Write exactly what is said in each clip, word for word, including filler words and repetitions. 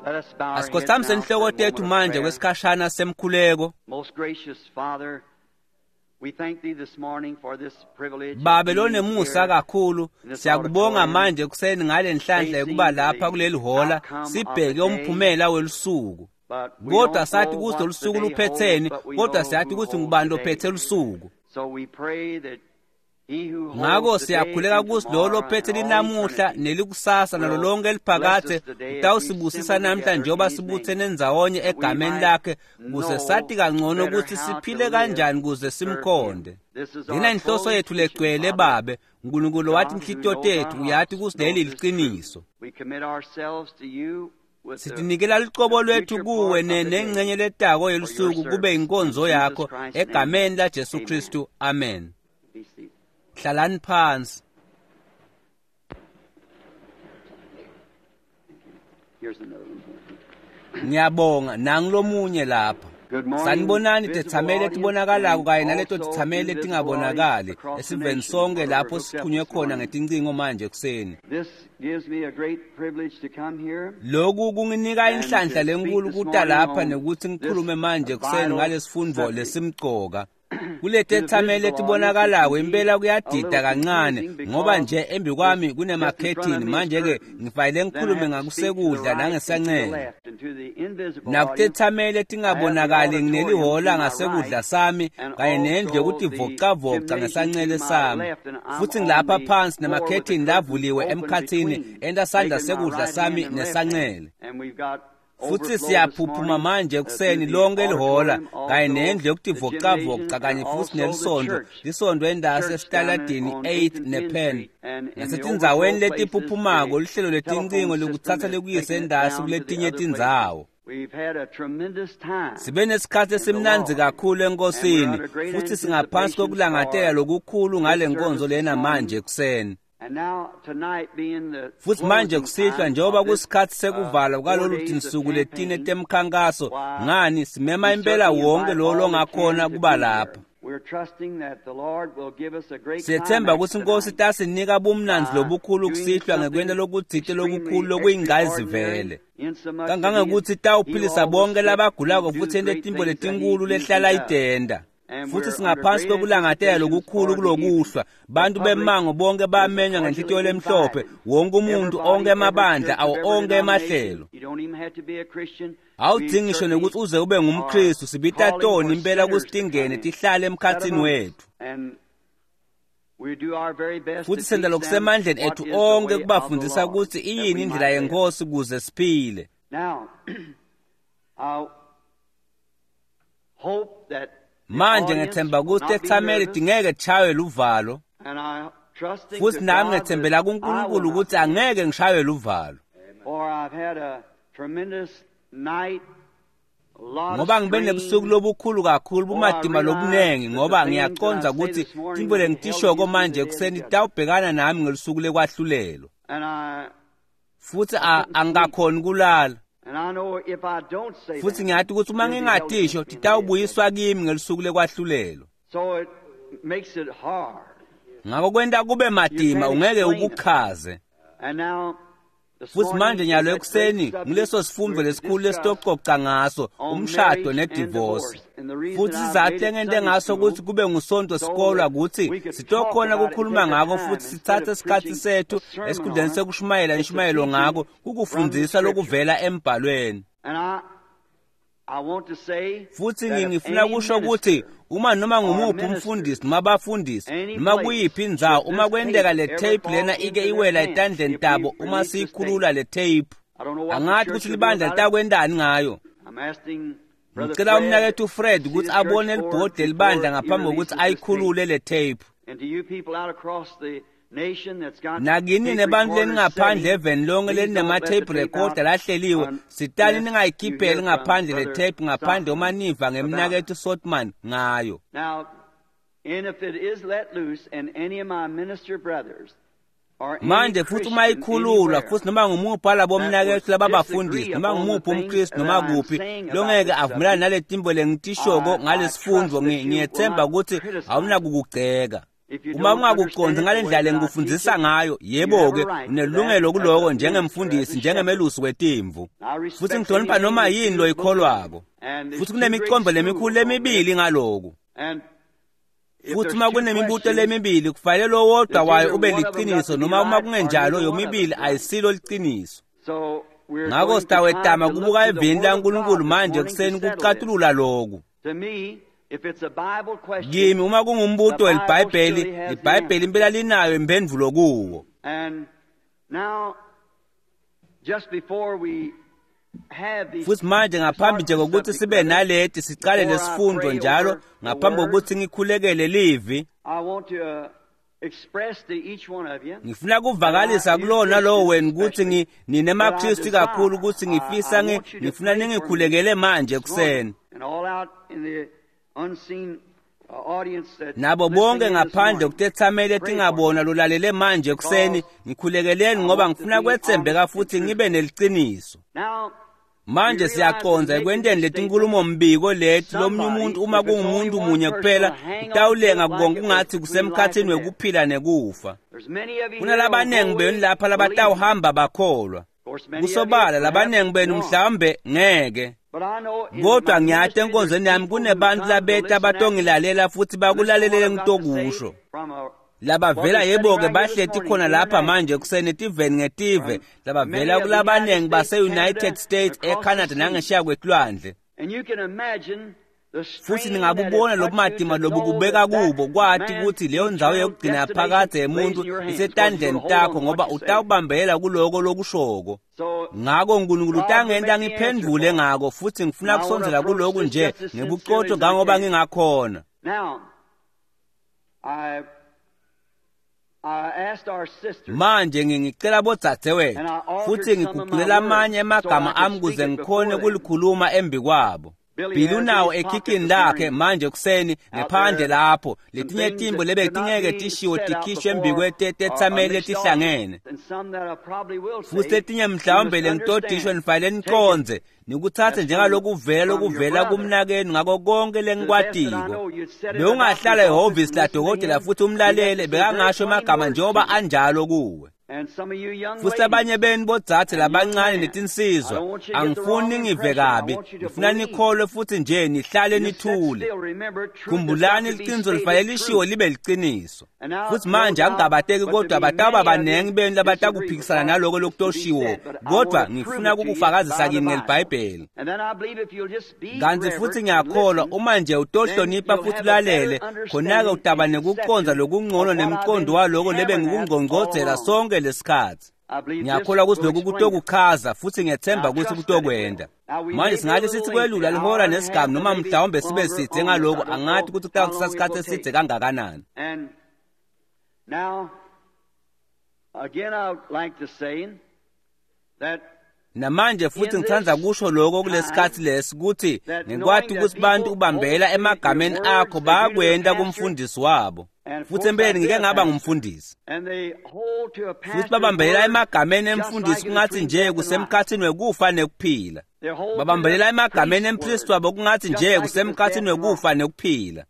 Asikhothamise inhloko tethu manje kwesikhashana semkhuleko. Most gracious Father, we thank thee this morning for this privilege. of Babe being lonemusa here kakhulu, in this siyakubonga auditorium, manje kuseni ngale nhlanhla yokuba lapha kuleli hola sibheke umphumela welusuku. But we Kodwa don't sathi know ukuthi what lolu the suku day luphetheni, holds, but we kodwa know siyathi who ukuthi holds ngubani the day. lophethe lusuku. So we pray that he who holds Ngakho the day siyakhuleka and ukuthi lo tomorrow lophethe and all linamuhla eternity nelikusasa nalo will lonke bless eliphakathe us today as we utawusibusisa assemble namhla together njengoba in his sibuthene name, ndzawonye that we egameni might lakhe kuze know sathi kangcono better ukuthi how to siphile live kanjani kuze to serve him. simkhonde. This is Lena our inhloso full yethu mission, legcwele Father. Babe, uNkulunkulu wathi God who inhlitiyo knows our tethu hearts uyati ukuthi leli knows this truth. liqiniso. We commit ourselves to you with the, Sitinikela lucobo the lwethu future kuwe part of ne the day nengxenye letako for your yelusuku kube service. In inkonzo Jesus yakho Christ's name, egameni laJesu amen. Kristu. Amen. Be seated. Hlalani phansi. Here's another one. Ngiyabonga nangilomunye lapha. Good morning, Sanibonani visible tethameli audience etibonakalako and kanye naleto also tithameli invisible letingabonakali audience across the esiveni nation sonke where we're lapho hooked up sithunywe this khona morning. ngetincingo manje ekuseni. This gives me a great privilege to come here Lokhu kunginika and inhlanhla to speak lenkulu this kuta morning lapha on nekuthi this ngikhulume manje ekuseni vital ngalesifundvo subject. lesimcoka. To the Kuletethameli visible audience, it letibonakalako can be impela a kuyadida little kancane confusing ngoba because nje embi this kwami just in front of kunemakhethini me is manje ke curtains. ngifanele Then I ngikhulume have to speak to the ngakusekudla right and to the nangesancele. left and to the invisible audience. Nakutethameli I have the letingabonakali auditorium to nginelihola my ngasekudla right sami and kanye nendlu also the yokutivocavoca gymnasium to ngesancele my sami. left, and I'm Futhi on ngilapha the phansi floor with the nemakhethini curtains lavuliwe open emkhathini between, enta sandla making my sekudla right hand sami and left hand. nesancele. And we've got Futhi overflow this siyaphuphuma morning manje uh, ekuseni through the lonke lihola auditorium, kanye also nendlu the yokutivocavoca gymnasium, and kanye futhi also the nelisondo church. lisondo endasi Church down in, esitaladini on eighth eighth and tenth nePenn. Street, and in the Nasetindzaweni overflow places, letiphuphumako the luhlelo letincingo telephone system lekutsatsa has lekuyise taken it endasi down to the kuletinye other places. tindzawo. We've had a tremendous time Sibe nesikhathi in the esimnandzi Lord, kakhulu and we're enkosini under great futhi singaphansi anticipation for kokulangatela lokukhulu ngale this nkonzo service this lena manje morning. ekuseni. And now tonight being the Futhi manje closing kusihlwa time njengoba of this kusikhathi uh, sekuvalwa four kwalolu days of tinsuku letine campaign, temkhankaso why ngani simema we impela certainly wonke invite lo all that longakhona can to kuba be lapha. here. We're trusting that the Lord will give us a great Siyethemba climax ukuthi inkosi tonight itasinika bumnandzi by lobukhulu doing kusihlwa ngekwenta something lokutsite lokukhulu extremely lokuyingqayizivele. extraordinary, insomuch that he, Kangangekuthi heal itawuphilisa all the bonke sick labagulako and do futhi the ente great tintfo things that he letinkulu usually lehlala does. itenda. And Futhi we're under singaphansi great kokulangatela anticipations lokukhulu for the evening. kulokuhlwa. The Bantu public bemango bonke is bamenywa ngenhlitiyo cordially lemhlophe, invited. wonke umuntu, onke Everybody, every emabandla, church of awo every onke denomination. emahlelo. You don't even have to be a Christian. We Awudzingi ngisho certainly nekuthi uze ube are ngumKristu, sibita calling toni for impela sinners kutsi to come tingene in, tihlale set emkhatsini among us. wethu. And we do our very best Futhi to senta teach them lokusemandleni what ethu is the onke way of the kubafundisa Lord, kutsi that iyini we indlela might live. yenkosi kuze siphile. Now, I hope that the Manje audience ngethemba will kutsi not be tethameli nervous, tingeke tishaywe luvalo. and I trusting Futhi to nami God that ngethembela I will kuNkulunkulu not ukuthi be nervous. angeke ngishaywe luvalo. For I've had a tremendous night, a lot of Ngoba ngibe nebusuku strain. lobukhulu kakhulu For I bumatima realize lobunengi that the ngoba things that I ngiyacondza say kutsi this morning tintfo will be held lengitishoko against me manje the day of ekuseni judgment. titawubhekana nami ngelusuku lekwahlulelwa. And I, Futhi I a- couldn't sleep. angikakhoni kulala. And I know if I don't say Futhi them, ngiyati ukuthi uma it'll be held ngingatisho against me in the day of titawubuyiswa judgment. kimi ngelusuku lekwahlulelwa. So it makes it hard. Ngakho kwenta kube You matima can't ungeke explain it. ukuchaze. And now, this Futhi morning manje is nyalo that great ekuseni subject nguleso sifundvo we're to lesikhulu discuss lesitococa ngaso on umshado marriage and nedivorce. divorce. And the reason Futhi I've sizathu made it lengente Sunday ngaso school ukuthi kube ngusonto so sikolwa that kutsi we could talk sitokhona about it and kukhuluma take the ngako time futhi instead sitsatse of isikhatsi preaching sethu a sermon esikhundleni on it. sekushumayela It's a inshumayelo teaching ngako from the kukufundzisa Scripture. lokuvela embhalweni. And I, I want to say Futhi that if ngifuna any kusho ukuthi minister uma noma or ngumuphi umfundisi ministers, noma abafundisi any noma place, kuyiphi indzawo should uma this kwenteka tape le ever tape fall lena ike into their iwela hands, etandleni if we tabo uma release this tape, siyikhulula le tape I don't know what the angathi church ukuthi will do libandla about it. litakwentani ngayo. I'm asking Brother Ngicela Fred umnakethu to Fred see ukuthi the church abone board libhodi before lelibandla he ngaphambi kokuthi releases this tape. ayikhulule le tape. And to you people out across the nation that's got Nakini tape nebantu recorders leningaphandle setting, eveni lonke please don't let the lelinema-tape tape out recorder lahleliwe sitani unless you ningayikhipheli hear from ngaphandle le Brother tape ngaphandle uma Sothmann niva about it. ngemnakethu Sotman ngayo. Now, and if it is let loose, and any of my minister brothers or any Manje futhi uma Christian ikhululwa anywhere futhi noma ngumuphi walabo that mnakethu would lababafundisi disagree noma upon the ngumuphi things umKristu that noma I'm kuphi saying about longeke this avumelane subject, nale timbo lengitishoko I, I ngalesifundvo trust that you will ngiyethemba not ukuthi criticize. awunakukugceka. Uma ungakucondzi ngale ndlela lengikufundzisa ngayo, yebo-ke, unelungelo kuloko njengemfundisi, njengemelusi wetimvu. Futsi ngihlonipha noma yini loyikholwako. Futsi kunemicondvo lemikhulu lemibili ngaloku. Futsi uma kunemibuto lemibili, kufanele lowodwa wayo ube liciniso, noma uma kungenjalo yomibili ayisilo liciniso. Ngako sitawetama kubuka evini laNkulunkulu manje ekuseni kucatulula loku. Kimi uma kungumbuto weliBhayibheli, iBhayibheli impela linayo imphendvulo kuwo. Futsi manje ngaphambi nje kokuthi sibe naleti sicale lesifundvo njalo, ngaphambi kokuthi ngikhulekele livi, ngifuna kuvakalisa kulona lowo wena ukuthi ninemaKristu kakhulu ukuthi ngifisa ngifuna ningikhulekele manje ekuseni. Nabo bonke ngaphandle kutethamele tingabona lolalele manje ekuseni, ngikhulekeleni ngoba ngifuna kwetsembeka futhi ngibe neliciniso. Manje siyacondza ekwenteni letinkulumo mbiko leti lomunye umuntu uma kungumuntu munye kuphela utawulenga konke kungathi kusemkhathini wekuphila nekufa. Kunalabanengi benu lapha labatawuhamba bakholwa. Kusobala labanengi benu mhlawumbe ngeke. Kodwa ngiyati enkonzweni yami kunebantu labeta batongilalela futhi bakulalelele ngitokusho. Labavela yebo-ke bahleti khona lapha manje ekuseni etiveni ngetive, labavela kulabanengi base-United States, eCanada nangesheya kwetilwandle. Futhi ningabubona lobumatima lobukubeka kubo, kwati ukuthi leyo ndzawo yokugcina yaphakadze yemuntu isetandleni takho ngoba utawubambelela kuloko lokushoko. Ngako uNkulunkulu utangenta ngiphendvule ngako futhi ngifuna kusondzela kuloku nje ngebuqotho ngangoba ngingakhona. Manje ngingicela bodzadzewethu futhi ngiguqulela amanye emagama ami kuze ngikhone kulikhuluma embi kwabo. Billy unawo ekhikhini lakhe manje ekuseni ngephandle lapho letinye timbo lebetingeke tishiwo tikhishwe embi kwetethameli letihlangene. Futhi letinye mhlawumbe lengitodishwe nifanele nicondze nikutsatse njengalokuvela lokuvela kumnakenu ngako konke lengikwatiko. Bewungahlala ehhovisi ladokotela futhi umlalele bekangasho emagama njengoba anjalo kuwe. Futhi abanye benu bodzadze labancane netinsizwa, angifuni ningive kabi, ngifuna nikholwe futhi nje nihlale nithule. Khumbulani liciniso lifanele lishiwo libe liciniso. Futhi manje angingabateki kodwa batawuba banengi benu labatakuphikisana naloko lokutoshiwo, kodwa ngifuna kukufakazisa kini ngeliBhayibheli. Kanti futhi ngiyakholwa uma nje utohlonipha futhi ulalele, khona-ke utaba nekucondza lokungcono nemcondo waloko lebe ngikungcongcodzela sonke lesikhathi. Ngiyakholwa ukuthi lokhu kutokuchaza futhi ngiyethemba ukuthi kutokwenda. Manje singathi sithi kwelula lihora nesigamu noma mhlawumbe sibe sidze ngalokhu, angathi ukuthi kutawuthatha isikhathi esidze kangakanani. Namanje futhi ngithanda kusho lokho kulesikhathi lesi ukuthi ngikwati ukuthi bantu ubambela emagameni akho bayakwenda kumfundisi wabo. Futhi empeleni ngike ngaba ngumfundisi. Futhi babambelela emagameni emfundisi kungathi nje kusemkhathini wekufa nekuphila. Babambelela emagameni empristi wabo kungathi nje kusemkhathini wekufa nekuphila.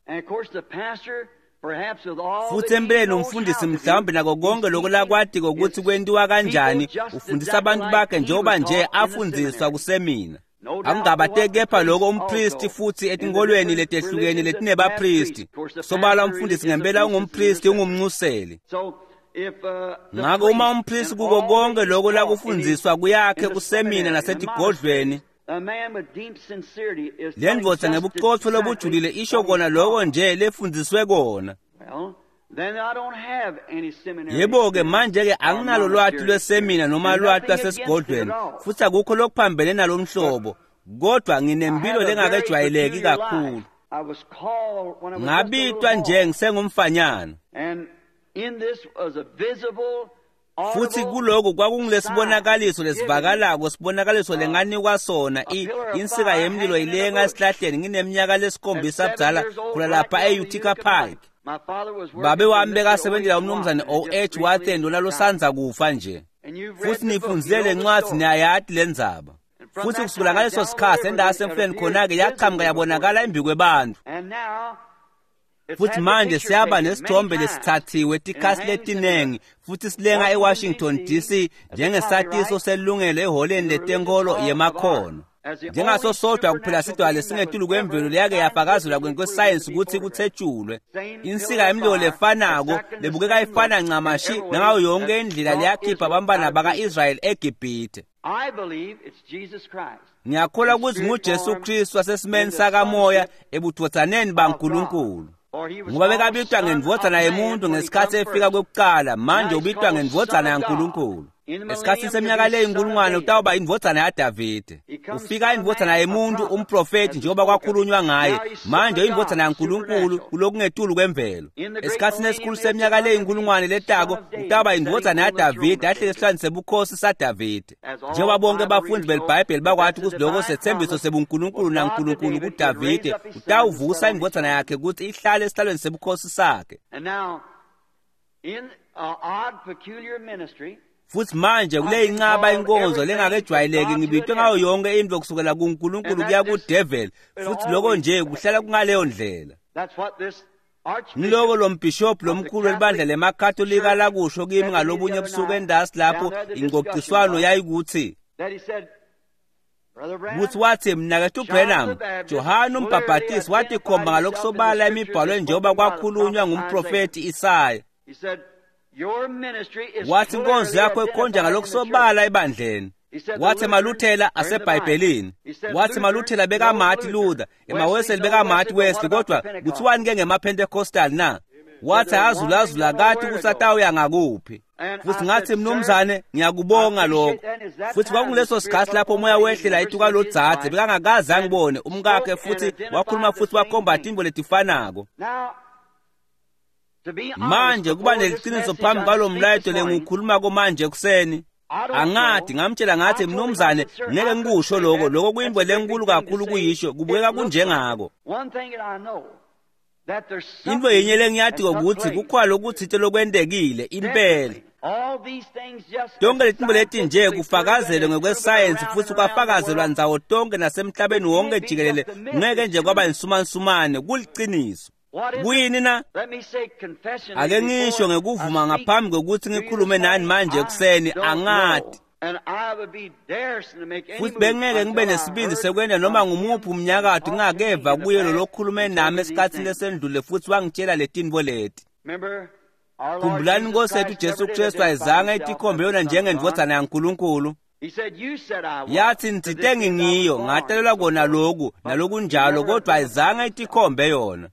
Futhi empeleni umfundisi mhlawumbe nako konke lokho lakwatiko ukuthi kwentiwa kanjani, ufundisa abantu bakhe njengoba nje afundziswa kusemina. Akungabateki kepha lokho umpristi futhi etinkolweni letehlukene letinebapristi. Sobala umfundisi ngempela ungumpristi, ungumncuseli. Ngako uma umpristi kuko konke lokho lakufundziswa kuyakhe kusemina nasetigodlweni, le ndvodza ngebuqotho lobujulile isho kona lokho nje lefundziswe kona. Yebo-ke manje-ke anginalo lwati lwesemina noma lwati lwasesigodlweni, futhi akukho lokuphambene nalomhlobo, kodwa nginempilo lengakejwayeleki kakhulu. Ngabitwa nje ngisengumfanyana. Futhi kuloko kwakungilesibonakaliso lesivakalako, sibonakaliso lenganikwa sona, insika yemlilo ilenga esihlahleni ngineminyaka lesikhombisa budzala khona lapha e-Utica Pike. Babe wami bekasebenzela umnumzane O H Wathen lona losandza kufa nje. Futhi nifundzile lencwadzi niyayati lendzaba. Futhi kusukela ngaleso sikhathi endawo yasemfuleni khona-ke yaqhamuka yabonakala embi kwebantfu. Futhi manje siyaba nesithombe lesithathiwe tikhathi letinengi futhi silenga eWashington D C njengesatiso selungelo eholeni letenkolo yemakhono. Njengaso sodwa kuphela sidwale lesingetulu kwemvelo leyake yafakazelwa kwesayensi ukuthi kuthetshulwe. Insika yemlilo lefanako lebukeka ifana ncamashi nangayo yonke indlela leyakhipha abantwana baka-Israyeli eGibhithe. Ngiyakholwa ukuthi nguJesu Kristu wasesimeni sakamoya ebudvodzaneni baNkulunkulu. Ngoba bekabitwa ngendvodzana yemuntu ngesikhathi efika kwekuqala, manje ubitwa ngendvodzana yaNkulunkulu. Esikhathini seminyaka leyinkulungwane utawuba indvodzana yaDavide. Ufika indvodzana yemuntu umprofeti njengoba kwakhulunywa ngaye, manje indvodzana yaNkulunkulu kulokungetulu kwemvelo. Esikhathini esikhulu seminyaka leyinkulungwane letako utawuba indvodzana yaDavide ahlele esihlalweni sebukhosi saDavide. Njengoba bonke abafundi beliBhayibheli bakwathi ukuthi lokho sethembiso sebuNkulunkulu naNkulunkulu kuDavide utawuvusa indvodzana yakhe ukuthi ihlale esihlalweni sebukhosi sakhe. In odd peculiar ministry, Futhi manje kule inqaba inkonzo lengakejwayeleki ngibitwe ngayo yonke into kusukela kuNkulunkulu kuya kuDevil, futhi lokho nje kuhlala kungaleyo ndlela. Ngiloko lo mbhishophu lomkhulu welibandla lemaKatolika lakusho kimi ngalobunye ebusuku endasi lapho ingcociswano yayikuthi kuthi wathi mnakethu Branham, Johane umbhabhatisi watikhomba ngalokusobala emibhalweni njengoba kwakhulunywa ngumprofethi Isaya. Wathi inkonzo yakho ikhonja ngalokusobala ebandleni. Wathi emaLuthela aseBhayibhelini. Wathi emaLuthela bekamathi Luther, emaWesley bekamathi Wesley, kodwa kuthiwani ke ngemaPentecostal na? Wathi azulazula kati ukuthi atawuya ngakuphi. Futhi ngathi mnumzane ngiyakubonga lokho. Futhi kwakunguleso sikhathi lapho umoya wehlela ituka lo dzadze bekangakaze angibone umkakhe, futhi wakhuluma futhi wakhomba tintfo letifanako. Manje kuba neliqiniso phambi kwalo mlayeto lengikhuluma manje ekuseni. Angathi ngamtshela ngathi mnumzane ngeke ngikusho lokho, lokho kuyimbo lenkulu kakhulu kuyisho, kubukeka kunjengako. Into yinye lengiyathi ukuthi kukhona lokuthite lokwentekile impela. Tonke letinto leti nje kufakazelwe ngokwesayensi futhi kwafakazelwa ndzawo tonke nasemhlabeni wonke jikelele, ngeke nje kwaba insumansumane, kuliciniso. Kuyini na? Ake ngisho ngekuvuma ngaphambi kokuthi ngikhulume nani manje ekuseni, angathi. Futhi bengeke ngibe nesibindi sekwenda noma ngumuphi umnyakato ngingakeva kuye lo lokhulume nami esikhathini lesendlule futhi wangitshela letintfo leti. Khumbulani Nkosi yethu Jesu Kristu ayizange itikhombe yona njengendvodzana yaNkulunkulu. Yathi ngitsite ngingiyo ngatalelwa kona loku nalokunjalo, kodwa ayizange itikhombe yona.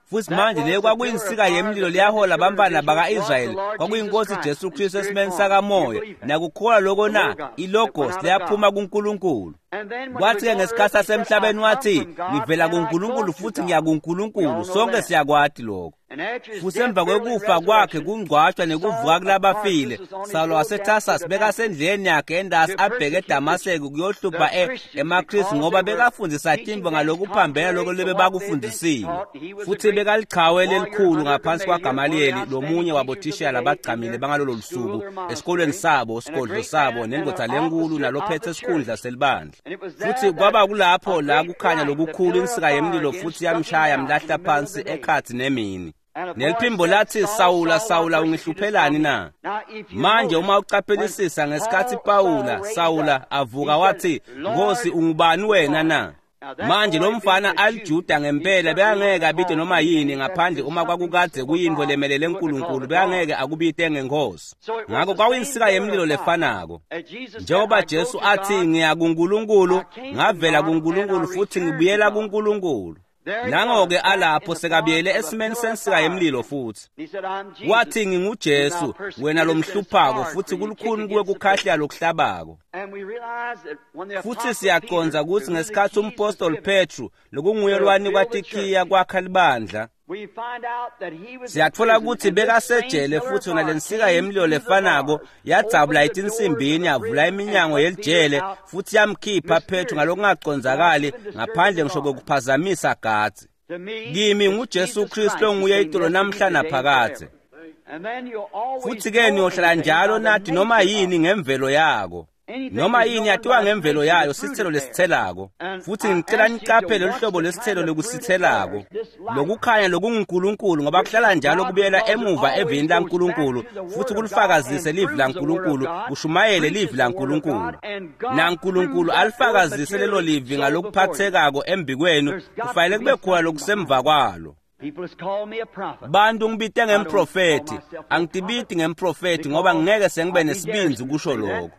Futhi manje leyo kwakuyinsika yemlilo liyahola abantwana baka-Israyeli, kwakuyinkosi Jesu Kristu esimeni sakamoya. Nakukholwa lokho na? Ilogos liyaphuma kuNkulunkulu. Kwathi-ke ngesikhathi sasemhlabeni wathi ngivela kuNkulunkulu futhi ngiya kuNkulunkulu, sonke siyakwati lokho. Futhi emva kwekufa kwakhe kungcwatshwa nekuvuka kulabafile, Saulo waseTarsus bekasendleleni yakhe endasi abheke eDamaseko kuyohlupha emaKristu ngoba bekafundisa tintfo ngalokuphambene lokho lebebakufundisiwe. Futhi bekalichawe lelikhulu ngaphansi kwaGamaliyeli, lomunye wabothishela labagcamile bangalolo lusuku esikolweni sabo, sigodlo sabo, nendvodza lenkulu nalophethe sikhundla selibandla. Futhi kwaba kulapho la kukhanya lokukhulu insika yemlilo futhi yamshaya mlahla phansi ekhathi nemini. Neliphimbo lathi Sawula, Sawula ungihluphelani na? Manje uma ucaphelisisa ngesikhathi Pawula Sawula avuka wathi Nkosi ungubani wena na? Manje lo mfana aliJuda ngempela bekangeke abide noma yini ngaphandle uma kwakukadze kuyintfo lemelele uNkulunkulu, bekangeke akubite ngenkosi. Ngakho kwakuyinsika yemlilo lefanako. Njengoba Jesu athi ngiya kuNkulunkulu, ngavela kuNkulunkulu futhi ngibuyela kuNkulunkulu. Nango-ke alapho sekabuyele esimeni sensika yemlilo futhi. Wathi nginguJesu wena lomhluphako futhi kulukhuni kuwe kukhahlela lokuhlabako. Futhi siyaqonza ukuthi ngesikhathi umpostoli Petru lokunguye lwanikwa tikhiya kwakha libandla, siyatfola ukuthi bekasejele futhi yona lensika yemlilo lefanako yadzabula etinsimbini yavula iminyango yelijele futhi yamkhipha Petru ngalokungacondzakali ngaphandle ngisho kokuphazamisa gadzi. Kimi nguJesu Kristu onguye itolo namhla naphakadze. Futhi ke niyohlala njalo nathi noma yini ngemvelo yako. Noma yini yatiwa ngemvelo yayo sitselo lesitselako. Futhi ngicela niqaphele luhlobo lwesitselo lokusitselako. Lokukhanya lokunguNkulunkulu ngoba kuhlala njalo kubuyela emuva evini laNkulunkulu futhi kulifakazise livi laNkulunkulu, kushumayele livi laNkulunkulu. NaNkulunkulu alifakazise lelo livi ngalokuphathekako embikwenu, kufanele kube khona lokusemva kwalo. Bantu ngibite ngemprofethi, angitibiti ngemprofethi ngoba ngeke sengibe nesibindzi kusho lokho.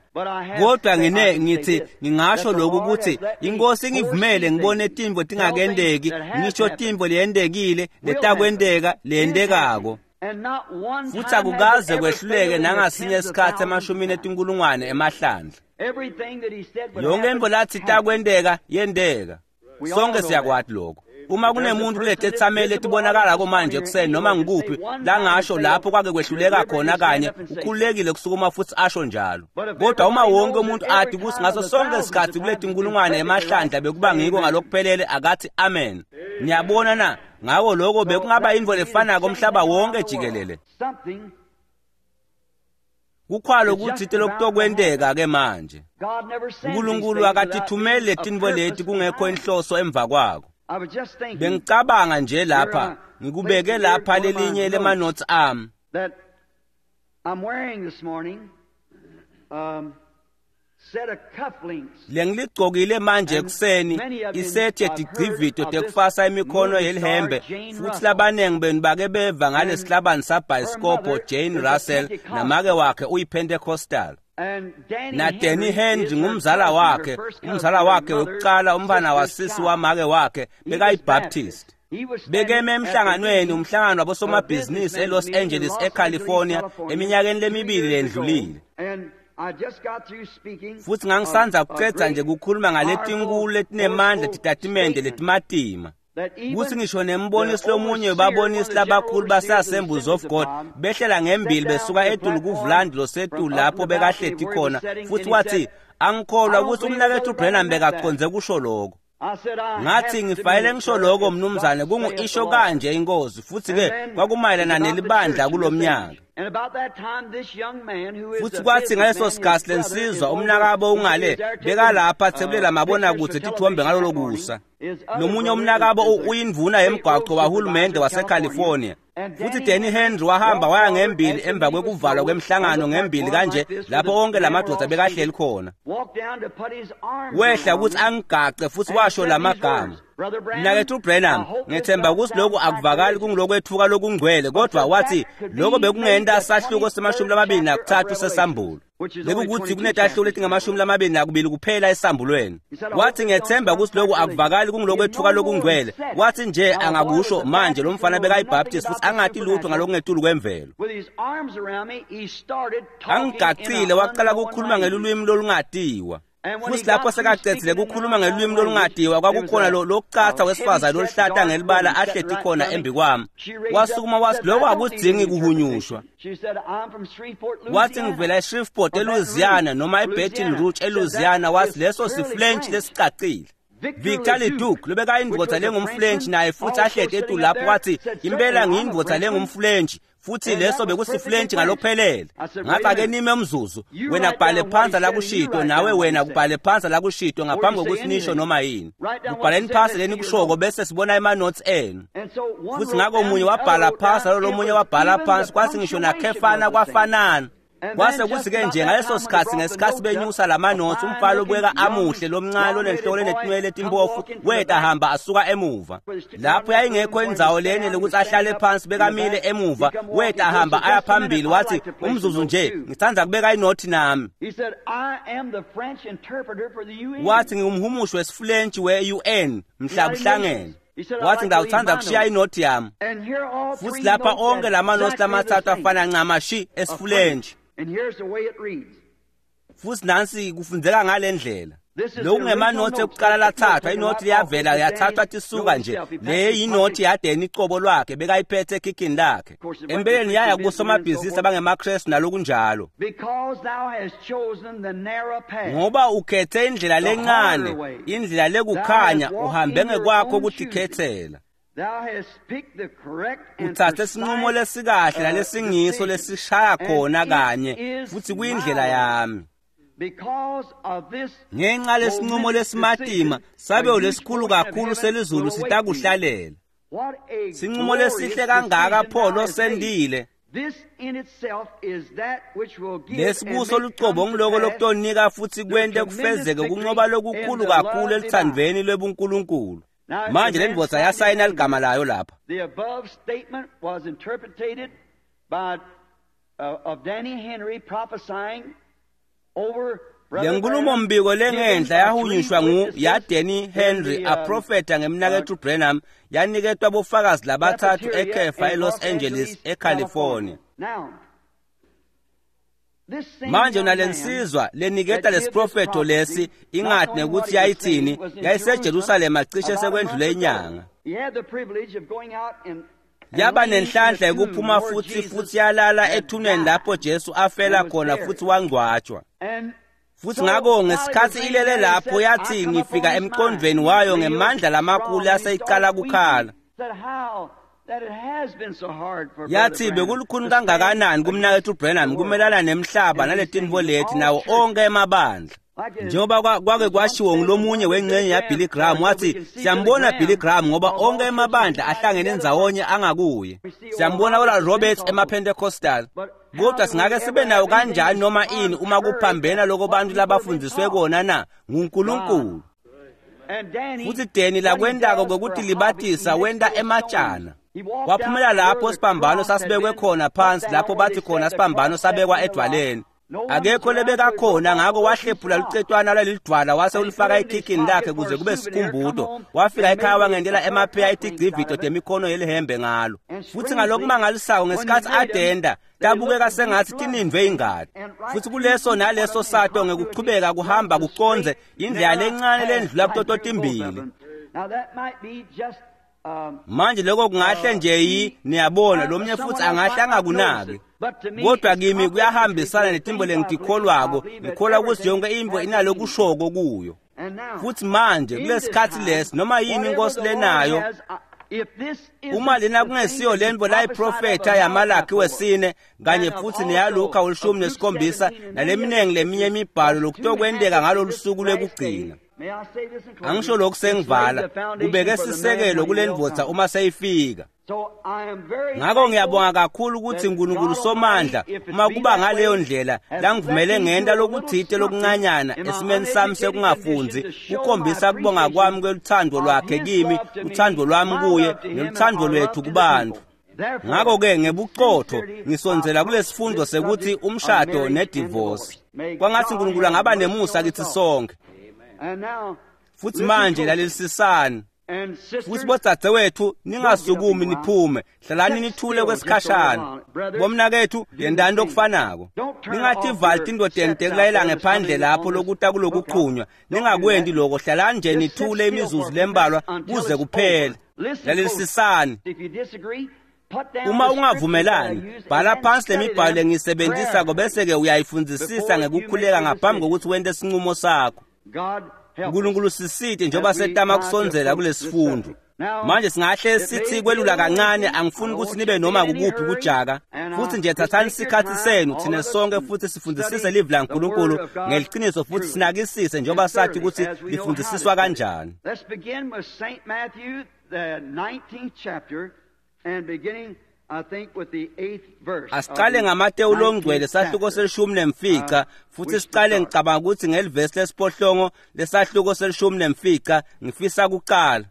Kodwa ngine ngithi ngingasho lokhu ukuthi inkosi ingivumele ngibone tintfo tingakendeki, ngisho tintfo leyendekile, letakwenteka, leyentekako. Futhi akukaze kwehluleke nangasinye isikhathi emashumini etinkulungwane emahlandla. Yonke intfo lathi itakwenteka yenteka. Sonke siyakwati lokho. Uma kunemuntu kuletetsameli letibonakalako manje ekuseni noma ngikuphi langasho lapho kwake kwehluleka khona kanye ukhululekile kusukuma futhi asho njalo. Kodwa uma wonke umuntu athi kuthi ngaso sonke isikhathi kuletinkulungwane emahlandla bekuba ngiko ngalokuphelele akathi amen. Niyabona na? Ngako lokho bekungaba intfo lefanako umhlaba wonke jikelele. Kukhwalo kutsite lokutokwenteka ke manje. uNkulunkulu akatithumeli letintfo leti kungekho inhloso emva kwako. Bengicabanga nje lapha ngikubeke lapha lelinye lemanotes ami lengiligcokile manje ekuseni isethi yetigcivito tekufasa imikhono yelihembe futhi labanengi benu bake beva ngalesihlabani sabhayisikobho Jane Russell namake wakhe uyiPentecostal. Na Danny Henry ngumzala wakhe, umzala wakhe wekucala umfana wasisi wamake wakhe bekayiBaptist. Bekeme emhlanganweni umhlangano wabosomabhizinisi eLos Angeles eCalifornia eminyakeni lemibili lendlulile. Futhi ngangisanza kucedza nje kukhuluma ngaletinkulu letinemandla titatimende letimatima. Kuthi ngisho nembonisi lomunye webabonisi labakhulu base-Assemblies of God behlela ngembili besuka etulu kuvulandi losetulu lapho bekahleti khona futhi wathi angikholwa ukuthi umnakethu Branham bekaconze kusho lokho. Ngathi ngifanele ngisho lokho mnumzane kungu-isho kanje inkosi futhi-ke kwakumayelana nelibandla kulomnyaka. Futhi kwathi ngaleso sikhathi lensizwa umnakabo ungale bekalapha athebulela mabonakudze tithombe ngalolo kusa. Nomunye umnakabo uyindvuna yemgwaqo wahulumende waseCalifornia. Futhi Danny Henry wahamba waya ngembili emva kwekuvalwa kwemhlangano ngembili kanje lapho onke lamadoda bekahleli khona. Wehla ukuthi angigace futhi washo lamagama. Mnakethu Branham, ngethemba ukuthi lokhu akuvakali kungulokwethuka lokungcwele kodwa wathi lokho bekungenta sahluko semashumi lamabili nakuthathu sesambulo. Bekukuthi kunetahluko letingamashumi lamabili nakubili kuphela esambulweni. Wathi ngethemba ukuthi lokhu akuvakali kungulokwethuka lokungcwele. Wathi nje angakusho manje lo mfana bekayiBaptist futhi angathi lutho ngalokungetulu kwemvelo. Angigacile waqala ukukhuluma ngelulwimi lolungatiwa. Futhi lapho sekacedzile kukhuluma ngelulwimi lolungadiwa kwakukhona lokucatha wesifazane loluhlata ngelibala ahleti khona embi kwami. Wasukuma wathi lokho akudzingi kuhunyushwa. Wathi ngivela eShreveport eLouisiana noma eBaton Rouge eLouisiana wathi leso siFrench lesicacile. Victor Leduc lobekayindvodza lengumFrench naye futhi ahleti etulu lapho wathi impela ngiyindvodza lengumFrench futhi leso bekusiFrench ngalokuphelele. Ngathi ake nime umzuzu wena kubhale phansi la kushito nawe wena kubhale phansi la kushito ngaphambi kokuthi nisho noma yini. Kubhaleni phansi leni kushoko bese sibona ema-notes enu. Futhi ngako omunye wabhala phansi nalo lomunye wabhala phansi kwathi ngisho nakhefana kwafanana. Kwase kuthi-ke nje ngaleso sikhathi ngesikhathi benyusa lamanothi umfana obukeka amuhle lomncane onenhloko lenetinwele letimpofu weta hamba asuka emuva. Lapho yayingekho indzawo lenele ukuthi ahlale phansi bekamile emuva weta hamba aya phambili wathi umzuzu nje ngithanda kubeka inothi nami. Wathi ngingumhumushi wesiFrench we-U N mhla kuhlangene. Wathi ngawuthanda kushiya inothi yami. Futhi lapha onke lamanothi lamathathu afana ncamashi esiFrench. Futhi nansi kufundzeka ngale ndlela. Lokhu ngemanothi ekuqala lathathwa inothi liyavela yathathwa tisuka nje le yinothi yadeni icobo lwakhe bekayiphethe ekhikhini lakhe. Empeleni yaya kusomabhizinisi abangemaKrestu nalokunjalo. Ngoba ukhethe indlela lencane, indlela lekukhanya uhambe ngekwakho ukutikhethela. Uthathe isinqumo lesikahle nalesingiso lesishaya khona kanye futhi kuyindlela yami. Ngenxa lesinqumo lesimatima sabelo lesikhulu kakhulu selizulu sitakuhlalela. Sinqumo lesihle kangaka pho losendile. Lesibuso lucobo ngiloko lokutonika futsi kwente kufezeke kunqoba lokukhulu kakhulu eluthandvweni lwebuNkulunkulu. Manje le ndvodza yasayina ligama layo lapha. The above statement was interpreted by uh, of Danny Henry prophesying over Le nkulumombiko lengenhla yahunyushwa ngu yaDanny Henry aprofetha ngemnaketfu Branham yaniketwa bofakazi labathathu ekhefa eLos Angeles eCalifornia. Manje nalensizwa leniketa lesiprofetho lesi ingathi nekuthi yayithini yayiseJerusalema cishe sekwendlule inyanga. Yaba nenhlanhla yokuphuma futhi futhi yalala ethuneni lapho Jesu afela khona futhi wangcwatshwa. Futhi ngako ngesikhathi ilele lapho yathi ngifika emqondweni wayo ngemandla lamakhulu yaseyicala kukhala. Yathi bekulukhuni kangakanani kumnaketfu Branham kumelana nemhlaba naletinvo leti nawo onke emabandla. Njengoba kwake kwashiwo ngulomunye wengcenye yaBilly Graham wathi siyambona Billy Graham ngoba onke emabandla ahlangene ndzawonye angakuye. Siyambona Oral Roberts emaPentecostal. Kodwa singake sibe nayo kanjani noma ini uma kuphambena lokho bantu labafundiswe kona na nguNkulunkulu. Futhi Danny lakwendako kokuthi libatisa wenta ematshana. Waphumela lapho sibambano sasibekwe khona phansi lapho bathi khona sibambano sabekwa edwaleni. Akekho lebeka khona ngako wahlephula lucetwana lwalelidwala wase ulifaka ekhikhini lakhe kuze kube sikhumbuto. Wafika ekhaya wangendela emapheya etigcivito temikhono yelihembe ngalo. Futhi ngalokumangalisayo ngesikhathi adenda tabukeka sengathi tinindwe ingadi. Futhi kuleso naleso sato ngekuchubeka kuhamba kuconze indlela lencane lendlula kutoto timbili. Manje lokho kungahle nje yi niyabona lomnye futhi angahle angakunaki. Kodwa kimi kuyahambisana netimbo lengitikholwako ngikholwa ukuthi yonke into inalokushoko kuyo. Futhi manje kulesikhathi lesi noma yini inkosi lenayo uma lena kungesiyo lento layiprofetha yaMalaki wesine kanye futhi neyaLuka welishumi nesikhombisa naleminingi leminye imibhalo lokutokwenteka ngalolu suku lwekugcina. Angisho lokhu sengivala kubeke sisekelo kule ndvodza uma seyifika. Ngakho ngiyabonga kakhulu ukuthi uNkulunkulu Somandla uma kuba ngaleyo ndlela langivumele ngenta lokuthite lokuncanyana esimeni sami sekungafunzi kukhombisa kubonga kwami kweluthando lwakhe kimi, uthando lwami kuye neluthando lwethu kubantu. Ngakho-ke ngebuqotho ngisondzela kulesifundo sekuthi umshado nedivorce. Kwangathi uNkulunkulu angaba nemusa kithi sonke. Futhi manje lalelisisani. Futhi bodzadzewethu ningasukumi niphume, hlalani nithule kwesikhashana. Bomnakethu yendani lokufanako. Ningativali tindodeni tekulayela ngephandle lapho lokuta kulokuqhunywa. Ningakwendi lokho, hlalani nje nithule imizuzu lembalwa kuze kuphele. Lalelisisani. Uma ungavumelani, bhala phansi lemibhalo engiyisebenzisako bese-ke uyayifundzisisa ngekukhuleka ngaphambi kokuthi wente sinqumo sakho. uNkulunkulu sisite njengoba setama kusondzela kulesifundo. Manje singahle sithi kwelula kancane, angifuni ukuthi nibe noma kukuphi kujaka. Futhi nje thathani isikhathi senu thina sonke futhi sifundisise livi laNkulunkulu ngeliqiniso futhi sinakisise njengoba sathi ukuthi lifundisiswa kanjani. Let's begin with Saint Matthew the nineteenth chapter and beginning I think with the eighth verse. Asiqale ngaMateyu longcwele sahluko selishumi nemfica futhi siqale ngicabanga ukuthi ngelivesi lesiphohlongo lesahluko selishumi nemfica ngifisa kuqala.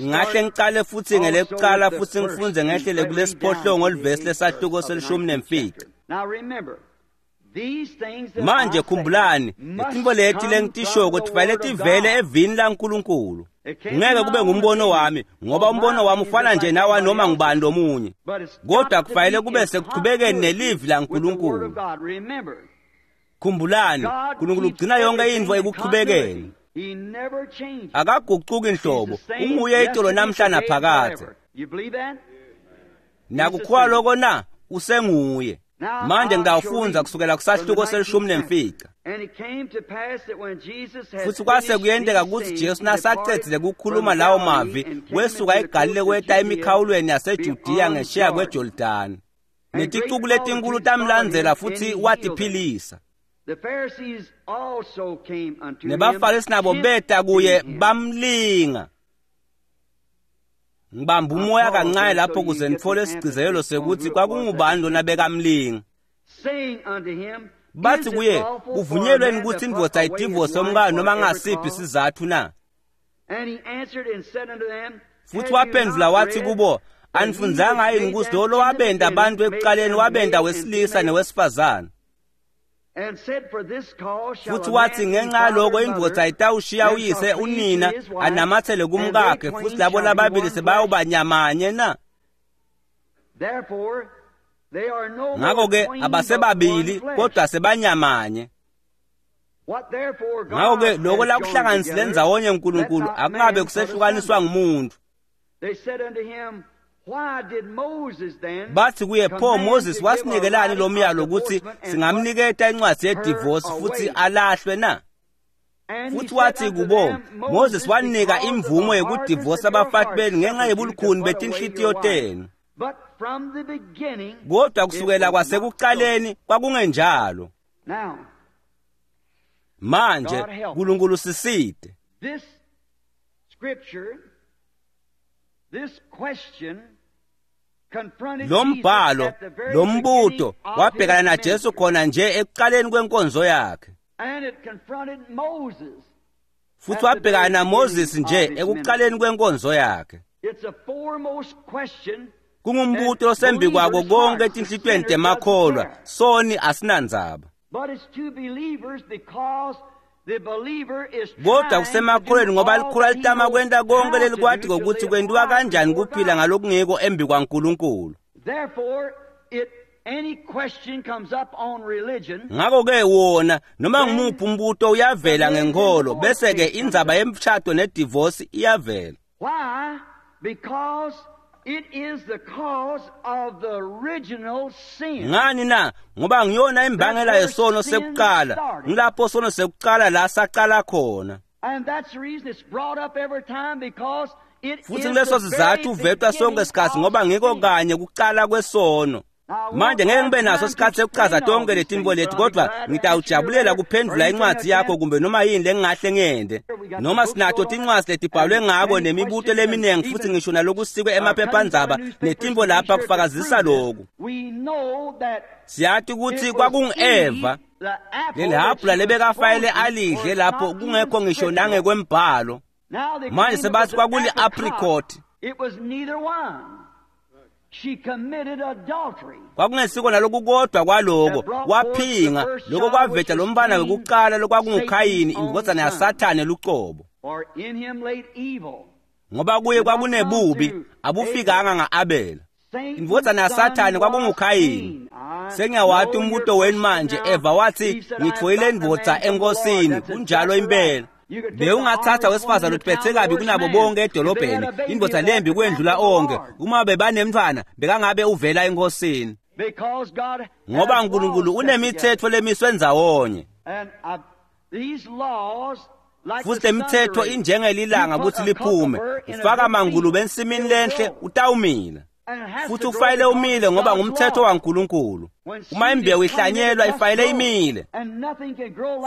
Ngingahle ngiqale futhi ngelekuqala futhi ngifunde ngehlele kulesiphohlongo livesi lesahluko selishumi nemfica. Manje khumbulani, letinto leti lengitishoko tifanele tivele evini laNkulunkulu. Ngeke kube ngumbono wami ngoba umbono wami ufana nje nawa noma ngubani lomunye. Kodwa kufanele kube sekuchubekeni nelivi laNkulunkulu. Khumbulani, uNkulunkulu ugcina yonke into ekuchubekeni. Akaguquki inhlobo, unguye itolo namhla naphakadze. Nakukholwa lokho na usenguye. Manje ngitawufundza kusukela kusahluko selishumi nemfica. Futhi kwase kuyenteka ukuthi Jesu nasacedzile kukhuluma lawo mavi wesuka eGalile weta emikhawulweni yaseJudiya ngesheya kweJordani. Neticuku letinkulu tamlandzela futhi watiphilisa. Nebafarisi nabo beta kuye bamlinga. Ngibamba umoya kancane lapho kuze ngitfole isigcizelelo sekuthi kwakungubani lona bekamlinga. Bathi kuye, kuvunyelweni ukuthi indvodza idivose umkayo noma ngasiphi isizathu na? Futhi waphendvula wathi kubo, anifundzanga yini ukuthi lo lowabenda abantu ekuqaleni wabenda wesilisa newesifazane? Futhi wathi ngenxa yaloko indvodza itawushiya uyise unina anamathele kumkakhe, futhi labo lababili sebayawubanyamanye na? Ngakho-ke abasebabili kodwa sebanyamanye. Ngakho-ke lokho lakuhlanganisile ndzawonye uNkulunkulu akungabe kusehlukaniswa ngumuntu. Bathi kuye, pho Moses wasinikelani lo myalo ukuthi singamniketa incwadi yedivorce futhi alahlwe na? Futhi wathi kubo, Moses wanika imvumo yokudivorce abafati benu ngenxa yobulukhuni betinhlitiyo tenu. Kodwa kusukela kwasekuqaleni kwakungenjalo. Manje uNkulunkulu siside. Lo mbhalo, lo mbuto wabhekana naJesu khona nje ekuqaleni kwenkonzo yakhe. Futhi wabhekana naMoses nje ekuqaleni kwenkonzo yakhe. Kungumbuto osembi kwako konke etinhlitweni temakholwa, soni asinandzaba. Kodwa kusemakholweni ngoba likhula litama kwenta konke lelikwati ngokuthi kwentiwa kanjani kuphila ngalokungiko embi kwaNkulunkulu. Ngakho-ke wona noma ngumuphi umbuto uyavela ngenkholo, bese-ke indzaba yemshado nedivosi iyavela. Ngani na? Ngoba ngiyona imbangela yesono sekuqala. Ngilapho sono sekuqala la saqala khona. Futhi kuleso sizathu uvetwa sonke isikhathi ngoba ngiko kanye kuqala kwesono. Manje ngeke ngibe naso isikhathi sekuchaza tonke letinto leti, kodwa ngitawujabulela kuphendvula incwadi yakho kumbe noma yini lengingahle ngiyente. Noma sinato tincwadzi letibhalwe ngako nemibuto leminingi futhi ngisho nalokusikwe emaphephandzaba netinto lapha kufakazisa lokhu. Siyati ukuthi kwakungu-Eva leli hhabhula lebekafayele alidle lapho kungekho ngisho nangekwembhalo. Manje sebathi kwakuli-apricot. Kwakungesiko naloku kodwa kwaloko waphinga lokho kwaveta lo mfana wekuqala lokwakunguKhayini indvodzana yaSathane lucobo. Ngoba kuye kwakunebubi abufikanga nga-Abela. Indvodzana yaSathane kwakunguKhayini. Sengiyawati umbuto wenu manje. Eva wathi ngitfoyile indvodza enkosini. Kunjalo impela. Bewungathatha wesifazane uthiphethe kabi kunabo bonke edolobheni, indvodza lembi kwendlula onke. Uma bebanemntfwana bekangabe uvela enkosini. Ngoba uNkulunkulu unemithetho lemiswe ndzawonye. Futhi lemithetho injengelilanga ukuthi liphume. Ufaka mangulube ensimini lenhle utawumila. Futhi ufayile umile ngoba ngumthetho waNkulunkulu. Uma imbewu ihlanyelwa ifayile imile.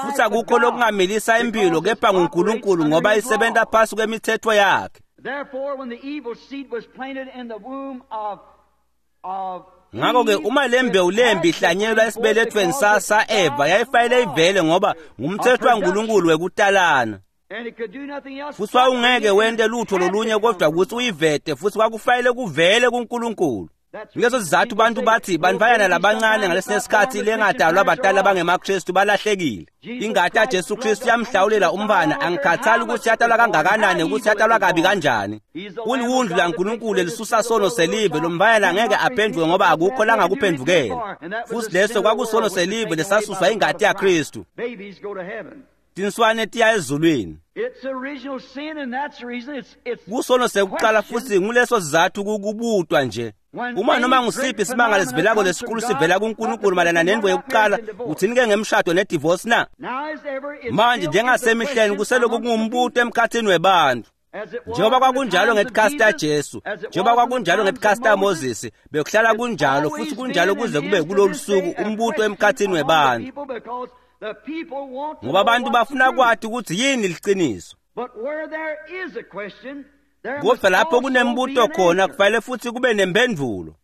Futhi akukho lokungamilisa impilo kepha nguNkulunkulu ngoba isebenta phasi kwemithetho yakhe. Ngakho-ke uma le mbewu lembi ihlanyelwa esibelethweni sa-Eva yayifayile ivele ngoba ngumthetho waNkulunkulu wekutalana. Futhi wawungeke wente lutho lolunye kodwa ukuthi uyivete, futhi kwakufayele kuvele kuNkulunkulu. Ngaleso sizathu bantu bathi bantfwanyana labancane ngalesinye isikhathi lengadalwa abadala abangemaKristu balahlekile. Ingati yaJesu Kristu yamhlawulela umntfwana, angikhathali ukuthi yatalwa kangakanani ukuthi yatalwa kabi kanjani. Uliwundlu laNkulunkulu elisusa sono selive, lo mntfwanyana angeke aphenduke ngoba akukho langakuphendukela. Futhi leso kwakusono selive lesasuswa ingati yaKristu. Tinswane tiya ezulwini. Kusono sekuqala futhi nguleso sizathu kukubutwa nje. Uma noma ngusiphi isimanga lesivelako lesikhulu sivela kuNkulunkulu mayelana nendvo yokuqala, uthini-ke ngemshado nedivorce na? Manje njengasemihleni kuseloku kungumbuto emkhathini webantu. Njengoba kwakunjalo ngetikhathi taJesu, njengoba kwakunjalo ngetikhathi taMoses, bekuhlala kunjalo futhi kunjalo kuze kube kulolu suku umbuto emkhathini webantu. Ngoba abantu bafuna kwati ukuthi yini liciniso. Kodwa lapho kunembuto khona kufanele futhi kube nemphendvulo.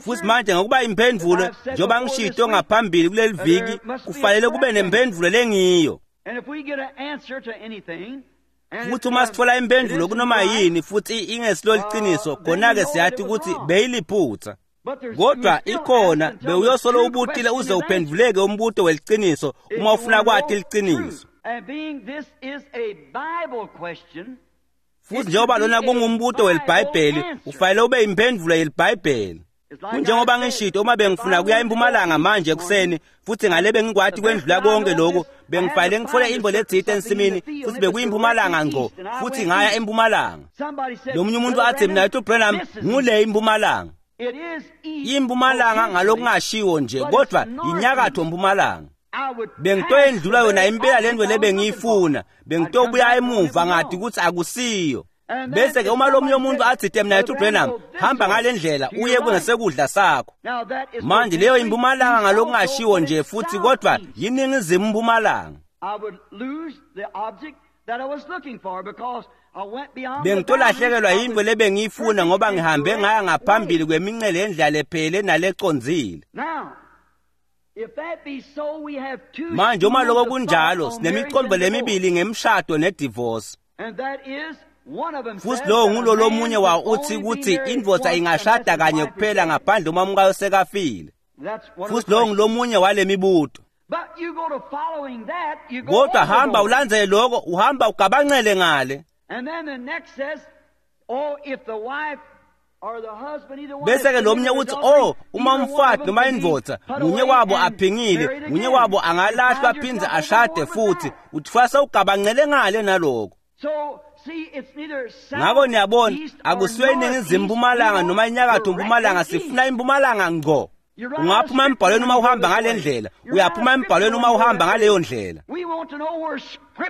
Futhi manje ngokuba imphendvulo njengoba ngishito ngaphambili kuleli viki kufanele kube nemphendvulo lengiyo. Futhi uma sithola imphendvulo kunoma yini futhi ingesilo liciniso khona-ke siyathi ukuthi beyiliphutha. Kodwa ikhona bewuyosolo ubutile uze uphendvuleke umbuto weliciniso uma ufuna kwati liciniso. Futhi njengoba lona kungumbuto welibhayibheli ufanele ube imphendvulo yelibhayibheli. Kunjengoba ngishito uma bengifuna kuya empumalanga manje ekuseni futhi ngale bengikwati kwendlula konke lokhu bengifanele ngifole intfo letsite ensimini futhi bekuyimpumalanga ngco futhi ngaya empumalanga. Lomunye umuntu athi mina ethi Branham ngule impumalanga. Impumalanga ngalokungashiwo nje kodwa inyakatho mpumalanga. Bengitoyendlula yona impela lento lebengiyifuna bengitobuya emuva ngathi ukuthi akusiyo. Bese ke uma lomunye umuntu athi mina ethi Branham hamba ngale ndlela uye kungesekudla sakho. Manje leyo impumalanga ngalokungashiwo nje futhi kodwa yiningizimu impumalanga. Bengitolahlekelwa yintfo lebengiyifuna ngoba ngihambe ngaya ngaphambili kwemincele yendlela lephele nalecondzile. Manje uma lokho kunjalo sinemiqondo lemibili ngemshado nedivorce. Futhi lowo ngulo lomunye wawo uthi ukuthi indvodza ingashada kanye kuphela ngaphandle uma umkayo sekafile. Futhi lowo ngulomunye wale mibuto. Kodwa hamba ulandzele lokho uhamba ugabancele ngale. Bese ke lomnye uthi oh uma umfati noma indvodza munye wabo aphingile munye wabo angalahlwa aphindze ashade futhi uthwasa ugabancele ngale naloko. Ngako niyabona akusiyo iningizimu mpumalanga noma inyakatho mpumalanga sifuna impumalanga ngco. Ungaphuma embhalweni uma uhamba ngale ndlela uyaphuma embhalweni uma uhamba ngaleyo ndlela.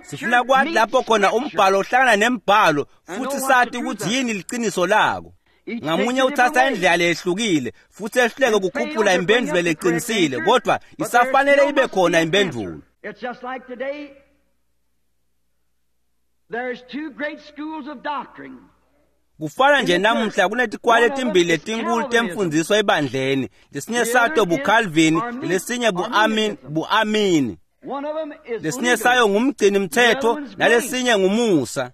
Sifuna kwathi lapho khona umbhalo uhlangana nembhalo futhi sathi ukuthi yini liciniso lako. Ngamunye uthatha indlela lehlukile futhi ehluleke ukukhuphula imphendvulo leqinisile kodwa isafanele ibe khona imphendvulo. Kufana nje namuhla kunetikwali etimbili letinkulu temfundziso ebandleni lesinye sato buCalvin lesinye buAmin buAmini. Lesinye sayo ngumgcini mthetho nalesinye ngumusa.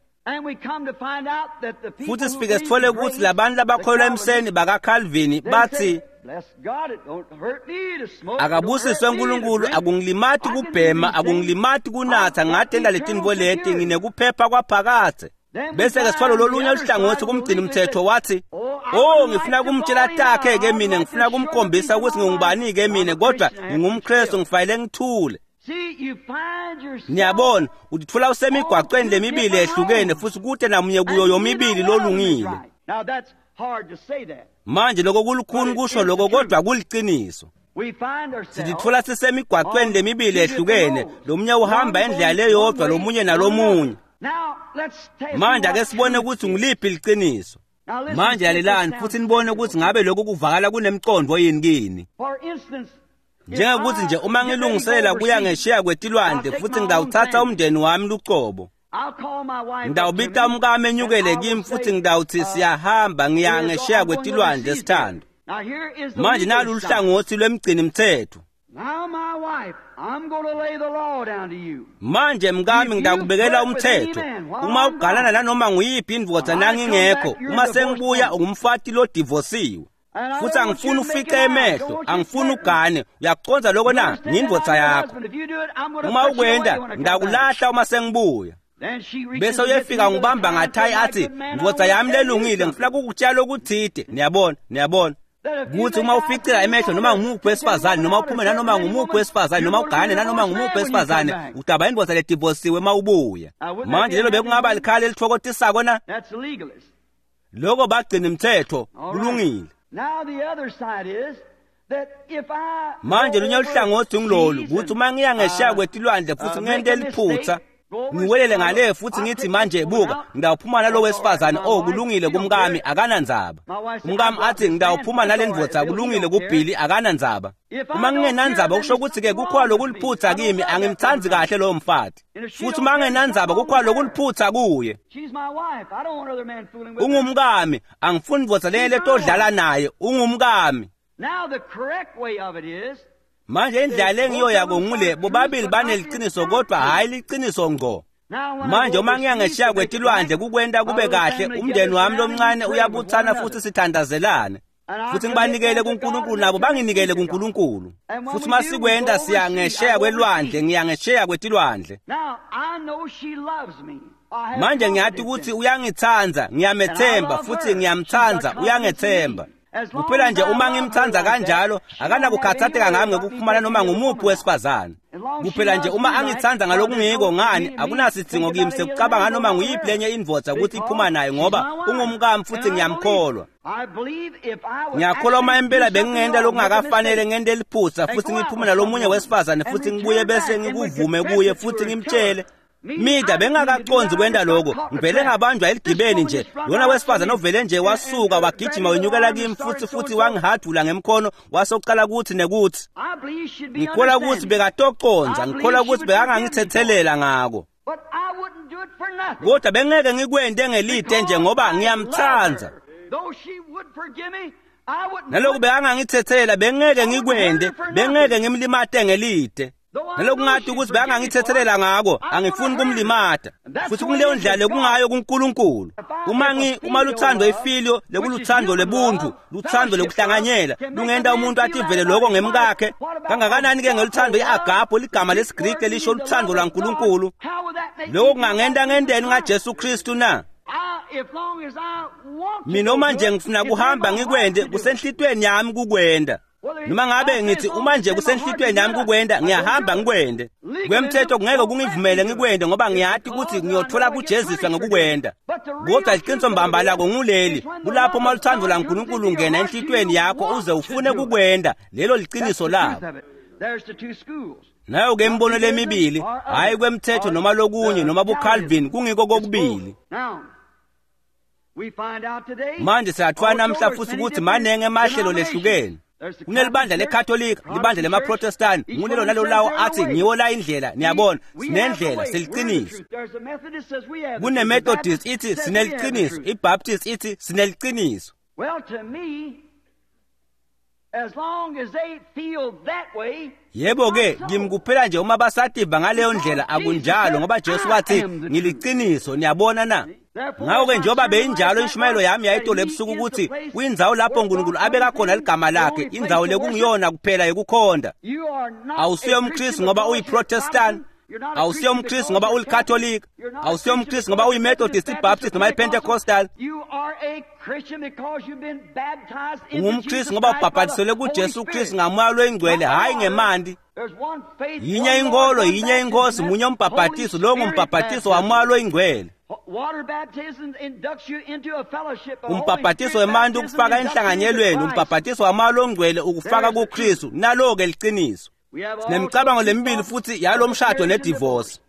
Futhi sifike sithole ukuthi labantu labakholelwa emseni bakaCalvin bathi akabusiswe uNkulunkulu akungilimati kubhema akungilimati kunatha ngatenda letintfo leti nginekuphepha kwaphakadze. Bese ke sithwalo lolunye luhlangothi kumgcini mthetho wathi oh ngifuna kumtshela takhe ke mina ngifuna kumkhombisa ukuthi ngingubani ke mina kodwa ngingumKristu ngifanele ngithule. Niyabona utitfola usemigwaqweni lemibili ehlukene futhi kude namunye kuyo yomibili lolungile. Manje lokho kulukhuni kusho lokho kodwa kuliciniso. Sititfola sisemigwaqweni lemibili ehlukene lomunye uhamba indlela leyodwa lomunye nalomunye. Manje ake sibone ukuthi ngiliphi liciniso. Manje lalelani futhi nibone ukuthi ngabe lokhu kuvakala kunemqondo yini kini. Njengokuthi nje uma ngilungiselela kuya ngesheya kwetilwandle futhi ngidawuthatha umndeni wami lucobo. Ngidawubita umkami enyukele kimi futhi ngidawuthi siyahamba ngiya ngesheya kwetilwandle sithando. Manje nalu luhlangothi lwemgcini mthetho. Manje mkami ngidakubekela umthetho uma ugalana nanoma nguyiphi indvodza nangingekho uma sengibuya ungumfati lodivosiwe. Futhi angifuni ufice emehlo angifuni ugane uyakuconza lokho na ngindvodza yakho. Uma ukwenda ngidakulahla uma sengibuya. Bese uyefika ngibamba ngathayi athi ndvodza yami lelungile ngifuna kukutshela okuthide. Niyabona niyabona kuthi uma uficela emehlo noma ngumuphi wesifazane noma uphume nanoma ngumuphi wesifazane noma ugane nanoma ngumuphi wesifazane udaba indvodza ledivosiwe uma ubuya. Manje lelo bekungaba likhala elithokotisako na? Lokho bagcina imithetho kulungile. Manje lunye luhlangothi ngilolu ukuthi uma ngiya ngesheya kwetilwandle futhi ngente liphutha Ngiwelele ngale futhi ngithi manje buka, ngidawuphuma nalo wesifazane, oh kulungile kumkami, akanandzaba. Umkami athi ngidawuphuma nale ndvodza, kulungile kuBilly, akanandzaba. Uma ngingenandzaba kusho ukuthi ke kukhona lokuliphutha kimi, angimthandi kahle lowo mfati. Futhi uma ngingenandzaba kukhona lokuliphutha kuye. Ungumkami, angifuni ndvodza lenye letodlala naye, ungumkami. Manje indlela engiyoyako ngule, bobabili baneliciniso kodwa hhayi liciniso ngqo. Manje uma ngiyangeshiya kwetilwandle kukwenta kube kahle, umndeni wami lomncane uyabuthana futhi sithandazelane. Futhi ngibanikele kuNkulunkulu nabo banginikele kuNkulunkulu. Futhi masikwenta siyangesheya kwelwandle, ngiyangesheya kwetilwandle. Manje ngiyati ukuthi uyangithanda, ngiyamethemba futhi ngiyamthanda, uyangethemba. Kuphela nje uma ngimthanda kanjalo, akanakukhathatheka ngami ngekuphumana noma ngumuphi wesifazane. Kuphela nje uma angithanda ngalokungiko ngani, akunasidzingo kimi sekucabanga noma nguyiphi lenye indvodza ukuthi iphuma naye ngoba ungumkami futhi ngiyamkholwa. Ngiyakholwa uma impela bengingenta lokungakafanele ngente liphutha futhi ngiphume nalomunye wesifazane futhi ngibuye bese ngikuvume kuye futhi ngimtshele. Mida bengakaconzi kwenta lokho, ngivele ngabanjwa eligibeni nje. Lona wesifazane ovele nje wasuka wagijima wenyukela kimi futhi futhi wangihadula ngemkhono wasoqala kuthi nekuthi. Ngikholwa ukuthi bekatoconza, ngikholwa ukuthi bekangangithethelela ngako. Kodwa bengeke ngikwente ngelide nje ngoba ngiyamthanda. Naloku bekangangithethela bengeke ngikwente, bengeke ngimlimate ngelide. Nalokungathi ukuthi bekangangithethelela ngako, angifuni kumlimata. Futhi kuleyo ndlela lekungayo kuNkulunkulu. Uma ngi uma luthando ifilio lekuluthando lebuntu, luthando lekuhlanganyela, lungenta umuntu ativele lokho ngemkakhe. Kangakanani ke ngeluthando iagapo, ligama lesiGriki lisho luthando lwaNkulunkulu. Lokho kungangenta ngenteni ngaJesu Kristu na? Mina uma nje ngifuna kuhamba ngikwende, kusenhlitweni yami kukwenda. Noma ngabe ngithi uma nje kusenhlitweni yami kukwenda, ngiyahamba ngikwende. Kwemthetho kungeke kungivumele ngikwende ngoba ngiyati ukuthi ngiyothola kujeziswa ngokukwenda. Kodwa iqiniso mbamba lako nguleli, kulapho uma luthando laNkulunkulu ungena enhlitweni yakho uze ufune kukwenda, lelo liqiniso lako. Nayo ke imibono lemibili, hhayi kwemthetho noma lokunye noma buCalvin, kungiko kokubili. Manje siyathola namhla futhi ukuthi manenge emahlelo lehlukene. Kunelibandla leKatolika, libandla lemaProtestant, ngulelo nalo lawo athi ngiwo la indlela, niyabona, sinendlela, seliqiniso. KuneMethodist ithi sineliqiniso, iBaptist ithi sineliqiniso. Yebo ke, kimi kuphela nje uma basativa ngaleyo ndlela akunjalo ngoba Jesu wathi ngiliqiniso, niyabona na? Ngakho-ke njengoba beyinjalo inshumayelo yami yayitolo ebusuku ukuthi kuyindzawo lapho uNkulunkulu abeka khona ligama lakhe, indzawo lekungiyona kuphela yekukhonda. Awusiyo umKristu ngoba uyiProtestant, awusiyo umKristu ngoba uyiKatolika, awusiyo umKristu ngoba uyiMethodist, iBaptist noma iPentecostal. UngumKristu ngoba ubhabhatiselwe kuJesu Kristu ngaMoya loyiNgcwele, hhayi ngemanti. Yinye inkolo, yinye inkosi, munye umbhabhatiso, lowo ngumbhabhatiso waMoya loyiNgcwele. Umbhabhatiso wemanti ukufaka enhlanganyelweni, umbhabhatiso waMoya loNgcwele ukufaka kuKristu. Nalo-ke liqiniso. Sinemicabango lemibili futhi yalomshado nedivorce.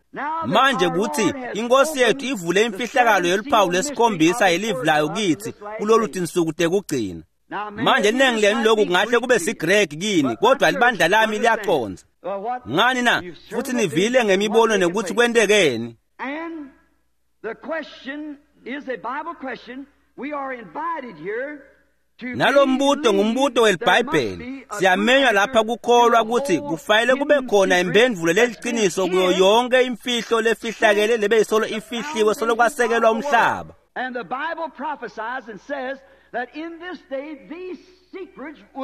Manje kuthi inkosi yethu ivule imfihlakalo yeluphawu lesikhombisa yelivi layo kithi kulolu tinsuku tekugcina. Manje iningi lenu lokhu kungahle kube siGreki kini, kodwa libandla lami liyaqonza. Ngani na? Futhi nivile ngemibono nekuthi kwentekeni. Nalo mbuto ngumbuto weliBhayibheli. Siyamenywa lapha kukholwa ukuthi kufanele kube khona impendvulo leliqiniso kuyo yonke imfihlo lefihlakele lebeyisolo ifihliwe solo kwasekelwa umhlaba.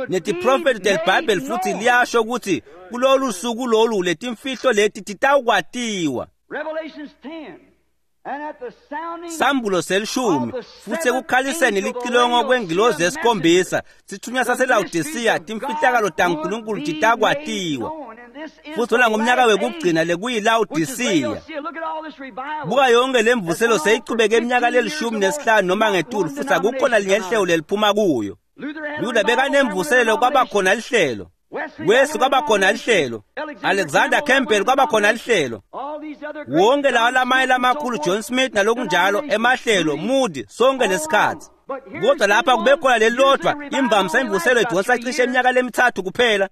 Netiprofethi teliBhayibheli futhi liyasho ukuthi kulolu suku lolu letimfihlo leti titawukwatiwa. Sambulo selishumi futhi ekukhaliseni licilongo kwengilozi yesikhombisa sithunywa saseLawodisiya timfihlakalo taNkulunkulu titakwatiwa. Futhi lona ngumnyaka wekugcina lekuyiLawodisiya. Buka yonke lemvuselo seyichubeke iminyaka lelishumi nesihlanu noma ngetulu futhi akukho nalinye lihlelo leliphuma kuyo. Luther bekanemvuselelo kwaba khona lihlelo. Wesley kwaba khona lihlelo, Alexander Campbell kwaba khona lihlelo, wonke lawa lamanye lamakhulu, John Smith nalokunjalo, emahlelo, Moody, sonke lesikhatsi. Kodwa lapha kube khona lelilodwa imvamisa imvuselo idonsa cishe iminyaka lemithathu kuphela,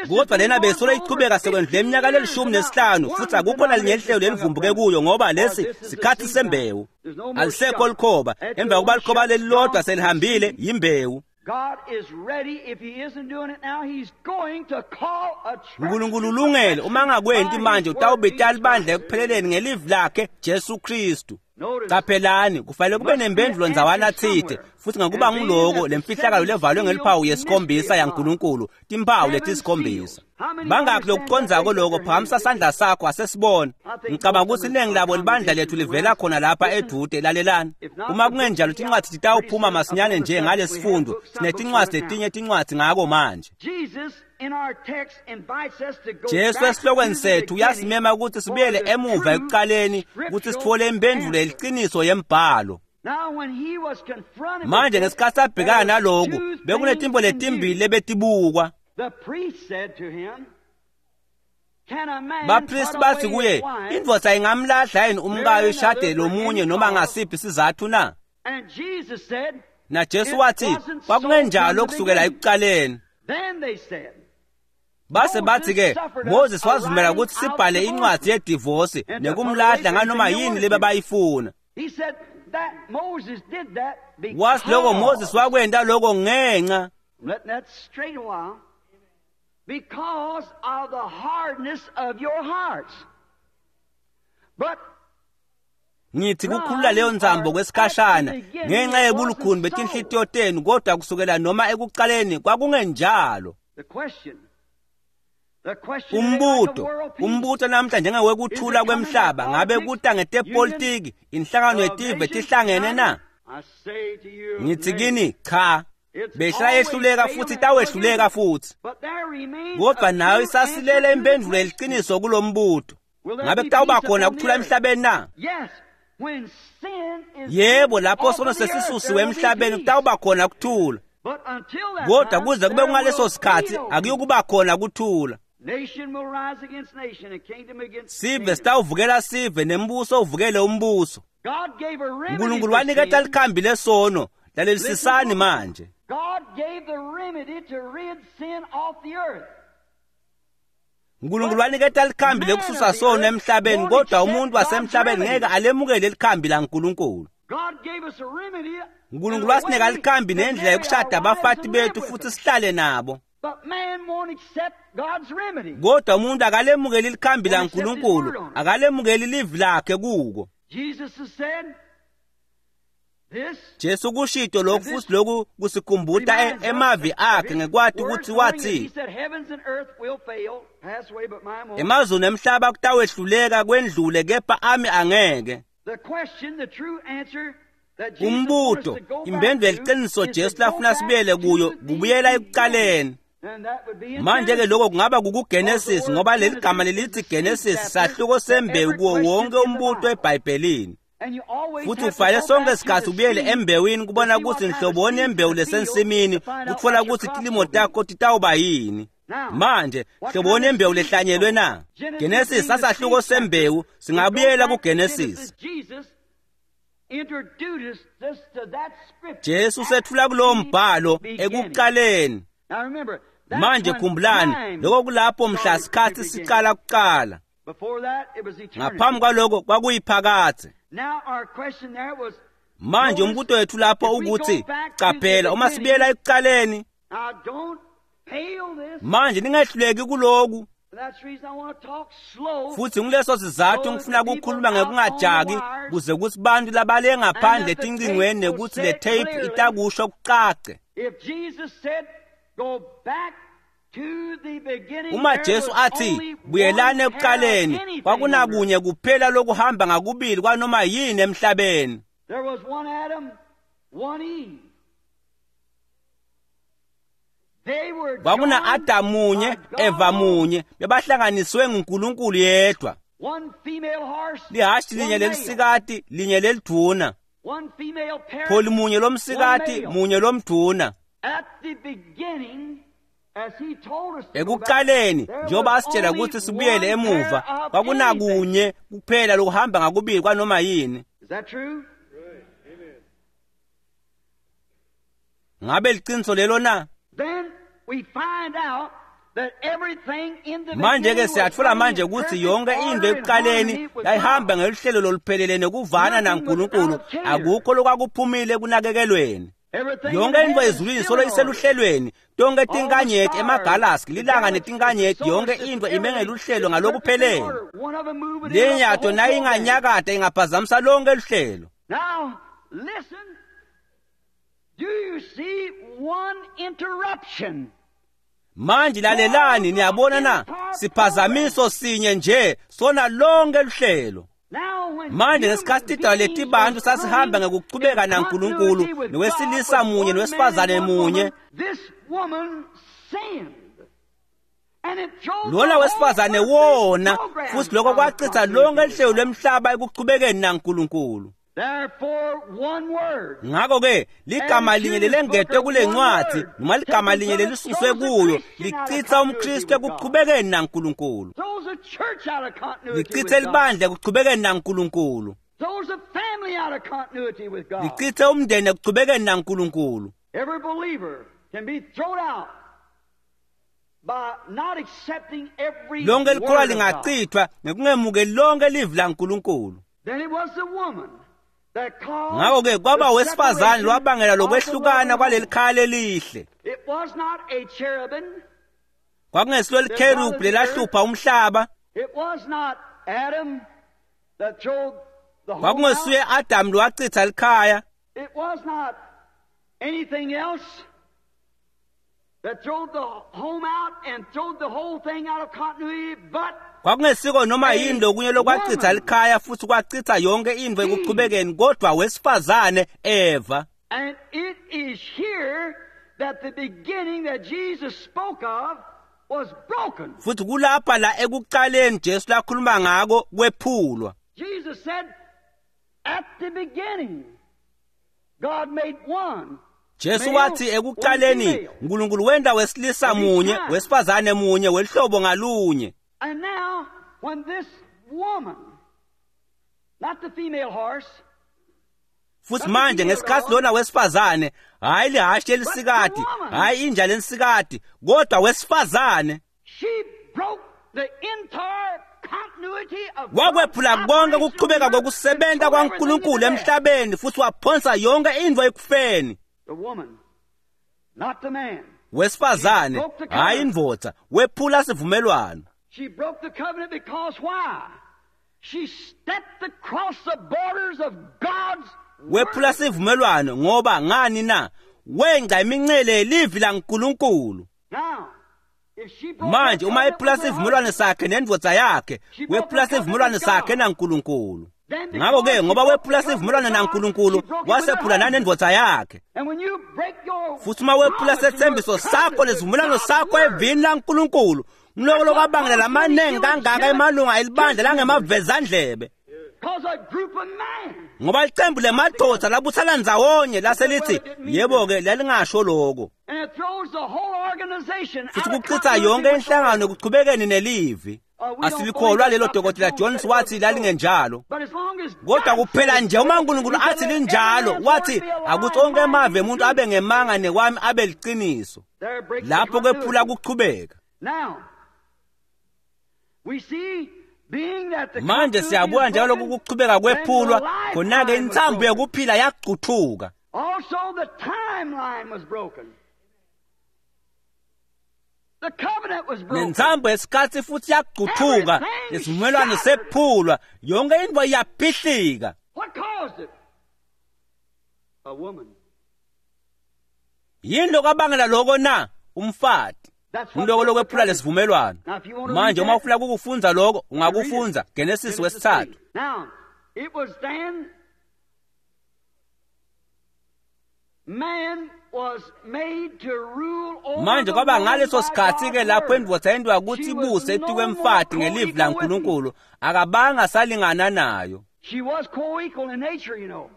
kodwa lena besolo ichubeka sekwendlule iminyaka lelishumi nesihlanu, futhi akukho nalinye lihlelo lelivumbuke kuyo, ngoba lesi sikhathi sembewu. Alisekho likhoba emva kokuba likhoba lelilodwa selihambile, yimbewu. uNkulunkulu ulungele, uma angakwenti manje utawubita libandla ekupheleleni ngelivi lakhe Jesu Kristu. Qaphelani, kufanele kube nempendulo ndzawana tsite, futhi ngakuba nguloko lemfihlakalo levalwe ngeliphawu yesikhombisa yaNkulunkulu, timphawu letisikhombisa. Bangakhi lokucondzako lokho? Phakamisa sandla sakho asesibone. Ngicabanga ukuthi iningi labo libandla lethu livela khona lapha edude. Lalelani, uma kungenjalo tincwadzi titawuphuma masinyane nje ngalesifundo. Sinetincwadzi letinye tincwadzi ngako manje. Jesu esihlokweni sethu uyasimema ukuthi sibuyele emuva ekuqaleni ukuthi sithole impendulo yeliciniso yembhalo. Manje ngesikhathi abhekana naloku, bekunetimbo letimbili lebetibukwa. Bapristi bathi kuye, indvodza ingamlahla yini umkayo ishade lomunye noma ngasiphi isizathu na? NaJesu wathi, kwakungenjalo kusukela ekuqaleni. Base bathi-ke, Moses wazivumela ukuthi sibhale incwadi yedivosi nekumlahla nganoma yini lebebayifuna. Wathi lokho Moses wakwenta lokho ngenxa because of the hardness of your hearts. But ngithi kukhulula leyo nzambo kwesikhashana ngenxa yebulukhuni betinhlitiyo tenu, kodwa kusukela noma ekuqaleni kwakungenjalo. Umbuto, umbuto namhla njengewekuthula kwemhlaba, ngabe kuta ngetepolitiki, inhlangano yetive tihlangene na? Ngithi kini cha, behla yehluleka futhi itawehluleka futhi. Kodwa nayo isasilele impendulo yeliciniso kulombuto. Ngabe kutawuba khona ukuthula emhlabeni na? Yebo, lapho sono sesisusiwe emhlabeni kutawuba khona ukuthula. Kodwa kuze kube kungaleso sikhathi akuyokuba khona kuthula. Sive sitawuvukela sive nembuso uvukele umbuso. uNkulunkulu waniketa likhambi lesono. Lalelisisani manje. uNkulunkulu waniketa likhambi lekususa sono emhlabeni, kodwa umuntu wasemhlabeni ngeke alemukele likhambi laNkulunkulu. uNkulunkulu wasinika likhambi nendlela yokushada abafati bethu futhi sihlale nabo. Kodwa umuntu akalemukeli likhambi laNkulunkulu, akalemukeli livi lakhe kuko. Jesu kushito lokhu futhi lokhu kusikhumbuta emavi akhe ngekwati ukuthi wathi emazulu emhlaba kutawehluleka kwendlule kepha ami angeke. Umbuto, impendulo yeliciniso Jesu lafuna sibuyele kuyo kubuyela ekuqaleni. Manje-ke lokho kungaba kukuGenesis, ngoba leli gama lelithi Genesis sahluko sembewu kuwo wonke umbuto eBhayibhelini. Futhi ufanele sonke isikhathi ubuyele embewini kubona ukuthi nhloboni embewu lesensimini, kutfola ukuthi tilimo takho titawuba yini. Manje hloboni embewu lehlanyelwe na? Genesis sasahluko sembewu, singabuyela kuGenesis. Jesu sethula kulowo mbhalo ekuqaleni. Manje khumbulani, lokho kulapho mhla sikhathi siqala kuqala. Ngaphambi kwaloko kwakuyiphakathe. Manje umbuto wethu lapho ukuthi qaphela uma sibuyela ekuqaleni. Manje ningehluleki kuloku. Futhi nguleso sizathu ngifuna ukukhuluma ngekungajaki kuze kuthi bantu labale ngaphandle etincingweni nekuthi le tape itakusho kucace. Uma Jesu athi buyelani ekuqaleni, kwakunakunye kuphela lokuhamba ngakubili kwanoma yini emhlabeni. Kwakuna Adamu munye, Eva munye, bebahlanganiswe nguNkulunkulu yedwa. Lihashi linye lelisikati, linye lelidvuna. Pholi munye lomsikati, munye lomdvuna. Ekuqaleni njengoba asitshela ukuthi sibuyele emuva, kwakunakunye kuphela lokuhamba ngakubili kwanoma yini. Ngabe liqiniso lelo na? Manje-ke siyatfola manje ukuthi yonke into ekuqaleni yayihamba ngeluhlelo loluphelele nekuvana naNkulunkulu, akukho lokwakuphumile ekunakekelweni. Yonke into ezulwini solo iseluhlelweni, tonke tinkanyeti emagalaxy, lilanga netinkanyeti, yonke into ime ngeluhlelo ngalokuphelele. Lenyato nayinganyakata ingaphazamisa lonke luhlelo. Now listen, do you see one interruption? Manje lalelani, niyabona na? Siphazamiso sinye nje sona lonke luhlelo. Manje ngesikhathi tidalwa letibantu sasihamba ngekuchubeka naNkulunkulu nowesilisa munye nowesifazane munye, lona wesifazane wona, futhi lokho kwachitha lonke luhlelo lwemhlaba ekuchubekeni naNkulunkulu. Ngakho-ke ligama linye lelengetwe kule ncwadi noma ligama linye lelisuswe kuyo lichitha umKristu ekuchubekeni naNkulunkulu, lichithe libandla ekuchubekeni naNkulunkulu, lichithe umndeni ekuchubekeni naNkulunkulu. Lonke likholwa lingachithwa ngekungemukeli lonke livi laNkulunkulu. Ngakho-ke kwaba wesifazane lwabangela lokwehlukana kwaleli khaya lelihle. Kwakungesilo likherubhi lelahlupha umhlaba, kwakungesuye Adamu lowachitha likhaya, kwakungesiko noma yini lokunye lokwachitha likhaya futhi kwachitha yonke into ekuchubekeni, kodwa wesifazane Eva. And it is here that the beginning that Jesus spoke of was broken. Futhi kulapha la ekuqaleni Jesu lakhuluma ngako kwephulwa. Jesus said, at the beginning God made one. Jesu wathi ekuqaleni uNkulunkulu wenda wesilisa munye, wesifazane munye, welihlobo ngalunye. And now when this woman, not the female horse, futhi manje ngesikhathi lona wesifazane, hayi lihashi lelisikati, hayi inja lelisikati, kodwa wesifazane, she broke the entire continuity of wakwephula konke ukuchubeka kokusebenza kwaNkulunkulu emhlabeni futhi waphonsa yonke into ekufeni. The woman, not the man. Wesifazane, hayi indvodza, wephula sivumelwano. She broke the covenant because why? She stepped across the borders of God's Wephula sivumelwano ngoba ngani na? Wenca imincele yelivi laNkulunkulu. Now, if she broke Manje uma ephula sivumelwano sakhe nendvodza yakhe, wephula sivumelwano sakhe naNkulunkulu. Ngakho-ke ngoba wephula sivumelwano naNkulunkulu, wasephula nanendvodza yakhe. And when you break your Futhi uma wephula sethembiso sakho nesivumelwano sakho evini laNkulunkulu, ngiloko lokwabangela lamaningi kangaka emalunga elibandla langemavezandlebe. Cause a group of men Ngoba licembu lemadoda labuthana ndzawonye lase lithi, yebo-ke lalingasho lokho. and it throws the whole organization Futhi out of kuchitha continuity yonke with the inhlangano ekuchubekeni nelivi. Asilikholwa lelo Dokotela Jones wathi lalingenjalo. But as long as Kodwa God kuphela says nje uma uNkulunkulu he said, athi "Let every linjalo, man's wathi word be a lie, akuthi onke and mine emave be emuntu truth." abe ngemanga nekwami abe liqiniso. There breaks the Lapho kwephula continuity. kuchubeka. Now, we see being that the Manje continuity siyabuka is njalo broken, ukuchubeka kwephulwa, then the lifeline khona-ke was insambo broken. yokuphila yacuthuka. Also, the timeline was broken. The covenant was broken. Nensambo yesikhathi futhi yacuthuka, isivumelwano sephulwa, yonke into iyaphihlika. What caused it? A woman. Yini lokwabangela lokho na? Umfati. That's what Ngiloko broke the lokwephula covenant. lesivumelwano. Now, if you want to Manje read uma that, ufuna ukukufunza lokho, you read it. ungakufunza Genesis Genesis wesithathu. three. Now, it was then man was made to rule over Manje the kwaba woman ngaleso by sikhathi ke God's lapho word. indvodza yendiwa ukuthi She was ibuse no etikwemfati more ngelivi co-equal with him. laNkulunkulu, akabanga salingana nayo. She was co-equal in nature, you know.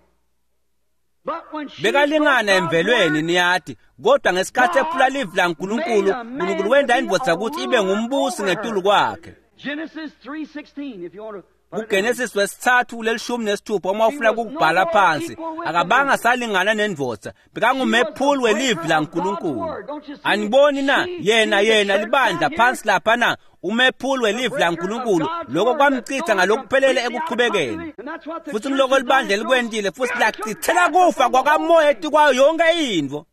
Bekalingana emvelweni niyati, kodwa ngesikhathi ephula livi laNkulunkulu, uNkulunkulu wenta indvodza ukuthi ibe ngumbusi ngetulu kwakhe. KuGenesis wesithathu lelishumi nesithupha uma ufuna ukubhala phansi, akabanga salingana nendvodza, bekangumephuli welivi laNkulunkulu. Aniboni na? Yena yena libandla phansi lapha na, umephuli welivi laNkulunkulu, lokho kwamchitha ngalokuphelele ekuchubekeni. Futhi ngiloko libandla elikwentile futhi lachithela kufa kwakamoya etikwayo yonke intfo.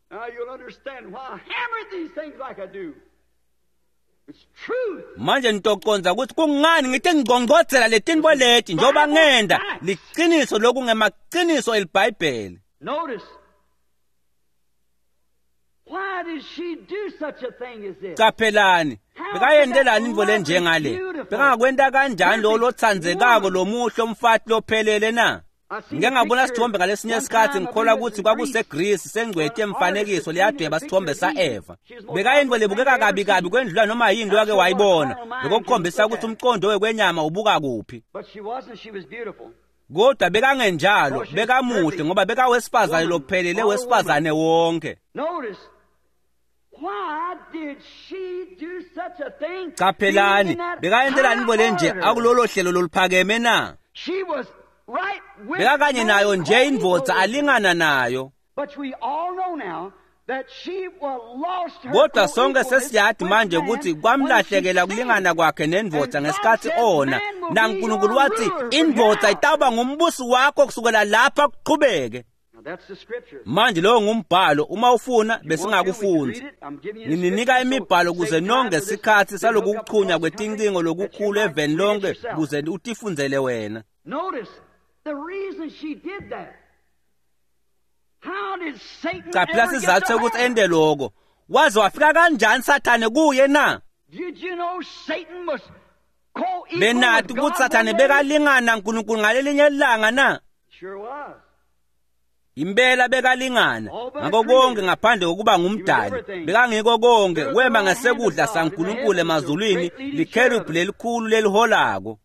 Manje nitoconza ukuthi kungani ngithi ngingcongcodzela letintfo leti njengoba ngenda liciniso lokhu ngemaqiniso eliBhayibheli. Caphelani, bekayentelani intfo lenjengale? Bekangakwenta kanjani lo lotsandzekako lomuhle umfati lophelele na? Ngike ngabona sithombe ngalesinye isikhathi, ngikholwa ukuthi kwakuseGreece, sengcweti yemfanekiso leyadweba sithombe sa-Eva. Bekayintfo lebukeka kabi kabi kwendlula noma yini loyake wayibona, lokho kukhombisa ukuthi umqondo wekwenyama ubuka kuphi. Kodwa bekangenjalo, bekamuhle ngoba bekawesifazane lophelele wesifazane wonke. Caphelani, bekayentelani intfo lenje akulolo hlelo loluphakeme na? Bekakanye nayo nje indvodza alingana nayo. Kodwa sonke sesiyati manje ukuthi kwamlahlekela kulingana kwakhe nendvodza ngesikhathi ona, naNkulunkulu wathi indvodza itawuba ngumbusi wakho kusukela lapha kuqhubeke. Manje lowo ngumbhalo, uma ufuna besingakufundzi. Ngininika imibhalo ukuze nonke sikhathi salokuchunywa kwetincingo lokukhulu eveni lonke ukuze utifundzele wena. Caphela sizathu sokuthi ente lokho. Waze wafika kanjani Sathane kuye na? Benati ukuthi Sathane bekalingana uNkulunkulu ngalelinye ilanga na? Impela bekalingana ngakho konke ngaphandle kokuba ngumdali. Bekangiko konke, wema ngesekudla saNkulunkulu emazulwini, likherubhi lelikhulu leliholako.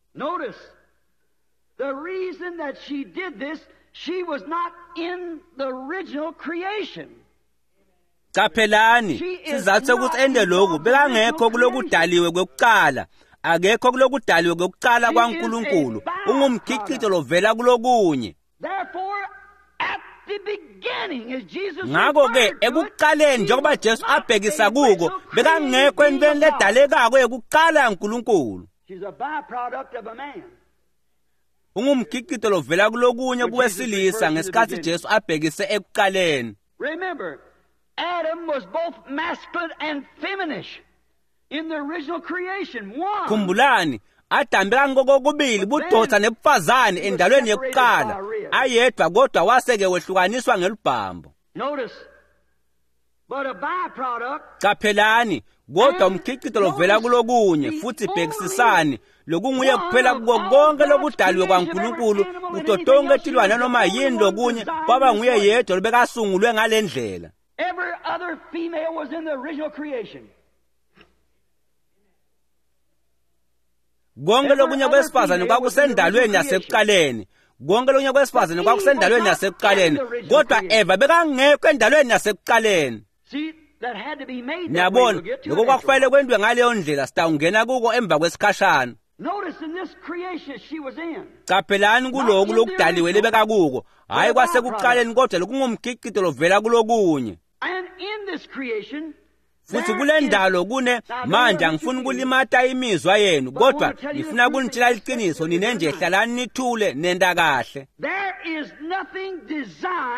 The reason that she did this, she was not in the original creation. Caphelani, sizathu sokuthi ende lokhu, bekangekho kulokudaliwe kwekuqala. Akekho kulokudaliwe kwekuqala kwaNkulunkulu. Ungumkhicito lovela kulokunye. Ngakho-ke ekuqaleni njengoba Jesu abhekisa kuko, bekangekho entweni ledalekako yekuqala yaNkulunkulu. Ungumkhicito lovela kulokunye kuwesilisa ngesikhathi Jesu abhekise ekuqaleni. Remember, Adam was both masculine and feminine in the original creation. One. Khumbulani, Adam bekangokokubili budoda nebufazane endalweni yekuqala, ayedwa kodwa waseke wehlukaniswa ngelubhambo. Notice, but a byproduct. Caphelani, kodwa umkhicito lovela kulokunye futhi bhekisisani lokunguye kuphela kuko konke lokudaliwe kwaNkulunkulu kuto tonke tilwane noma yini lokunye kwaba nguye yedwa lobekasungulwe ngale ndlela. Every other female was in the original creation. Konke lokunye kwesifazane kwakusendalweni yasekuqaleni. Konke lokunye kwesifazane kwakusendalweni yasekuqaleni, kodwa Eva bekangekho endalweni yasekuqaleni. Niyabona, lokho kwakufanele kwentiwe ngaleyo ndlela, sitawungena kuko emva kwesikhashana. Caphelani kuloku lokudaliwe lebekakuko, hhayi kwasekuqaleni kodwa lokungumkhicito lovela kulokunye. Futhi kule ndalo kune manje angifuni ukulimata imizwa yenu, kodwa ngifuna kunitshela iqiniso, nine nje hlalani nithule nenda kahle.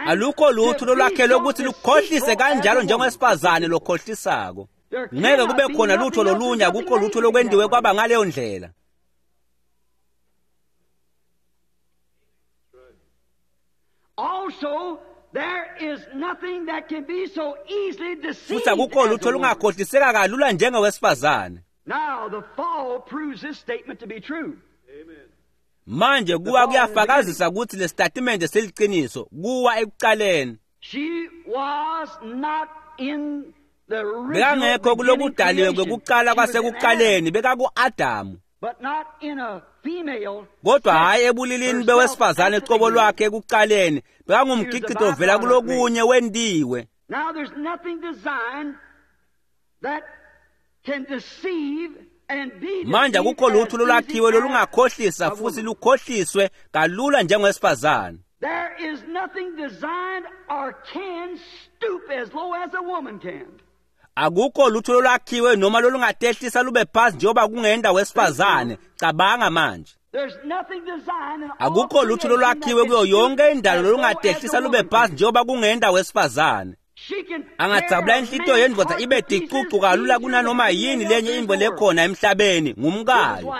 Alukho lutho lolwakhelwe ukuthi lukhohlise kanjalo njengowesifazane lokhohlisako. Ngeke kube khona lutho lolunye, akukho lutho lokwendiwe kwaba ngaleyo ndlela. Also, there is nothing that can be so easily deceived. Futhi akukho lutho lungakhohliseka kalula njengowesifazane. Now the fall proves this statement to be true. Amen. Manje kuwa kuyafakazisa ukuthi le statement seliqiniso, kuwa ekuqaleni. She was not in the Bekangekho kulokudaliwe kwekuqala kwasekuqaleni, bekaku-Adamu. Kodwa hhayi ebulilini bewesifazane cobo lwakhe ekuqaleni, bekangumgicito ovela kulokunye wentiwe. Now there's nothing designed that can deceive and be Manje akukho lutho lolwakhiwe lolungakhohlisa futhi lukhohliswe kalula njengowesifazane. There is nothing designed or can stoop as low as a woman can. Akukho lutho lolwakhiwe noma lolungatehlisa lube phasi njengoba kungenda wesifazane. Cabanga manje. There's nothing designed in all Akukho lutho lolwakhiwe kuyo yonke indalo lolungatehlisa lube phasi njengoba kungenda wesifazane. She can Angadzabula inhlitiyo yendvodza ibe ticucu kalula kunanoma yini lenye intfo lekhona emhlabeni ngumkayo.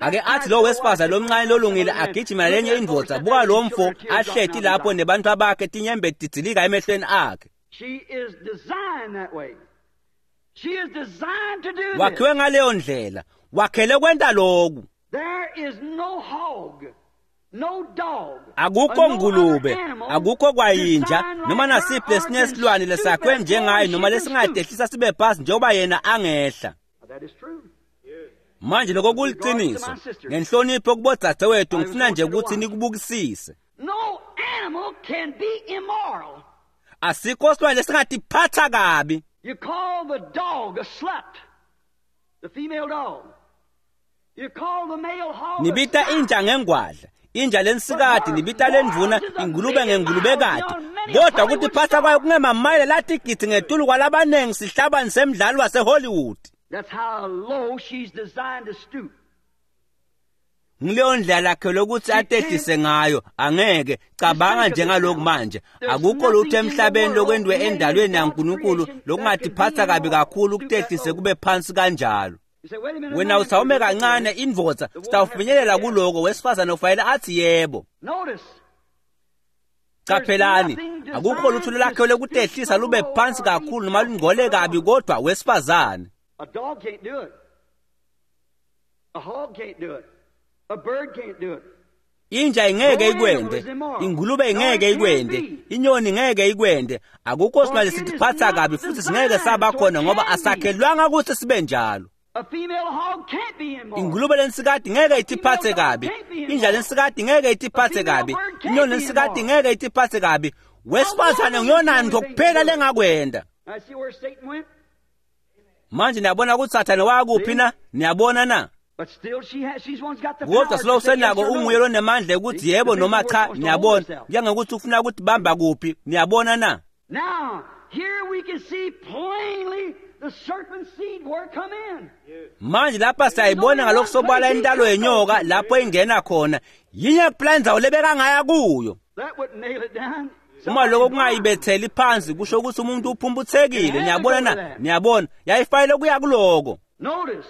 Ake athi lo wesifazane lomncane lolungile agijima lenye indvodza, buka lo mfo ahleti lapho nebantfu bakhe tinyembeti tidzilika emehlweni akhe. She is designed that way. She is designed to do this. Wakhiwe ngaleyo ndlela, wakhele kwenta loku. There is no hog, no dog, Akukho or no ngulube, other animal akukho kwayinja designed like noma her nasiphi or lesinye can silwane stoop lesakhiwe as low njengaye as she noma can stoop. lesingatehlisa sibe phasi njengoba yena angehla. That is true. Manje lokho kuliqiniso. Ngenhlonipho kubodzadzewethu ngifuna nje ukuthi nikubukisise. No animal can be immoral. Asikho silwane lesingatiphatha kabi. You call the dog a slut, the female dog. You call the male hog a Nibita sow. inja ngengwadla, inja lensikati nibita lendvuna ingulube ngengulubekati. Kodwa kutiphatha kwayo kungemamayela latigidzi ngetulu kwalabanengi sihlabani semdlalo waseHollywood. That's how low she's designed to stoop. Ngileyo ndlela lakhe lokuthi atehlise ngayo angeke cabanga njengaloku manje. Akukho lutho emhlabeni lokwentiwe endalweni yaNkulunkulu lokungatiphatha kabi kakhulu kutehlise kube phansi kanjalo. You say, wait a minute. Wena man, usawume kancane indvodza sitawufinyelela kuloko wesifazane ufanele athi yebo. Notice. Qaphelani, akukho lutho lolakhiwe lokutehlisa lube phansi kakhulu noma lungcole kabi kodwa wesifazane. A dog can't do it. A hog can't do it. A bird can't do it. Inja ingeke ikwente, ingulube ingeke ikwente, inyoni ingeke ikwente. Akukho silwane sitiphatha kabi futhi singeke saba khona ngoba asakhelwanga ukuthi sibe njalo. A female hog can't be immoral. Ingulube lensikati ngeke itiphathe kabi, inja lensikati ngeke itiphathe kabi, inyoni lensikati ngeke itiphathe kabi. Wesifazane ngiyona nto kuphela lengakwenda. I see where Satan went. Manje niyabona ukuthi Sathane wakuphi na? Niyabona na? But still she has, she's one's got the Kodwa power silo to say yes usenako or no. unguye lonemandla ukuthi yebo noma cha. Niyabona njengokuthi ufuna ukuthi bamba kuphi. Niyabona na? Now, here we can see plainly the serpent seed where it come in. Manje lapha siyayibona ngalokusobala intalo yenyoka lapho ingena khona. Yinye kuphela indzawo lebekangaya kuyo. That wouldn't nail it down. Uma lokho kungayibetheli phansi kusho ukuthi umuntu uphumputhekile. Niyabona na? Niyabona yayifanele kuya kuloko. Notice,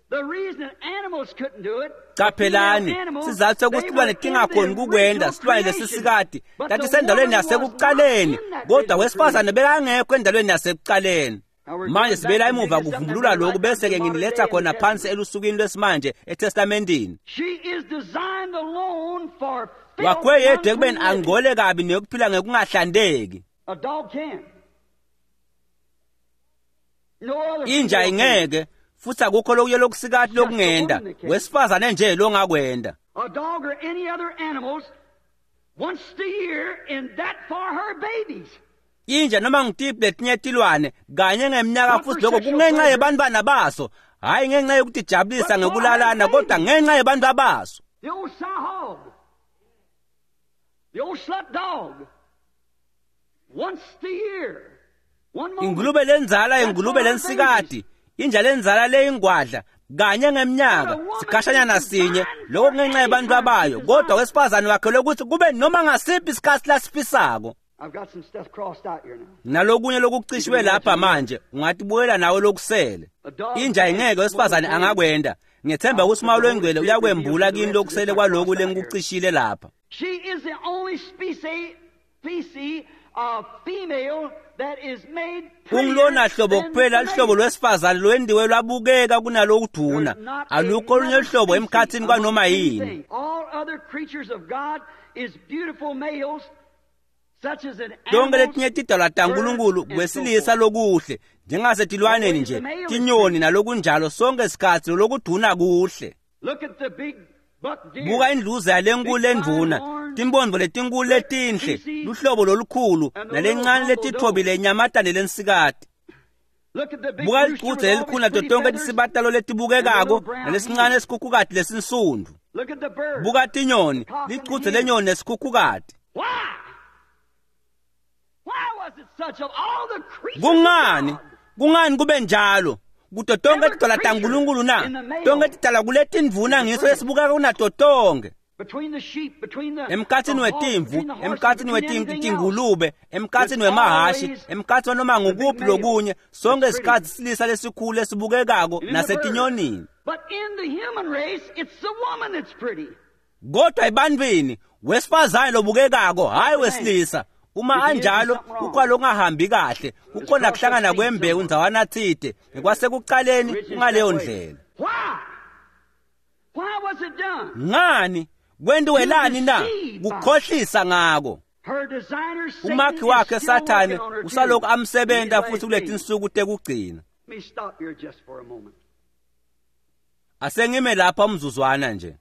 the reason animals couldn't do it, Qaphelani, sizathu sokuthi silwane tingakhoni kukwenda silwane lesisikati tatisendaweni yasekuqaleni, kodwa wesifazane bekangekho endaweni yasekuqaleni. Manje sibuyela emuva kuvumbulula lokhu bese-ke nginiletha khona phansi elusukwini lwesimanje eTestamentini. She is designed alone for filth, Wakhiwe yedwa ekubeni unclean living. angcole kabi nekuphila ngekungahlandeki. A dog can. No other Inja female can. ingeke futhi akukho lokuye lokusikati lokungenda, wesifazane nje longakwenda. A dog or any other animals once a year and that for her babies. Inja noma ngitiphi letinye tilwane kanye ngeminyaka futhi lokho kungenxa yebantwana baso, hhayi ngenxa yokutijabulisa ngekulalana kodwa ngenxa yebantwana baso. The old sow hog, the old slut dog, once a year, one moment. Ingulube lenzala, ingulube lensikati, inja lenzala leyingwadla kanye ngeminyaka sikhashanyana sinye, lokho kungenxa yebantwana bayo, kodwa wesifazane wakhelwe ukuthi kube noma ngasiphi isikhathi lasifisako. I've got some stuff crossed out here now. Nalokunye lokucishiwe lapha manje ungatibuyela nawe lokusele. Inja ingeke wesifazane angakwenda. Ngethemba ukuthi uMoya loNgcwele uyakwembula kini lokusele kwaloku lengikucishile lapha. She is the only species, species of female that is made prettier Ungilona hlobo than kuphela the luhlobo male. lwesifazane lwendiwe lwabukeka kunalokuduna. There's not Alukho olunye another luhlobo species emkhathini kwanoma among yini. anything. All other creatures of God is beautiful males, Tonke letinye tidalwa taNkulunkulu kwesilisa lokuhle njengasetilwaneni nje tinyoni nalokunjalo sonke sikhatsi lokuduna kuhle. Buka indluza yalenkulu lendvuna, timpondvo letinkulu letinhle, luhlobo lolukhulu nalencane letithobile inyamatane lensikati. Buka lichudze lelikhulu nato tonke tisibatalo letibukekako nalesincane esikhukhukati lesinsundvu. Buka tinyoni, lichudze lenyoni nesikhukhukati. Kungani? Kungani kube njalo? Kuto tonke tidalwa taNkulunkulu na? Tonke tidalwa kuletindvuna ngiso lesibukeka kunato tonke. Emkhatsini wetimvu, emkhatsini wetingulube, emkhatsini wemahashi, emkhatsini wanoma ngukuphi lokunye, sonke isikhatsi silisa lesikhulu lesibukekako nasetinyonini. Kodwa ebantwini wesifazane lobukekako hhayi wesilisa. Uma anjalo kukhona lokungahambi kahle, kukhona kuhlangana kwembewu ndzawana tsite ngekwasekucaleni kungaleyo ndlela. Ngani? Kwentiwelani na? Kukhohlisa ngako. Umakhi wakhe Sathane usalokhu amsebenta futhi kuletinsuku tekugcina. Asengime lapha umzuzwana nje.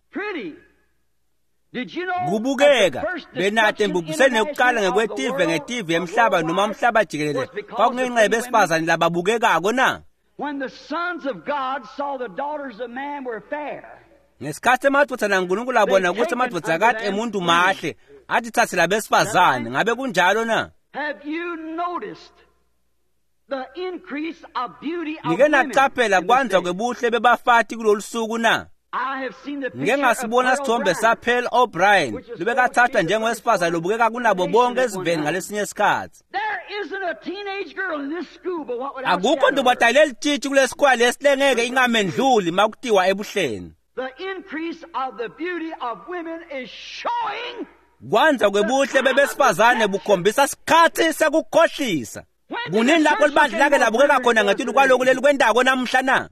Kubukeka benate embubhisweni yokuqala ngekwetive ngetive emhlaba noma umhlaba jikelele kwakungenxa yabesifazane lababukekako na? Ngesikhathi emadvodzana aNkulunkulu abona ukuthi amadvodzakati emuntu mahle atithathe labesifazane, ngabe kunjalo na? Nike nacaphela kwandza kwebuhle bebafati kulolu suku na? Ngike ngasibona sithombe saPearl O'Brien lobekathathwa njengowesifazane lobukeka kunabo bonke esiveni ngalesinye isikhatsi. Akukho ntombazane lelitshitshi kulesikwala lesilengeke ingamendluli makutiwa ebuhleni. Kwandza kwebuhle bebesifazane bukhombisa sikhatsi sekukhohlisa. Kunini lapho libandla lake labukeka khona ngetulu kwaloku lelikwentako namuhla na?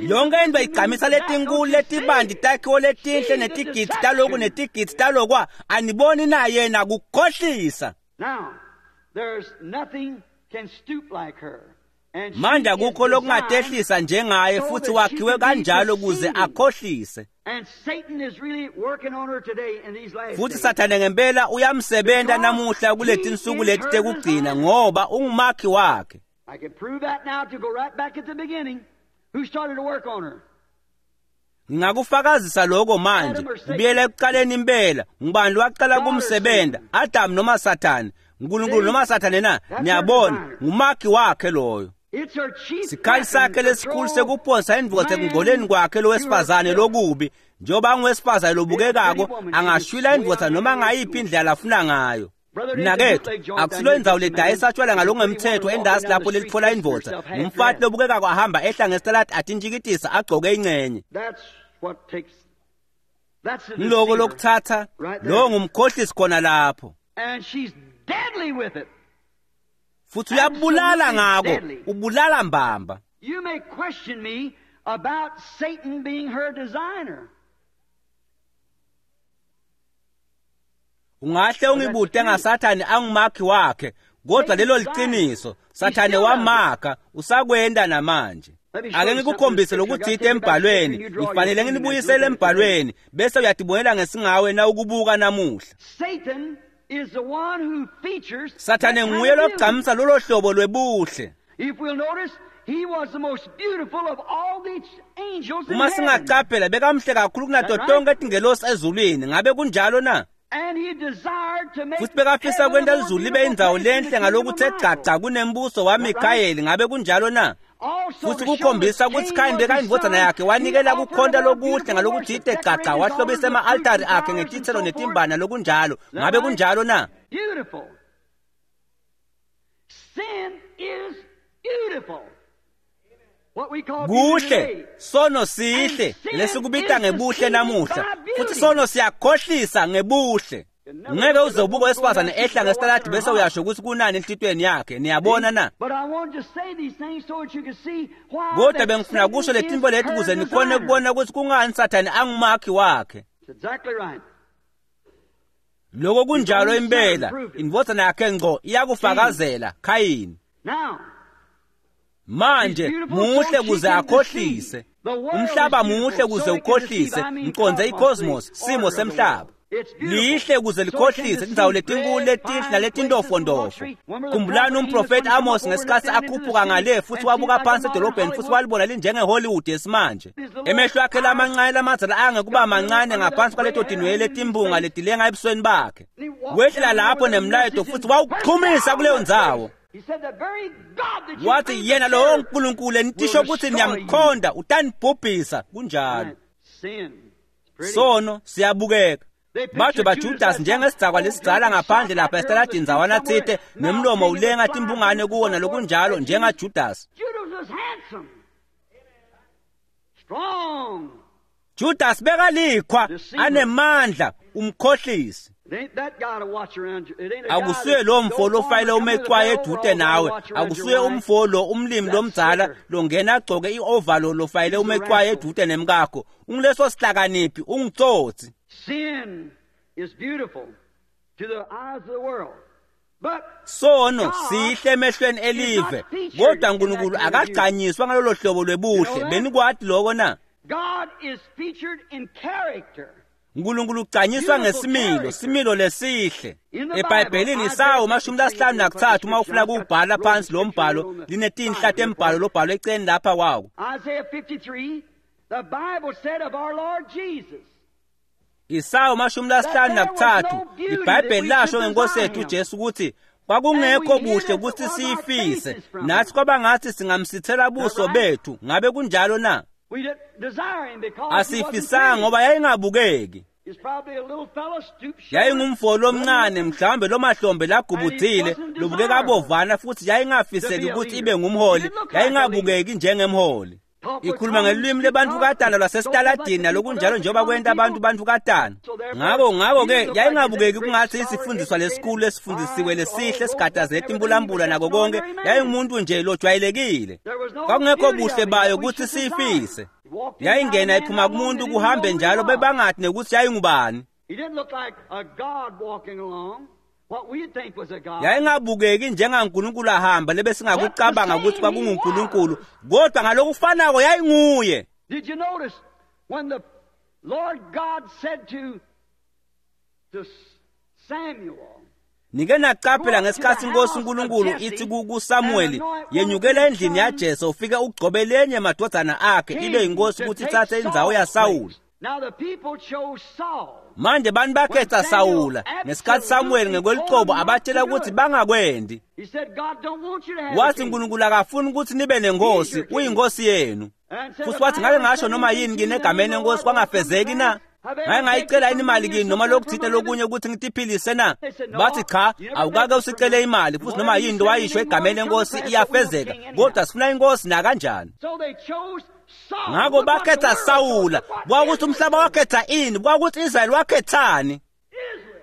Yonke into igcamisa letinkulu letibanti takhiwo letinhle netigidzi taloku netigidzi talokwa, aniboni na yena kukhohlisa. Manje akukho lokungatehlisa njengaye futhi wakhiwe kanjalo kuze akhohlise. Futhi Sathane ngempela uyamsebenta namuhla kuletinsuku leti tekugcina ngoba ungumakhi wakhe. I can prove that now to go right back at the beginning. Who started to work on her? Ngingakufakazisa lokho manje. Kubuyela ekuqaleni impela. Ngubani waqala kumsebenza? Adam noma Sathane? uNkulunkulu noma Sathane na? Niyabona, ngumakhi wakhe loyo. Sikhali sakhe lesikhulu sekuphonsa indvodza ekungcoleni kwakhe lowesifazane lokubi. Njengoba anguwesifazane lobukekako, angashwila indvodza noma ngayiphi indlela afuna ngayo. Mnakethu, akusilo indzawo ledayisa tshwala ngalokungemthetho endasi lapho lelitfola indvodza. Ngumfati lobukekako ahamba ehla ngesitaladi atintshikitisa agcoke incenye. Ngiloko lokuthatha, lowo ngumkhohlisi khona lapho. Futhi uyabulala ngako, ubulala mbamba. You may question me about Satan being her designer. Ungahle ungibude ngaSathane angumakhi wakhe, kodwa lelo liqiniso. Sathane wamakha, usakwenda namanje. Ake ngikukhombise lokuthite embhalweni, ngifanele nginibuyisele embhalweni, bese uyatibonela ngesingawe na ukubuka namuhla. Satan is the one who features Sathane nguye logcamisa lolo hlobo lwebuhle. If we'll notice, he was the most beautiful of all the angels in Uma heaven. singaqaphela bekamhle kakhulu kunato tonke tingelosi ezulwini, ngabe kunjalo na? And he desired to make Futhi bekafisa heaven a kwenta more lizulu libe beautiful indzawo place than lenhle the kingdom of ngalokuthe Michael. gcagca kunembuso waMikhayeli, ngabe kunjalo na? Also Futhi to show kukhombisa that ukuthi Cain Khayini was his bekayindvodzana son, yakhe he wanikela offered kukhonta a more lokuhle beautiful ngalokuthite worship, gcagca decorated his wahlobisa altars with ema-altari fruits and akhe flowers and ngetitselo so forth. netimbana lokunjalo, Is that ngabe right? kunjalo na? Beautiful. Sin is beautiful. What we call beauty Kuhle, today. sono sihle lesikubita ngebuhle namuhla, futhi sono siyakhohlisa ngebuhle. Ngeke uze ubuke wesifazane ehla ngesitaladi bese uyasho ukuthi kunani enhlitiyweni yakhe, niyabona na? But I want to say these things so that you can see why Kodwa that bengifuna kusho Satan letinto is leti her kuze nikhone designer. kubona ukuthi kungani Sathane angumakhi wakhe. Exactly right. Lokho kunjalo impela, indvodzana yakhe ngco iyakufakazela Khayini. Now, Manje muhle kuze akhohlise. Umhlaba muhle kuze ukhohlise, ngiqonze i-cosmos, simo semhlaba. Lihle kuze likhohlise indzawo letinkulu letinhle naletintofondofo. Khumbulani umprofeti Amos ngesikhathi akhuphuka ngale futhi wabuka phansi edolobheni futhi walibona linjenge-Hollywood yesimanje. Emehlo akhe lamancane lamadzala angekuba mancane ngaphansi kwaleto tinwele letimbunga letilenga ebusweni bakhe. Wehlela lapho nemlayeto futhi wawuchumisa kuleyo ndzawo. He said the very God that you Wathi claim yena to lowo serve Nkulunkulu enitisho will ukuthi destroy you. niyamkhonda utanibhubhisa kunjalo. Sin. It's pretty. Sono siyabukeka. They pictured Bathi Judas baJudas as njengesidakwa that lesidzala old ngaphandle drunk lapha shot esitaladini ndzawana somewhere, tsite mouth nemlomo hanging with ulenga flies timbungane and kuwo so nalokunjalo forth. njengaJudas. Judas was handsome, strong. Judas bekalikhwa Deceiver. anemandla umkhohlisi. It ain't that guy to watch around you. It ain't a guy Akusuye that lo mfo go lofayele farm and come with a umecwaye bell edude overall to nawe, watch around your akusuye wife. umfo lo umlimi That's lomdzala slicker. longena agcoke i-ovalo lofayele He's a umecwaye rascal. edude nemkakho. Ungileso sihlakaniphi, ungitsotsi. Sin is beautiful to the eyes of the world. But Sono God sihle emehlweni elive, is not featured kodwa in uNkulunkulu that kind of beauty. akagcanyiswa ngalolo hlobo lwebuhle. You know that? Benikwati lokho na? God is featured in character. uNkulunkulu ugcanyiswa Beautiful ngesimilo, character. similo lesihle. In the EBhayibhelini Bible, Isawo Isaiah mashumi lasihlanu fifty-three, nakutsatfu uma ufuna I've got kuwubhala phansi lo scripture mbhalo on the linetinhla side tembhalo lobhalwe eceleni lapha kwawo. Isaiah fifty-three, the Bible said of our Lord Jesus, Isawo mashumi lasihlanu That there was nakutsatfu no beauty iBhayibheli that we lasho should ngenkosi desire yethu him. uJesu ukuthi kwakungekho And we hid buhle it ukuthi was our siyifise faces from nathi him. kwaba ngathi singamsithela buso right? bethu. Ngabe kunjalo na? We didn't desire him because he wasn't Asiyifisanga pretty. ngoba yayingabukeki. He's probably a little fellow, stoop shouldered, Yayingumfo lomncane mhlawumbe lomahlombe lagubudzile lobukeka abovana futhi yayingafiseki ukuthi ibe ngumholi, yayingabukeki njengemholi. Ikhuluma ngelwimi lebantukatana lwasesitaladini nalokunjalo njengoba kwenta abantu bantukatana. Ngako ngako-ke yayingabukeki kungathi isifundiswa lesikhulu esifundisiwe lesihle sigadazele timbulambula nako konke, yayingumuntu nje lojwayelekile. Kwakungekho buhle bayo ukuthi siyifise. Yayingena iphuma kumuntu kuhambe njalo bebangathi nekuthi yayingubani. He didn't look like a God walking along, what we'd think was a God. Yayingabukeki njengaNkulunkulu ahamba lebesingakucabanga ukuthi kwakunguNkulunkulu, kodwa ngalokufanako yayinguye. Did you notice when the Lord God said to, to Samuel, Nike naqaphela ngesikhathi inkosi uNkulunkulu ithi ku- kuSamuweli, yenyukela endlini yaJese ufike ugcobe lenye emadodana akhe ibe yinkosi king ukuthi to ithathe take indzawo Saul's yaSawuli. place. Now the people chose Saul. Manje bantu bakhetha Sawula ngesikhathi Samuweli ngekwelicebo abatshela ukuthi bangakwendi. He said, God don't want you to have a Wathi king. uNkulunkulu akafuni ukuthi nibe nenkosi, uyinkosi yenu. And said, Futhi if wathi I ngake ever ngasho said noma anything yini to you, kini then egameni you know lenkosi what will kwangafezeki come na? to pass. Have I Ngake ever ngayicela taken yini imali from kini you noma something lokuthile from a lokunye living? ukuthi ngitiphilise na? They said, no, Bathi cha, you never awukake begged for usicele money. imali futhi noma Whatever you yini say wayisho in the egameni name will come lenkosi to pass, but we want iyafezeka, king anyhow. kodwa sifuna inkosi nakanjani. So they chose Saul. Ngakho Look what the bakhetha world chose. Sawula, Look what kwakuthi Israel umhlaba chose. wakhetha ini, kwakuthi Israel wakhethani? Israel,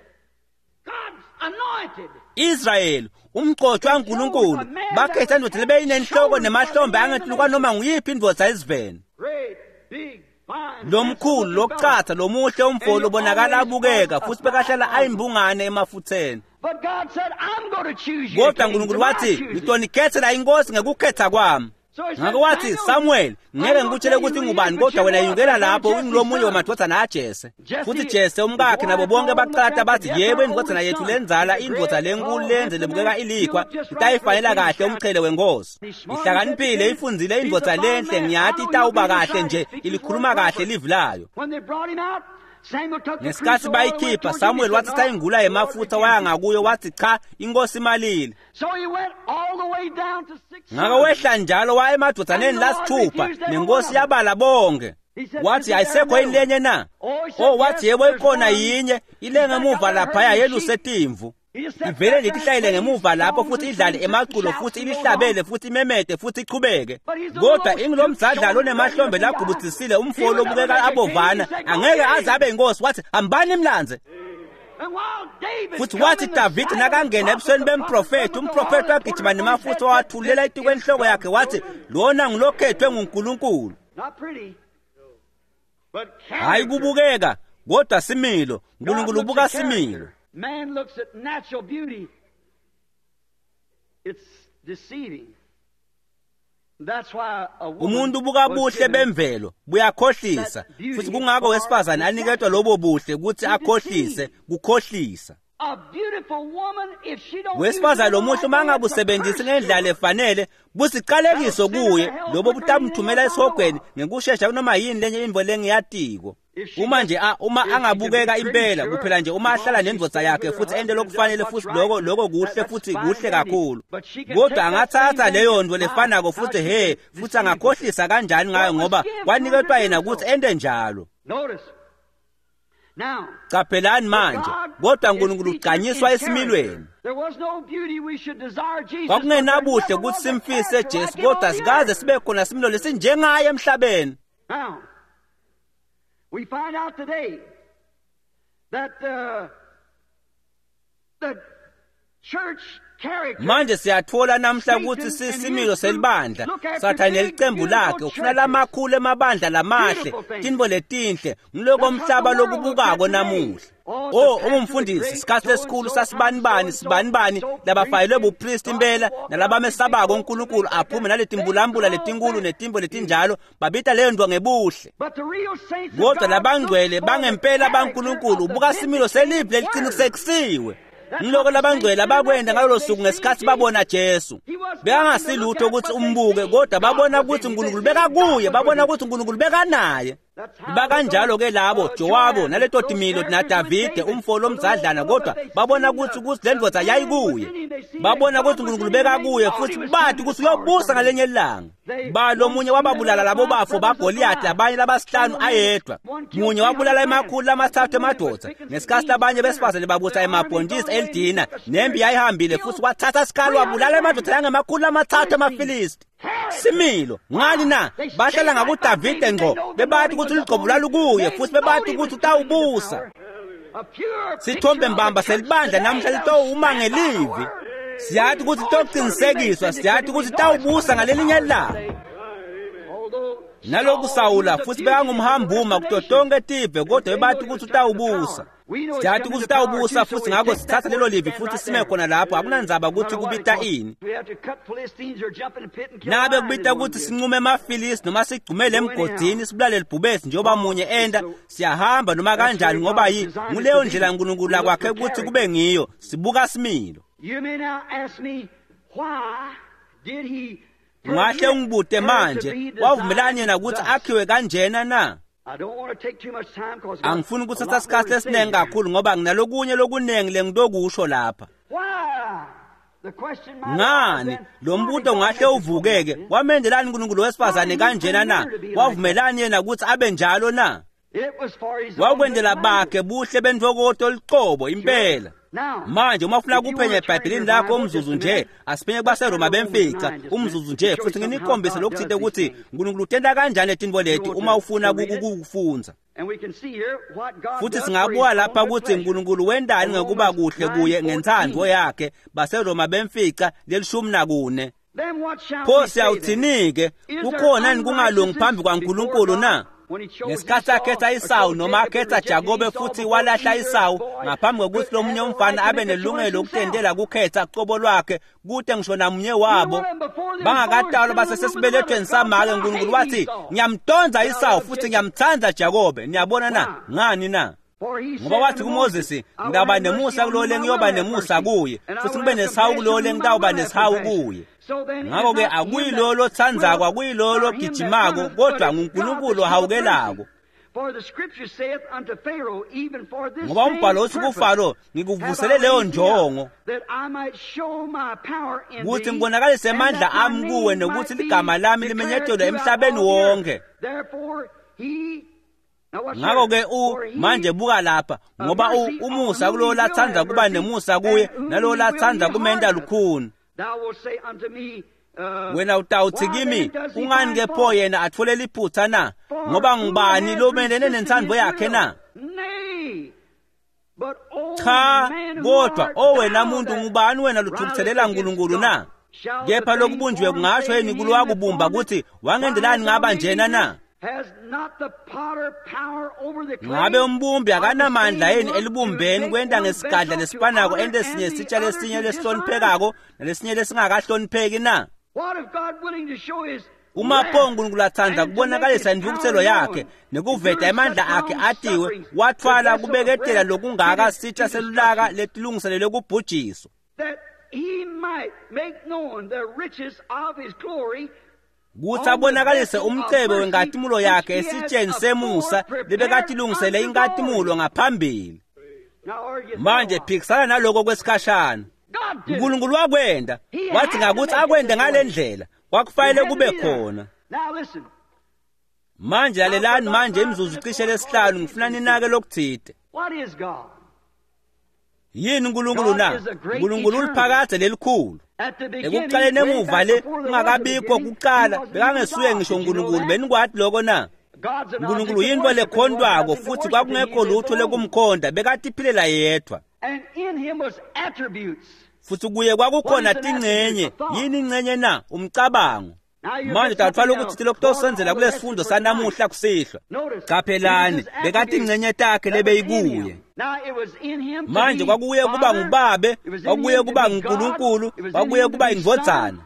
God's anointed. Israel umgcotshwa kaNkulunkulu bakhetha indoda lebeyinenhloko nemahlombe angetulu noma nguyiphi indvodza eziveni. Great, big, fine, Lomkhulu handsome-looking lokucatha lomuhle umfo lobonakala abukeka futhi bekahlala ayimbungane emafutheni. fellow. But God said, I'm going to choose you. Kodwa king, uNkulunkulu to my wathi choosing. ngitonikhethela inkosi ngekukhetha kwami. So he said, Ngakho wathi Samuel, Samuel, ngeke I'm not ngikutshele telling ukuthi you who he ngubani is, but kodwa you wena know yukela it. lapho Jesse's ungilomunye son. wamadodana aJese. Jesse, Futhi Jese umkakhe his nabo wife bonke all baqalata looked bathi at him, yebo "Yes, our indodana oldest yethu son. lenzala He's a indvodza great, lenkulu tall, lenze handsome lebukeka man. ilikhwa You look just right itayifanela for a kahle king's umqhele wenkosi. He's smart, Ihlakaniphile educated. ifundzile He's a indvodza fine lenhle man. I ngiyathi know itawuba he'll be kahle the nje Messiah. Speaks his ilikhuluma word kahle proper. livi layo. When they brought him out, Samuel took the Ngesikhathi crucible and went bayikhipha towards him. He Samuel said, wathi "No, sayingula the Lord yemafutha waya rebuked you." ngakuyo wathi cha inkosi imalile. So he went all the way down to six Ngakho sons. wehla njalo waya emadodaneni lasithupha nenkosi yabala bonke. He said, Wathi "Isn't there ayisekho another yini lenye na? Oh, he said, Oh wathi "Yes, yebo there's ikhona one." yinye ile ngemuva laphaya yeluse timvu. He just sat Ivele back nje there ihlayile and ngemuva played lapho songs futhi and idlale sings and emaculo shouts futhi and goes ilihlabele on. futhi imemete futhi iqhubeke. But he's a Kodwa little ingilomdzadlalo stoop-shouldered, onemahlombe looking guy. lagubudzisile He umfo would never lobukeka make a king. He abovana said, "Go angeke get aze him." abe inkosi wathi hambani imlanze. And while David Futhi come wathi in the Davide sight of the nakangena prophet, ebusweni the prophet bemprofethi, come with the umprofethi oil and poured wagijima it on his nemafutha head, said, wathulela "This itikwe is enhloko yakhe God's wathi chosen." lona ngilokhethwe nguNkulunkulu. Not pretty, but Hayi character. kubukeka Kodwa similo, uNkulunkulu ubuka similo. Man looks at natural beauty. It's deceiving. That's why a woman Umuntu ubuka was buhle given bemvelo buyakhohlisa, futhi kungakho wesifazane aniketwa lobo buhle ukuthi akhohlise, kukhohlisa. A beautiful woman, if she don't Wesifazane use it lomuhle uma right way, it's a angabusebenzisi curse ngendlela to her. efanele busiqalekiso kuye, lobo butamthumela esihogweni ngekushesha kunoma yini lenye intfo lengiyatiko. Uma nje a- uma angabukeka impela kuphela nje uma ahlala nendvodza yakhe futhi ente lokufanele futhi loko loko kuhle futhi kuhle kakhulu, kodwa angathatha leyo nto lefanako futhi he futhi angakhohlisa kanjani ngayo, ngoba kwaniketwa yena ukuthi ente njalo. Notice. Now, Qaphelani manje, kodwa uNkulunkulu ugqanyiswa esimilweni. There was no beauty we should desire Jesus. Kwakungenabuhle ukuthi simfise Jesu, kodwa sikaze sibe khona similo lesinjengaye emhlabeni. Now, we find out today that uh, the church character Manje siyathola namhla ukuthi sisimilo selibandla Sathane licembu lakhe ufuna lamakhulu emabandla lamahle, tintfo letinhle, ngiloko mhlaba lokubukako namuhla. Oh, umfundisi isikhathi lesikhulu sasibanibani sibanibani labafayelwe bupristi impela nalabamesabako uNkulunkulu aphume naletimbulambula letinkulu netimbo letinjalo, babita leyo nto ngebuhle. But the real saints of Kodwa God labangcwele look for the bangempela character baNkulunkulu of the ubuka similo selivi vindicated word. leliqinisekisiwe. Ngiloko labangcwele abakwenda ngalolo suku ngesikhathi babona Jesu. Bekangasilutho ukuthi umbuke, kodwa babona ukuthi uNkulunkulu bekakuye, babona ukuthi uNkulunkulu bekanaye. Bakanjalo ke labo Jowabu naleto timilo naDavide umfo lomzadlana, kodwa babona ukuthi ukuthi le ndvodza yayikuye. Babona ukuthi uNkulunkulu bekakuye futhi bathi ukuthi uyobusa ngalenye ilanga. Ba lomunye wababulala labo bafo baGoliath, abanye labasihlanu ayedwa. Munye wabulala emakhulu lamathathu emadoda. Ngesikhathi labanye besifazane babusa emabhontisi elidina, nempi yayihambile futhi wathatha isikhali wabulala emadoda yangemakhulu amathathu emaFilisti. Similo ngani na? Bahlala ngakuDavide ngqo, bebathi ukuthi uligcobo lwalukuye futhi bebathi ukuthi utawubusa. A pure Sithombe picture of mbamba the church selibandla today namhla that litowuma will stand by the ngelivi. word. Siyathi ukuthi toqinisekiswa, siyathi ukuthi tawubusa ngalelinye ilanga. Although Naloku Sawula futhi bekangumhambuma kuto tonke tive, kodwa bebathi ukuthi utawubusa. Siyathi ukuthi utawubusa futhi ngakho sithatha lelo livi futhi sime khona lapho, akunandzaba ukuthi kubita ini. We have to cut Philistines or jump in the pit and kill Nangabe a lion kubita in one ukuthi bit. sinqume emaFilisti noma sigcumele emgodini sibulale libhubesi njengoba munye enda, siyahamba noma kanjani, ngoba yi nguleyo ndlela uNkulunkulu akwakhe ukuthi kube ngiyo. Sibuka similo. You may now ask me, why did he Ungahle permit ungibute her to manje, be wavumelani designed yena ukuthi thus? akhiwe kanjena na? I don't want to take too much time 'cause I've got Angifuni a ukuthatha lot more isikhathi to say esiningi here. kakhulu ngoba nginalokunye lokuningi lengitokusho lapha. Why? The question might arise Ngani then, lo why did mbuto God ungahle make this woman uvukeke, like this? wamenzelani uNkulunkulu wesifazane kanjena na? Wavumelani yena ukuthi abe njalo na? It was for his own Wakwendela good bakhe buhle bentfokoto liqobo impela. Now, Manje uma ufuna if you kuphenya wanna turn eBhayibhelini your lakho Bible umzuzu just a nje, minute, asiphenye let's kubaseRoma turn to Romans bemfica nine just a umzuzu minute nje to show you futhi something how nginikhombise God lokuthinte does these ukuthi things. uNkulunkulu utenta kanjani letintfo leti You want uma to- ufuna to read it? kukufundza. And we can see here what God Futhi does for his singabuka own lapha good ukuthi pleasure. uNkulunkulu wendani ngekuba Romans kuhle kuye nine ngentsandvo fourteen. yakhe baseRoma bemfica lelishumi nakune. Then what shall Pho we say then? siyawuthini-ke? Is there Kukhona yini kungalungi phambi unrighteousness kwaNkulunkulu before na? God? When he chose Ngesikhathi Esau, akhetha or Isawu chose noma Jacob and akhetha rejected Jakobe Esau futhi before walahla either Isawu boy ngaphambi kokuthi could lomunye have a umfana right to abe make a choice nelungelo himself. lokutendela kukhetha cobo lwakhe kute ngisho namunye wabo bangakatalwa basesesibelethweni samake uNkulunkulu wathi ngiyamtonza Isawu futhi ngiyamthanda Jakobe. Niyabona na? Ngani na? For he Ngoba said wathi unto kuMoses, Moses, I will ngitawuba have mercy nemusa on kulowo whom I lengiyoba will have nemusa mercy, kuye, and I futhi will ngibe have nesihawu compassion kulowo on whom I lengitawuba will have nesihawu compassion. kuye. So then it is Ngakho-ke not him akuyilowo that lotsandzako, willeth, akuyilowo nor him that logijimako, runneth, kodwa but it's God nguNkulunkulu that showeth ohawukelako. mercy. For the scripture saith unto Pharaoh, even for this Ngoba same umbhalo uthi purpose kuFaro, have I ngikuvusele leyo raised thee up, njongo that I might show my power in ukuthi thee, ngibonakalise and amandla that my ami kuwe name nokuthi might be ligama lami declared limenyetelwe throughout emhlabeni all the earth. wonke. Therefore he Now watch Ngakho-ke here. u For he manje buka lapha, ngoba u- mercy on umusa whom kulowo he will latsandza have kuba mercy, nemusa kuye and whom nalowo he will latsandza he kumenta hardeneth. lukhuni. Thou wilt say unto me, uh, Wena utawuthi why kimi, then does he kungani find ke pho fault? yena atfole liphutha na? For Ngoba who ngubani hath lomelene resisted nentsandvo his yakhe will? na? Nay, but O Cha, man who kodwa art o wena thou muntu that ngubani wena rilest lothukutselela against uNkulunkulu God? na? Shall the Kepha thing lokubunjiwe formed kungasho say yini to him that kulowakubumba formed it, ukuthi Why wangendelani hast thou ngaba made me njena na? this? Ngabe umbumbi akanamandla yini elibumbeni kwenta ngesigadla lesifanako ente sinye sitsha lesinye lesihloniphekako nalesinye lesingakahlonipheki na? Uma pho uNkulunkulu atsandza kubonakalisa intfukutselo yakhe nekuveta emandla akhe atiwe, wathwala kubeketela lokungaka sitsha selulaka letilungiselelwe kubhujiswa, kutsi abonakalise umcebo wenkatimulo yakhe esitsheni semusa lebekatilungisele inkatimulo ngaphambili. Manje phikisana naloko kwesikhashana. uNkulunkulu wakwenda, wathi ngakuthi akwende ngale ndlela, kwakufanele kube khona. Manje lalelani manje imizuzu cishe lesihlanu, ngifuna ninake lokuthide. Yini uNkulunkulu na? uNkulunkulu uliphakadze lelikhulu. Ekuqaleni emuva le kungakabikho kuqala, bekangesuye ngisho uNkulunkulu. Benikwati loko na? uNkulunkulu yintfo lekhontwako, futhi kwakungekho lutho lekumkhonda, bekatiphilela yedwa. Futhi kuye kwakukhona tingcenye. Yini ingcenye na? Umcabango. Manje tatfwala ukuthi lokutosenzela kulesifundo sanamuhla kusihlwa. Qaphelani, bekatingcenye takhe lebeyikuye. Manje kwakuye kuba ngubabe, kwakuye kuba nguNkulunkulu, kwakuye kuba indvodzana,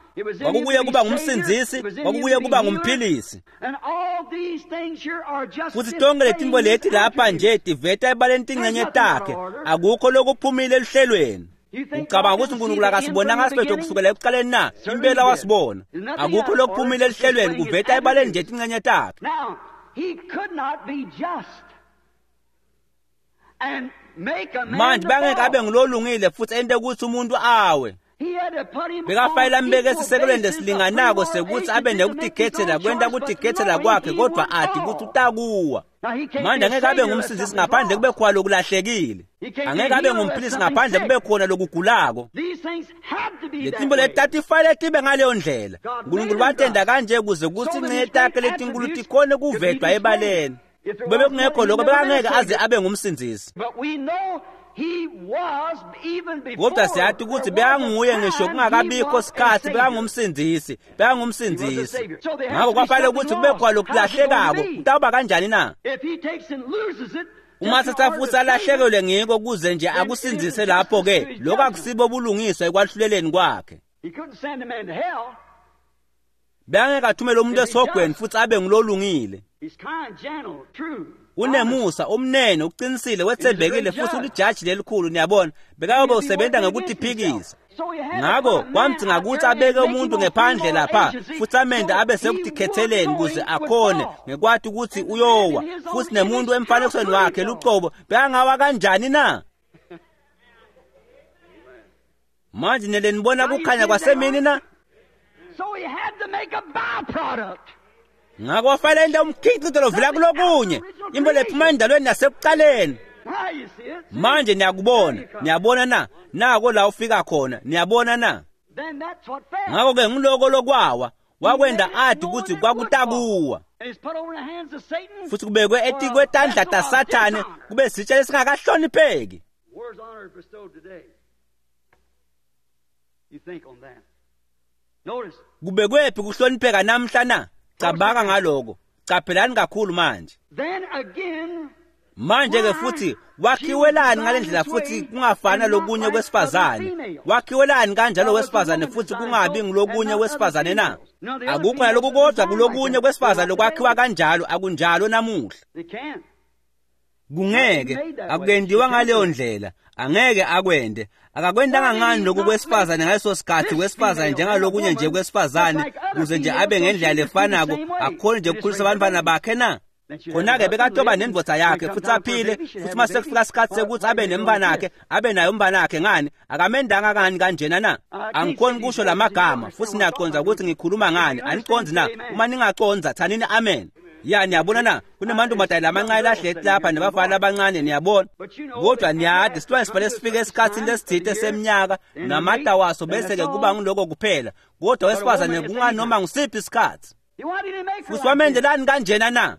kwakuye kuba ngumsindzisi, kwakuye kuba ngumphilisi. Futhi tonke letintfo leti lapha nje tiveta ebaleni tingcenye takhe, akukho lokuphumile eluhlelweni. Ucabanga ukuthi uNkulunkulu akasibonanga siphetho kusukela ekuqaleni na? Impela wasibona. Akukho lokuphumile eluhlelweni, kuveta ebaleni nje tingcenye takhe. Manje bangeke abe ngulolungile futhi ente ukuthi umuntu awe. Bekafanele ambeke esisekelweni lesilinganako sekuthi abe nekutikhethela, kwenta kutikhethela kwakhe, kodwa ati ukuthi utakuwa. Manje angeke abe ngumsindzisi ngaphandle kube khona lokulahlekile. Angeke abe ngumphilisi ngaphandle kube khona lokugulako. Letimbo letatifanele tibe ngaleyo ndlela. uNkulunkulu watenda kanje kuze kutsi ingcenye takhe letinkulu tikhone kuvetwa ebaleni. Kube bekungekho lokho, bekangeke aze abe ngumsindzisi. Kodwa siyati ukuthi bekanguye ngisho kungakabikho sikhatsi, bekangumsindzisi, bekangumsindzisi. Ngakho kwafanele ukuthi kube khona lokulahlekako. Kutawuba kanjani na? Uma sithatha futhi alahlekelwe ngiko kuze nje akusindzise lapho-ke, lokho akusibo bulungiswa ekwahluleleni kwakhe. Bekangeke athumele umuntu esihogweni futhi abe ngulolungile. Unemusa, umnene, uqinisile, wetsembekile futhi ulijaji lelikhulu, niyabona. Bekayobe usebenza ngekutiphikisa. Ngakho kwamdzinga ukuthi abeke umuntu ngephandle lapha futhi amende abe sekutikhetheleni kuze akhone ngekwati ukuthi uyowa, futhi nemuntu emfanekisweni wakhe lucobo bekangawa kanjani na? Manje nele nibona kukhanya kwasemini na? Ngakho wafanele ente umkhicito lovela kulokunye, into lephuma endalweni yasekuqaleni. Manje niyakubona, niyabona na? Nako la ufika khona, niyabona na? Ngakho-ke ngiloko lokwawa, wakwenda ati ukuthi kwakutakuwa. Futhi kubekwe etikwetandla taSathane kube sitsha lesingakahlonipheki. Kubekwephi kuhlonipheka namhla na? Cabanga ngaloko. Caphelani kakhulu manje. Manje ke futhi wakhiwelani ngalendlela futhi kungafana lokunye kwesifazane? Wakhiwelani kanjalo wesifazane futhi kungabi ngilokunye kwesifazane na? Akukho naloku kodwa kulokunye kwesifazane lokwakhiwa kanjalo, akunjalo namuhla. Kungeke, akukendiwa ngaleyo ndlela, angeke akwende. Akakwendanga ngani lokhu kwesifazane ngaleso sikhathi kwesifazane njengalokunye nje kwesifazane, kuze nje abe ngendlela lefanako, akhone nje ukukhulisa abantwana bakhe na? Khona-ke bekatoba nendvodza yakhe futhi aphile, futhi uma sekufika isikhathi sekuthi abe nemntwanakhe, abe naye umntwanakhe. Ngani akamendanga kani kanjena na? Angikhoni kusho lamagama, futhi niyacondza ukuthi ngikhuluma ngani. Aniconzi na? Uma ningacondza thanini amen. Ya, niyabona na? Kunemantombazane lamancane lahleti lapha nebafana abancane, niyabona. Kodwa niyadi silwane sifanele sifike esikhatsini lesithite seminyaka namata waso, bese-ke kuba ngiloko kuphela. Kodwa wesifazane kunganoma ngusiphi isikhathi. Futhi wamendelani kanjena na?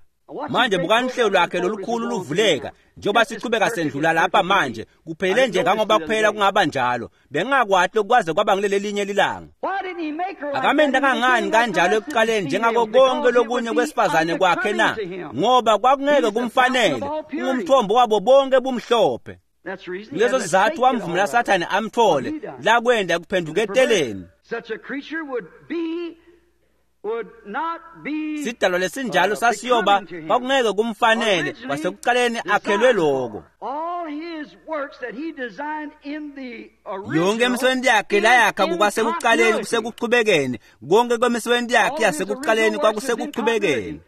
Manje bukani uhlelo lwakhe lolukhulu luvuleka njengoba sichubeka sendlula lapha manje kuphelele nje ngangoba kuphela kungaba njalo bengingakwati lokwaze kwaba ngileli lilanga. Akamenda kangani kanjalo ekuqaleni njengako konke lokunye kwesifazane kwakhe na? Ngoba kwakungeke kumfanele, ungumthombo wabo bonke bumhlophe. Leso sizathu wamvumela Sathane amthole lakwenda kuphenduketeleni. Sidalwa lesinjalo sasiyoba kwakungeke kumfanele kwasekuqaleni akhelwe lokho. Yonke imisebenzi yakhe layakha kukwasekuqaleni kusekuchubekeni, konke kwemisebenzi yakhe yasekuqaleni kwakusekuchubekeni.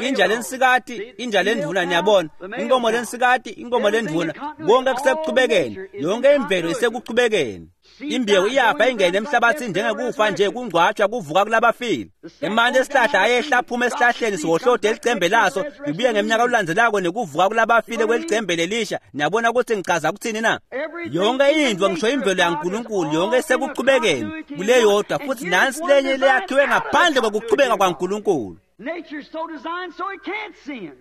Inja lensikati, inja lendvuna, niyabona, inkomo lensikati, inkomo lendvuna, konke kusekuchubekeni, yonke imvelo isekuchubekeni. Imbewu iyafa ingene emhlabathini njengekufa nje kungcwatshwa kuvuka kulabafile. Emanti esihlahla ayehla aphuma esihlahleni siwohlode elicembe laso libuye ngeminyaka olulandzelako nekuvuka kulabafile kwelicembe lelisha. Niyabona ukuthi ngichaza kuthini na? Yonke into ngisho imvelo yaNkulunkulu yonke isekuchubekeni kuleyodwa, futhi nansi lenye leyakhiwe ngaphandle kokuchubeka kwaNkulunkulu. Nature's so designed so it can't sin.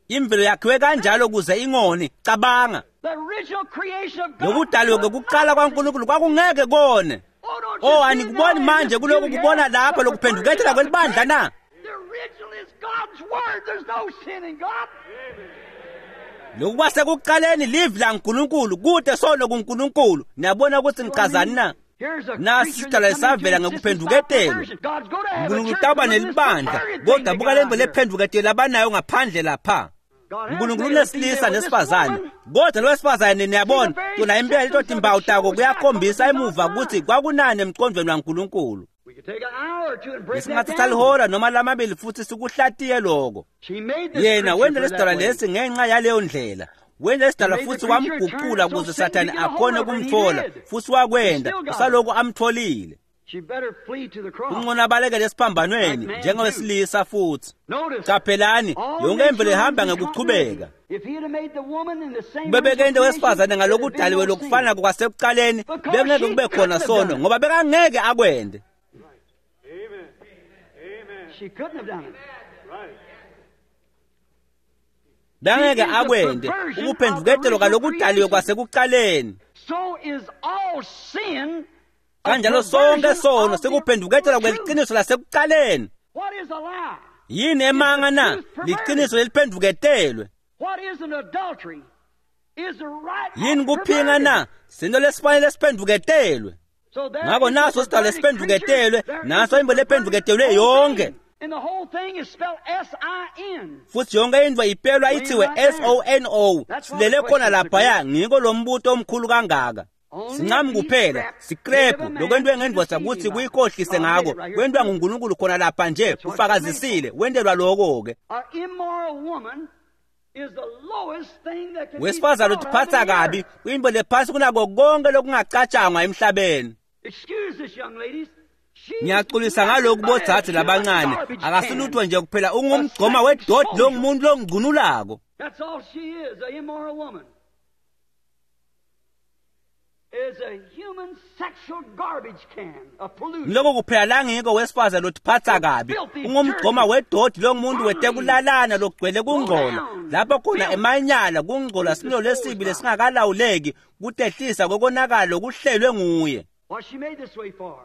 Imvelo yakhiwe kanjalo kuze ingoni. Cabanga. The original creation of God. Lokudalwa kokuqala kwaNkulunkulu kwakungeke kone. Oh, anikuboni manje kuloko kubona lapha lokuphenduketela kwelibandla na? The original is God's word. There's no sin in God. Lokhu kwasekuqaleni livi laNkulunkulu, kude sono kuNkulunkulu. Niyabona ukuthi ngichazani na? Nasi isidalwa esavela ngokuphenduketela. uNkulunkulu taba nelibandla, kodwa buka lemvo lephenduketela abanayo ngaphandle lapha. uNkulunkulu unesilisa nesifazane, kodwa lo wesifazane niyabona tona impela leto timbawu tako kuyakhombisa emuva ukuthi kwakunani emqondweni waNkulunkulu. Besingathatha lihora noma lamabili futhi sikuhlatiye lokho. Yena wenda lesidalwa lesi ngenxa yaleyo ndlela. Wenda lesidalwa futhi wamguqula ukuze Sathane akhone kumthola, futhi wakwenda usaloku amtholile. Kungcono abalekele esiphambanweni njengowesilisa futhi. Qaphelani, yonke imvelo ihamba ngekuchubeka. Bebeke into wesifazane ngalokudaliwe lokufana kwasekuqaleni, bekungeke kube khona sono ngoba bekangeke akwende. Bangeke akwende ukuphenduketelwa kalokudaliwe kwasekuqaleni. Kanjalo sonke sono sekuphenduketelwa kweliqiniso lasekuqaleni. Yini emanga na? Liqiniso leliphenduketelwe. Yini kuphinga na? Sento lesifanele siphenduketelwe. Ngakho naso sidalwa esiphenduketelwe, naso imbo lephenduketelwe yonke. Futhi yonke into ipelwa ithiwe S O N O. Silele khona laphaya, ngiko lo mbuto omkhulu kangaka. Sincami kuphela, sikrephu lokwentiwe ngendvodza ukuthi kuyikhohlise ngako, kwentiwa nguNkulunkulu khona lapha nje, ufakazisile, wentelwa lokho-ke. Wesifazane utiphatsa kabi, kuyinto lephasi kunako konke lokungacatshangwa emhlabeni. Ngiyaxolisa ngalokhu bodzadze labancane, akasilutho nje kuphela ungumgcoma wedoti longumuntu longcunulako. That's all she is, an immoral woman. Is a human sexual garbage can, a pollution. Lokho kuphela la ngiko wesifazane lotiphatsa kabi, ungumgcoma wedoti longumuntu wetekulalana lokugcwele kungcola. Lapho khona emanyala kungcola similo lesibi lesingakalawuleki kutehlisa kokonakala lokuhlelwe nguye. What she made this way for?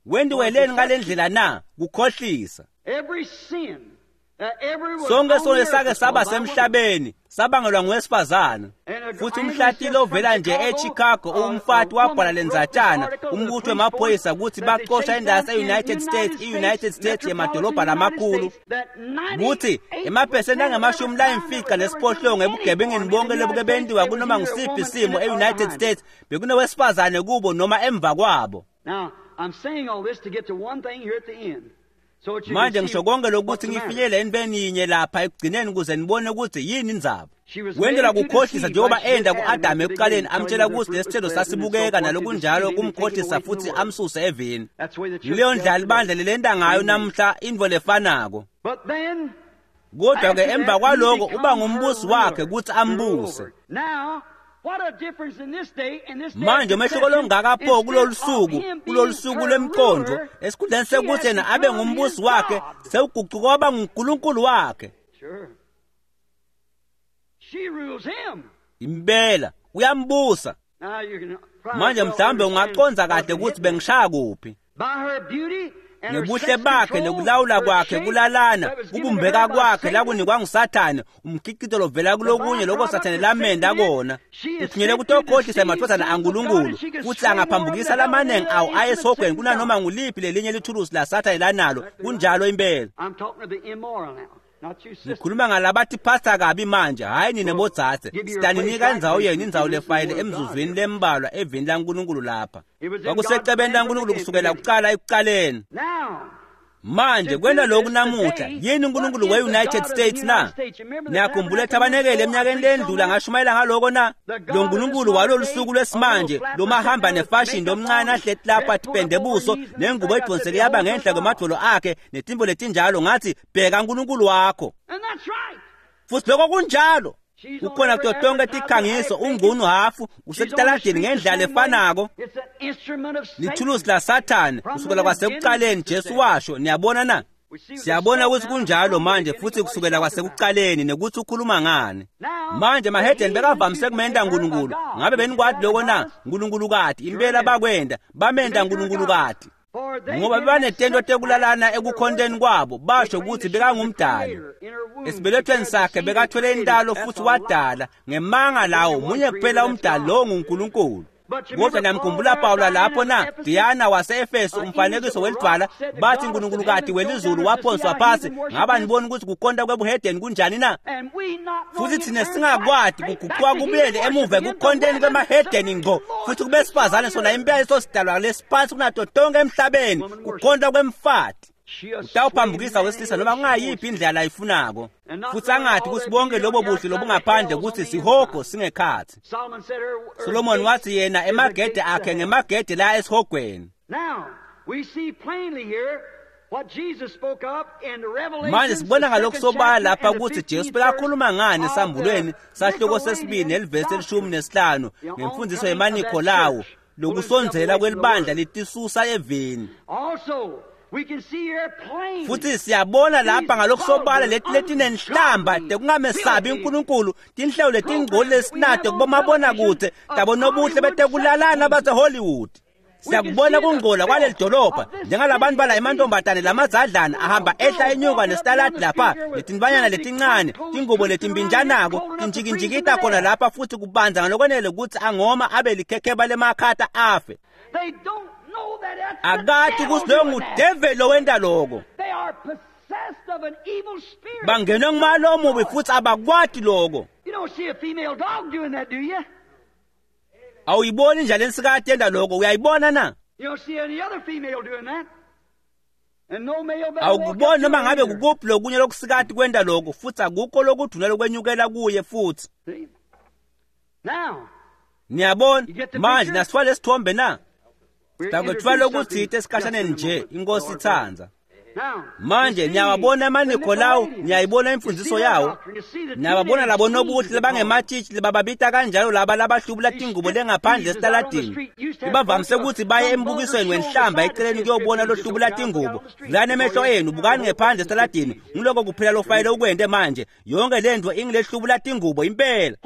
Wendiweleni ngale ndlela na? Kukhohlisa. Every sin that every was Sonke on sono the earth sake was saba caused by woman. semhlabeni sabangelwa ngowesifazane. Futhi umhlatilo ovela nje eChicago umfati wabhala lenzatshana umbutho wemaphoyisa ukuthi baxosha indawo yase-United States, i-United States yemadolobha lamakhulu, kuthi emaphesenti angamashumi layimfica nesiphohlongo ebugebengeni bonke lobuke bentiwa kunoma ngusiphi isimo e-United States bekunowesifazane kubo noma emva kwabo. Now, I'm saying all this to get to one thing here at the end. So that you can Manje see ngisho konke what's lokuthi the matter. ngifinyelele entweni yinye lapha ekugcineni ukuze nibone ukuthi yini indzaba. She was Wendela made to kukhohlisa deceive njengoba like she did enda Adam ku-Adamu at the ekuqaleni beginning, amtshela telling him the ukuthi fruit was lesithelo pleasant and so sasibukeka forth to nalokunjalo deceive him and take him kumkhohlisa away from futhi the word. amsuse evini. That's the way the church Yileyo does ndlela today. ibandla lelenta ngayo Amen. namhla intfo lefanako. But then, Kodwa ke after emva that, he kwaloko uba becomes ngumbusi her wakhe ruler, ukuthi to rule ambuse. over. Now, Manje umehluko longaka pho kulolu suku, kulolu suku lwemqondo, esikhundleni sekuthi yena abe ngumbusi wakhe, sewuguquka waba nguNkulunkulu wakhe. Impela uyambusa. Manje mhlawumbe ungaqonda kahle ukuthi bengishaya kuphi. Ngebuhle bakhe nokulawula kwakhe kulalana, kubumbeka kwakhe lakunikwa nguSathane, umkhicito lovela kulokunye lokho Sathane lamenda kona. Uthunyelwe kutokhohlisa emadvodzana aNkulunkulu, futhi angaphambukisa lamanengi awo aye esihogweni kunanoma nguliphi lelinye lithulusi la Sathane lanalo. Kunjalo impela. Ngikhuluma ngalabathi phasa kabi manje, hhayi nina bodzadze. Sitaninika indzawo yenu, indzawo lefayele emzuzwini lembalwa evini laNkulunkulu lapha. Kwakusecebeni laNkulunkulu kusukela kucala ekucaleni. Manje kwenta lokhu namuhla, yini uNkulunkulu we-United States na? Niyakhumbula ethabanekele eminyakeni lendlula ngashumayela ngaloko na? Lo Nkulunkulu walolu suku lwesimanje lomahamba nefashion lomncane ahleti lapha atipende buso nengubo edvonseke yaba ngenhla kwemadvolo akhe netimbo letinjalo, ngathi bheka uNkulunkulu wakho. Futhi lokho kunjalo. Kukhona kuto tonke tikhangiso, ungunu hafu usekutaladini ngendlela lefanako. Lithulusi la Sathane kusukela kwasekucaleni, Jesu washo. Niyabona na? Siyabona ukuthi kunjalo manje futhi kusukela kwasekucaleni nekuthi ukhuluma ngani. Manje mahedeni bekavamise kumenda uNkulunkulu. Ngabe benikwati lokho na? Nkulunkulu kati impela bakwenda, bamenda uNkulunkulu kati. Ngoba bebanetento tekulalana ekukhonteni kwabo, basho ukuthi bekangumdali. Esibelethweni sakhe bekathwele intalo futhi wadala ngemanga lawo munye kuphela umdali, lowo nguNkulunkulu. Kodwa niyamkhumbula Pawula lapho na? Diana wase-Efesu, umfanekiso welidvwala, bathi uNkulunkulu kati welizulu waphonswa phasi. Ngaba nibona ukuthi kukhonta kwebuhedeni kunjani na? Futhi thina singakwati kuguquka kubuyele emuva ekukhonteni kwemahedeni ngco, futhi kubesifazane sona impela leso sidalwa lesiphansi kunato tonke emhlabeni, kukhonta kwemfati. Utawuphambukisa wesilisa noma kungayiphi indlela ayifunako, futhi angathi ukuthi bonke lobo buhle lobungaphandle ukuthi sihogo singekhathi. Solomon wathi yena emagede akhe ngemagede la esihogweni. Manje sibona ngalokhu sobala lapha ukuthi Jesu bekakhuluma ngani esambulweni sahluko sesibili nelivesi elishumi nesihlanu ngemfundiso yemaNikholawu, lokusondzela kwelibandla litisusa eveni. Futhi siyabona lapha ngalokhu sobala leti letinenhlamba tekungamesabi uNkulunkulu, tinhlelo letingcoli lesinato kubomabonakudze tabonobuhle betekulalana baseHollywood. Siyakubona kungcola kwaleli dolobha, njengalabantu bala emantombazane lamadzadlana ahamba ehla enyuka nesitaladi lapha, letinbanyana letincane, tingubo letimbinjanako tinjikinjikita khona lapha, futhi kubanza ngalokwanele ukuthi angoma abe likhekheba lemakhata afe. Akati ukuthi loyo ngudeveli lowenta loko. Bangenwe ngumalo omubi futhi abakwati loko. Awuyiboni njalo ensikati yenta loko, uyayibona na? Awukuboni noma ngabe kukuphi lokunye lokusikati kwenta loko, futhi akukho lokudvuna lokwenyukela kuye futhi. Niyabona manje nasithwale lesithombe na? Sitakwetfwala lokutsite esikhashaneni nje, inkosi itsandza. Manje niyawabona amaNikholawu, niyayibona imfundiso yawo. Niyababona labo nobuhle labangematshitshi labababita kanjalo, laba labahlubula tingubo lengaphandle esitaladini. Ibavamise ukuthi baye embukisweni wenhlamba eceleni kuyobona lohlubula tingubo. Vulani emehlo enu, bukani ngephandle esitaladini. Nguloko kuphela lofanele ukwente manje. Yonke lento ingilehlubula tingubo impela.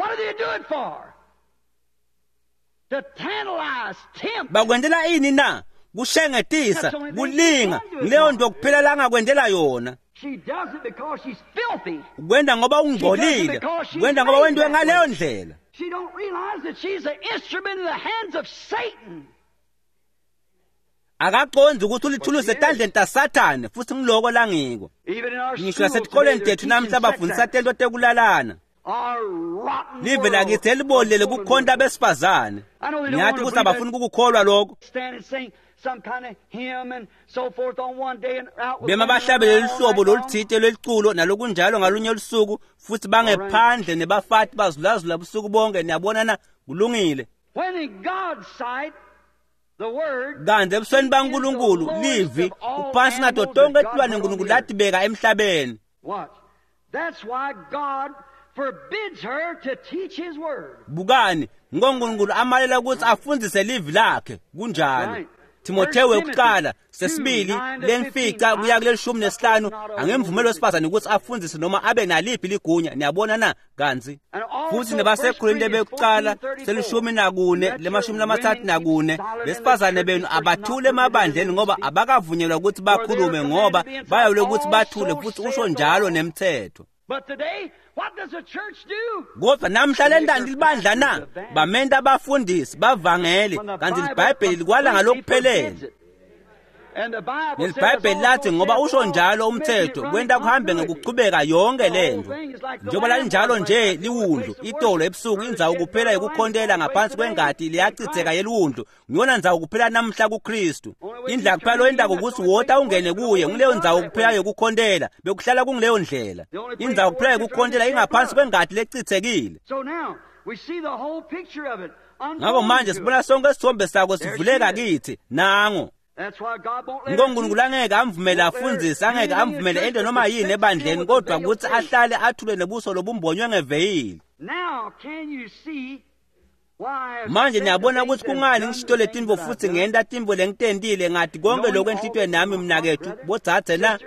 Bakwentela ini na? Kushengetisa, kulinga. Leyo nto kuphela langakwentela yona. Kwenta ngoba ungcolile, kwenta ngoba wentiwe ngaleyo ndlela. Akaqondzi ukuthi ulithulusi etandleni taSathane, futhi ngiloko langiko. Ngisho nasetikolweni tethu namhla bafundisa tento tekulalana. Live lakithi elibolile kukhonta besifazane. Ngiyathi ukuthi abafuni ukukukholwa lokho. Bema bahlabele luhlobo loluthite lweliculo nalokunjalo ngalunye lusuku, futhi bangephandle nebafati bazulazula busuku bonke. Niyabona na? Kulungile. Kanti ebusweni baNkulunkulu livi uphansi nato tonke tilwane uNkulunkulu latibeka emhlabeni. Bukani, ngoNkulunkulu amalela ukuthi afundzise livi lakhe. Kunjalo. Timotheo wekuqala sesibili lemfica kuya kulelishumi nesihlanu angimvumeli wesifazane ukuthi afundzise noma abe naliphi ligunya. Niyabona na kanzi futhi nebaseKorinte bekuqala selishumi nakune lemashumi lamathathu nakune besifazane benu abathule emabandleni ngoba abakavunyelwa ukuthi bakhulume ngoba bayawule ukuthi bathule, futhi usho njalo nemthetho. Kodwa namhla lentani libandla na bamenta abafundisi bavangeli, kanti iBhayibheli likwala ngalokuphelele. NeliBhayibheli lathi ngoba usho njalo umthetho kwenta kuhambe ngekuchubeka yonke lento. Njengoba lalinjalo nje liwundlu itolo ebusuku indzawo kuphela yokukhontela ngaphansi kwengati liyachitheka yeliwundlu, ngiyona ndzawo kuphela namhla kuKristu. Indlela kuphela loyentako ukuthi wota ungene kuye, ngileyo ndzawo kuphela yokukhontela, bekuhlala kungileyo ndlela. Indzawo kuphela yokukhontela ingaphansi kwengati lechithekile. Ngakho manje sibona sonke isithombe sako sivuleka kithi nango. NgoNkulunkulu angeke amvumele afundzise, angeke amvumele ento noma yini ebandleni, kodwa ukuthi ahlale athule nebuso lobumbonywe ngeveyili. Manje niyabona ukuthi kungani ngishito letinto futhi ngenta tintfo lengitentile ngathi konke lokho enhlitiyweni nami mnakethu bodzadze na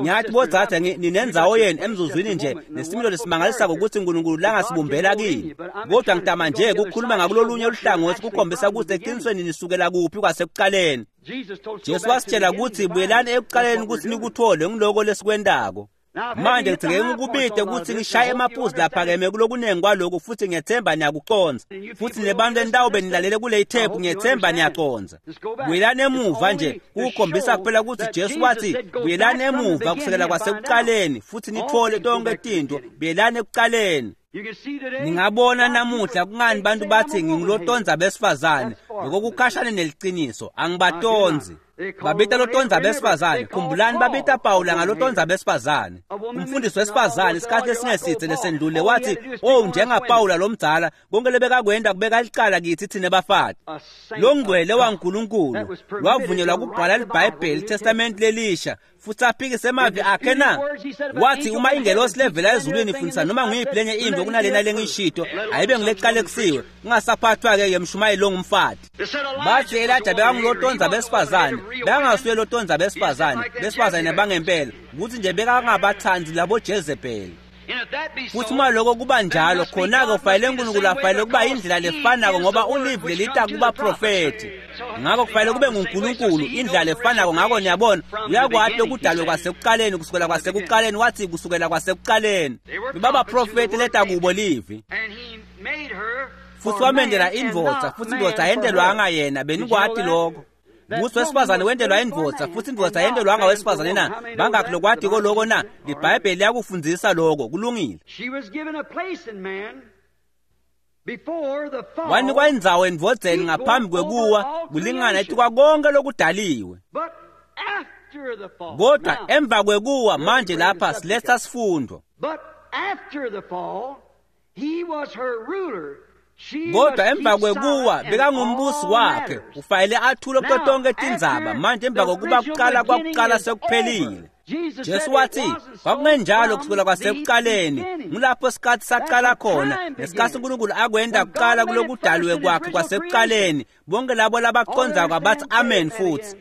ngiyathi bodzadze ninendzawo yenu emzuzwini nje nesimilo lesimangalisako ukuthi uNkulunkulu langasibumbela kini, kodwa ngitama nje kukhuluma ngakulolunye luhlangothi kukhombisa ukuthi eqinisweni nisukela kuphi kwasekuqaleni. Jesu wasitshela ukuthi buyelani ekuqaleni ukuthi nikuthole ngiloko lesikwentako. Manje ngidingeke ngikubide ukuthi ngishaye emaphuzu laphakeme kulokunengi kwalokhu futhi ngiyethemba niyakuconza, futhi nebantu endawo benilalele kule ithephu ngiyethemba niyaconza. Buyelani emuva nje kukhombisa kuphela ukuthi Jesu wathi buyelani emuva kusukela kwasekuqaleni futhi nithole tonke tinto, buyelani ekuqaleni. Ningabona namuhla kungani bantu bathi ngingulotonza besifazane, lokho kukhashane neliciniso, angibatonzi. Babita lotonza besifazane, khumbulani babita Pawula ngalotonza besifazane. Umfundisi wesifazane isikhathi esingesithe lesendlule wathi, "Oh njengaPawula lomdzala, konke lebekakwenda kubeka licala kithi thina bafati." Lo ngcwele waNkulunkulu wavunyelwa kubhala iBhayibheli iTestament lelisha futhi aphikise emavi akhe na. Wathi uma ingelosi levela ezulwini ifundisa noma nguyiphi lenye into kunalena lengishito, ayibe ngileqalekisiwe, kungasaphathwa-ke ngemshumayeli longumfati. Bathi Elijah bekangulotonza besifazane, bekangasuye lotonza besifazane, besifazane bangempela, ukuthi nje bekangabathandi labo Jezebel. Futhi uma lokho kuba njalo khona-ke kufanele uNkulunkulu afanele kuba indlela lefanako ngoba ulivi lelita kubaprofethi. Ngakho kufanele kube nguNkulunkulu indlela lefanako. Ngakho niyabona uyakwati lokudalwe kwasekuqaleni kusukela kwasekuqaleni, wathi kusukela kwasekuqaleni bebabaprofethi leta kubo livi. Futhi wamendela indvodza, futhi indvodza yentelwanga yena, benikwati lokho. Ukuthi wesifazane wentelwa indvodza futhi indvodza yentelwanga wesifazane na. Bangakhi lokwatiko lokho na? IBhayibheli liyakufundzisa lokho, kulungile. Wanikwa indzawo endvodzeni ngaphambi kwekuwa kulingana etikwa konke lokudaliwe. Kodwa emva kwekuwa manje lapha siletha sifundo. Kodwa emva kwekuwa bekangumbusi wakhe, ufanele athule kuto tonke tindzaba. Manje emva kokuba kuqala kwakuqala sekuphelile. Jesu wathi kwakungenjalo kusukela kwasekuqaleni, ngulapho isikhathi saqala khona, ngesikhathi uNkulunkulu akwenda kuqala kulokudaliwe kwakhe kwasekuqaleni. Bonke labo labacondzako abathi amen futhi.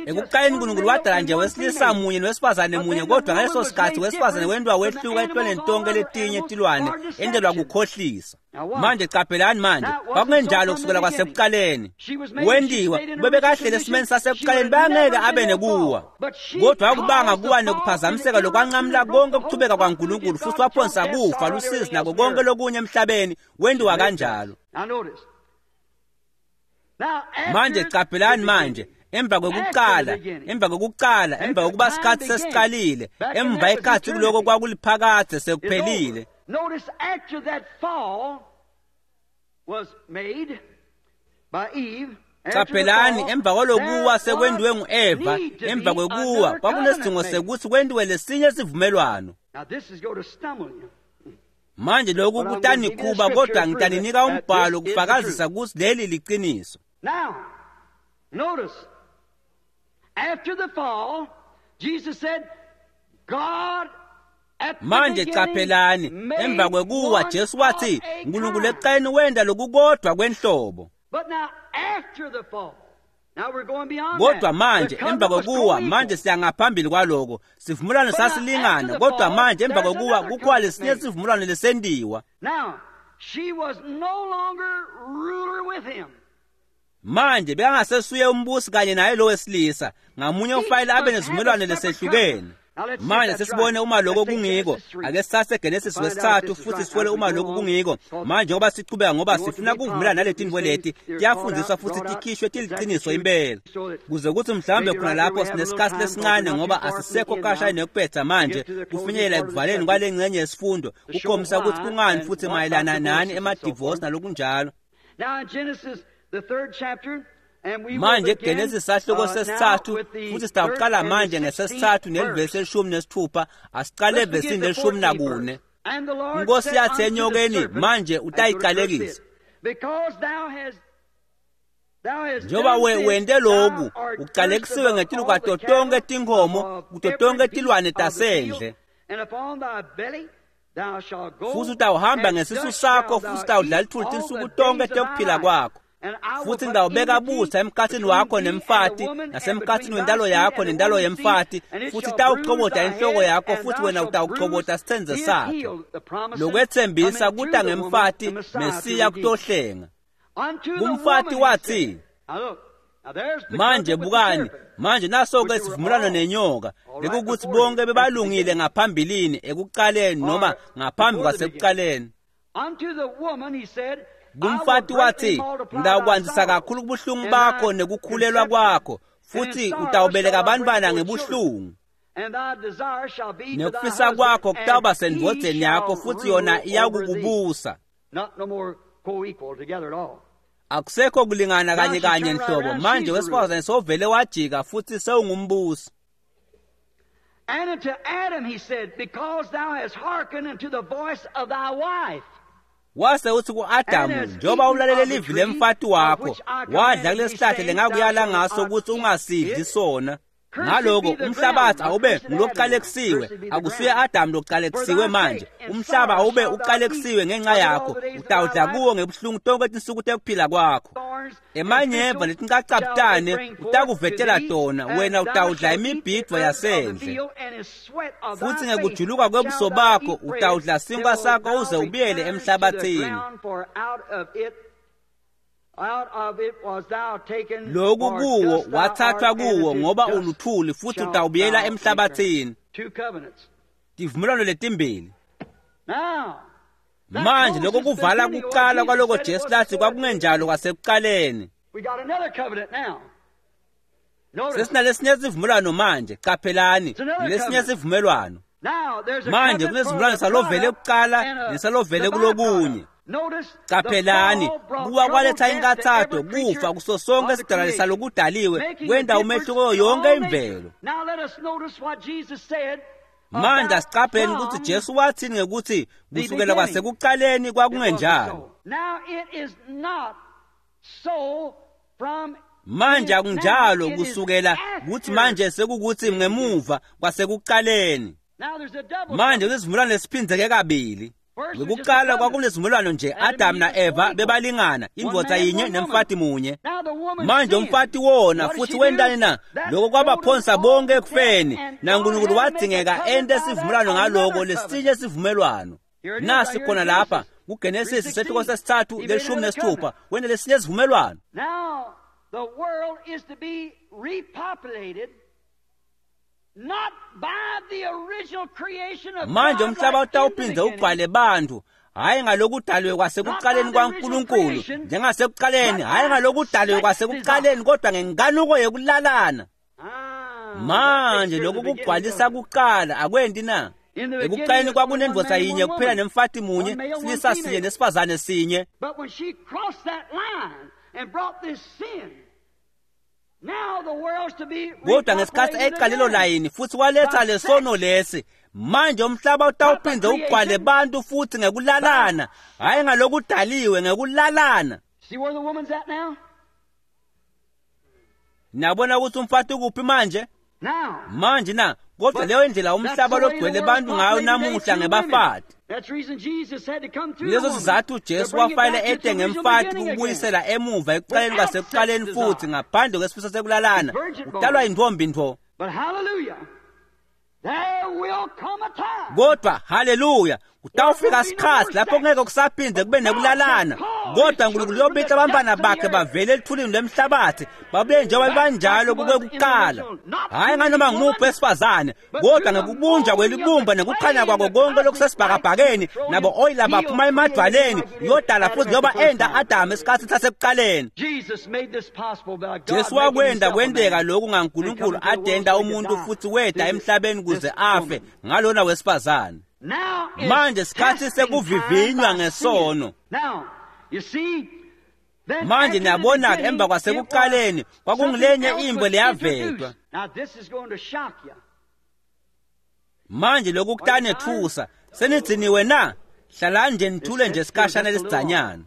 Ekuqaleni uNkulunkulu wadala nje wesilisa munye nowesifazane munye, kodwa ngaleso sikhathi wesifazane wentiwa wehluka etilwaneni tonke letinye tilwane, entelwa kukhohlisa. Manje qaphelani manje, kwakungenjalo kusukela kwasekuqaleni. Wendiwa bebekahlele esimeni sasekuqaleni, bangeke abe nekuwa. Kodwa wakubanga kuwa nekuphazamiseka lokwanqamula konke ukuchubeka kwaNkulunkulu, futhi waphonsa kufa lusizi nako konke lokunye emhlabeni, wendiwa kanjalo. Manje qaphelani manje, emva kwekuqala, emva kwekuqala, emva kokuba isikhathi sesiqalile, emva ikhathi kuloko kwakuliphakade sekuphelile. Qaphelani emva kwalokuwa sekwendiwe ngu-Eva, emva kwekuwa kwakunesidingo sekuthi kwendiwe lesinye isivumelwano. Manje lokhu kutanikhuba, kodwa ngitaninika umbhalo kufakazisa ukuthi leli liqiniso. Now, notice, after the fall, Jesus said, God Manje caphelani, emva kwekuwa Jesu wathi uNkulunkulu ekuqaleni wenda lokukodwa kwenhlobo. Kodwa manje emva kokuwa, manje siya ngaphambili kwaloko. Sivumelwano sasilingana, kodwa manje emva kokuwa kukhona lesinye sivumelwano lesendiwa. Manje bekangasesuye umbusi kanye naye lo wesilisa, ngamunye ufayile abe nesivumelwano lesehlukene. Manje sesibone uma lokho kungiko. Ake sithathe Genesis wesithathu futhi sibone uma lokho kungiko. Manje ngoba sichubeka, ngoba sifuna kuvumelana naleti leti tiyafundiswa futhi tikhishwe tiliqiniso impela, kuze kuthi mhlawumbe khona lapho sinesikhathi lesincane, ngoba asisekho kashane nekuphetha manje kufinyelela ekuvaleni kwale ngxenye yesifundo, kukhombisa ukuthi kungani futhi mayelana nani emadivorce nalokunjalo. Manje Genesis sahluko sesithathu futhi sitawuqala manje ngesesithathu nelivesi elishumi nesithupha. Asiqale evesini lelishumi nakune. Inkosi yathi enyokeni, manje utayiqalekisa njengoba wente loku, uqalekisiwe ngetulu kwato tonke tinkhomo, kuto tonke tilwane tasendle, futhi utawuhamba ngesisu sakho, futhi utawudla lithuli tinsuku tonke tekuphila kwakho. Futhi ngitawubeka butha emkhathini wakho nemfati, nasemkhathini wentalo yakho nentalo yemfati, futhi itawuchobota inhloko yakho, futhi wena utawuchobota sitsenze sakhe. Lokwethembisa kuta ngemfati, Mesiya kutohlenga. Kumfati wathi, manje bukani, manje naso-ke sivumelwano nenyoka, lekukuthi bonke bebalungile ngaphambilini ekuqaleni noma ngaphambi kwasekuqaleni. Kumfati wathi, ngitawukwandisa kakhulu kubuhlungu bakho nekukhulelwa kwakho, futhi utawubeleka abantwana ngebuhlungu. Nekufisa kwakho kutawuba sendvodzeni yakho, futhi yona iyakukubusa. Akusekho kulingana kanye kanye nhlobo. Manje wesifazane sovele wajika futhi sewungumbusi. And unto Adam he said, because thou hast hearkened unto the voice of thy wife. Wase uthi ku-Adamu, njengoba ulalele livi lemfati wakho, wadla kulesihlahla lengakuyala ngaso ukuthi ungasidli sona. Ngaloko umhlabathi awube ngulokuqalekisiwe, akusuye Adamu lokuqalekisiwe manje. Umhlaba awube uqalekisiwe ngenxa yakho, utawudla kuwo ngebuhlungu tonke tinsuku tekuphila kwakho. Emanyeva letincacabutane utakuvetela tona, wena utawudla imibhidvo yasendle. Futhi ngekujuluka kwebuso bakho utawudla sinkwa sakho uze ubuyele emhlabathini. Lokhu kuwo wathathwa kuwo ngoba uluthuli, futhi utawubuyela emhlabathini. Tivumelwano letimbili. Manje lokho kuvala kuqala kwaloko Jesu lathi kwakungenjalo kwasekuqaleni. Sesinalesinye sivumelwano manje, qaphelani, lesinye sivumelwano. Manje kunesivumelwano salovele kuqala nesalovele kulokunye. Qaphelani, kuwa kwaletha inkathatho, kufa kuso sonke isidalwa salokudaliwe, kwenda umehluko yonke imvelo. Manje asiqapheni ukuthi Jesu wathini ngekuthi kusukela kwasekuqaleni kwakungenjalo. Manje akunjalo kusukela kuthi manje sekukuthi ngemuva kwasekuqaleni. Manje kusivumelwano esiphindzeke kabili. Ngekuqala kwakunesivumelwano nje, Adam na-Eva bebalingana, indvodza yinye nemfati munye. Manje umfati wona futhi wentani na? Lokho kwabaphonsa bonke ekufeni, naNkulunkulu wadzingeka ente sivumelwano ngaloko lesinye sivumelwano. Nasi khona lapha kuGenesis sehluko sesithathu leshumi nesithupha, wena lesinye sivumelwano. The world is to be repopulated not by the original creation of manje umhlaba utawuphindze ugcwale bantu, hhayi ngalokudaliwe kwasekuqaleni kwaNkulunkulu njengasekuqaleni, hhayi ngalokudaliwe kwasekuqaleni, kodwa ngenkanuko yekulalana. Manje lokhu kugcwalisa kuqala akwendi na? Ekuqaleni kwakunendvodza yinye kuphela nemfati munye, silisa sinye nesifazane sinye. But when she crossed that line and brought this sin, kodwa ngesikhathi eqa lelo layini futhi waletha lesono lesi, manje umhlaba utawuphindze ugcwale bantu futhi ngekulalana, hhayi ngalokudaliwe, ngekulalana. Niyabona ukuthi umfati ukuphi manje? Manje na kodwa leyo indlela umhlaba logcwele bantu ngayo namuhla ngebafati. Leso sizathu Jesu wafanele ete ngemfati ukubuyisela emuva ekuqaleni kwasekuqaleni futhi ngaphandle kwesifiso sekulalana utalwa intombi ntfo. Kodwa haleluya kutawufika isikhathi lapho kungeke kusaphinde kube nekulalana, kodwa uNkulunkulu uyobita abantwana bakhe bavele elithulini lwemhlabathi babuye njengoba banjalo kukwekuqala, hhayi nganoma ngumuphi wesifazane, kodwa ngekubunjwa kwelibumba nekukhanya kwako konke lokusesibhakabhakeni nabo oyila baphuma emadwaleni uyodala futhi njengoba enda Adamu esikhathini sasekuqaleni. Jesu wakwenda kwenteka lokhu ngaNkulunkulu adenda umuntu futhi weda emhlabeni kuze afe ngalona wesifazane. Manje sikhathi sekuvivinywa ngesono. Manje niyabona-ke emva kwasekuqaleni kwakungilenye imbo leyavetwa. Manje lokhu kutanethusa, senigciniwe na? Hlalani nje nithule nje isikhashana lesidzanyana.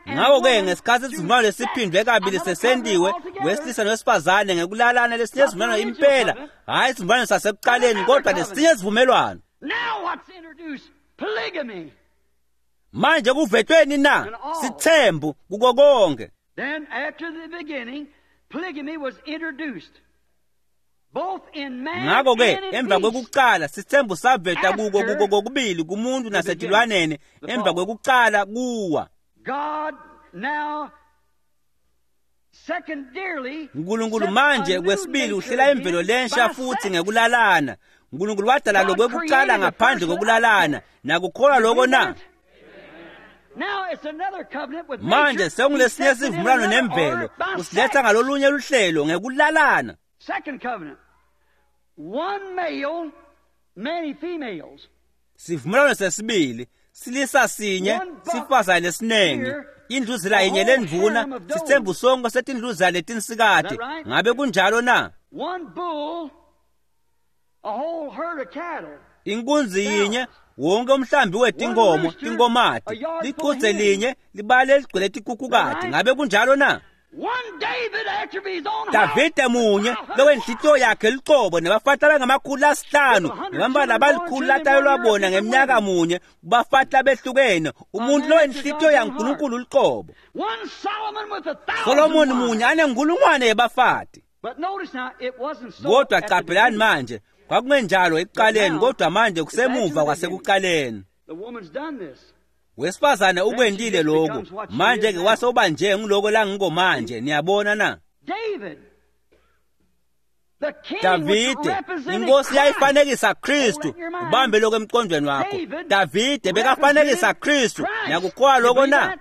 Ngakho-ke ngesikhathi isivumelwano lesiphindwe kabili sesentiwe wesilisa nowesifazane ngekulalana lesinye isivumelwano impela, hhayi isivumelwano sasekuqaleni kodwa lesinye isivumelwano. Manje kuvetweni na? Sithembu kuko konke. Ngakho-ke emva kwekuqala sithembu saveta kuko kuko kokubili kumuntu nasetilwaneni emva kwekuqala kuwa. uNkulunkulu manje kwesibili uhlela imvelo lensha futhi ngekulalana. uNkulunkulu wadala lokwekuqala ngaphandle kokulalana. Nakukholwa lokho na? Manje sekungulesinye sivumelwano nemvelo usiletha ngalolunye luhlelo ngekulalana. Sivumelwano sesibili silisa sinye sifazane lesinengi indluzela yinye lendvuna sithembu sonke setindluzela letinsikati. Ngabe kunjalo na? Inkunzi yinye wonke umhlambi wetinkomo tinkomati lichudze linye libale ligcwele tikhukhukati. Ngabe kunjalo na? Davide munye lowenhlitiyo yakhe lucobo nebafati abangamakhulu lasihlanu nebantwana labalikhulu latalelwa bona ngeminyaka munye kubafati labehlukene, umuntu lowenhlitiyo yaNkulunkulu lucobo. Solomoni munye anenkulungwane yebafati. Kodwa qaphelani manje kwakungenjalo ekuqaleni, kodwa manje kusemuva kwasekuqaleni. Wesifazane ukwentile lokhu, manje-ke wasoba nje ngiloko langiko manje. Niyabona na? Davide inkosi yayifanekisa Kristu. Ubambe lokho emqondweni wakho. Davide bekafanekisa Kristu. Niyakukholwa lokho na?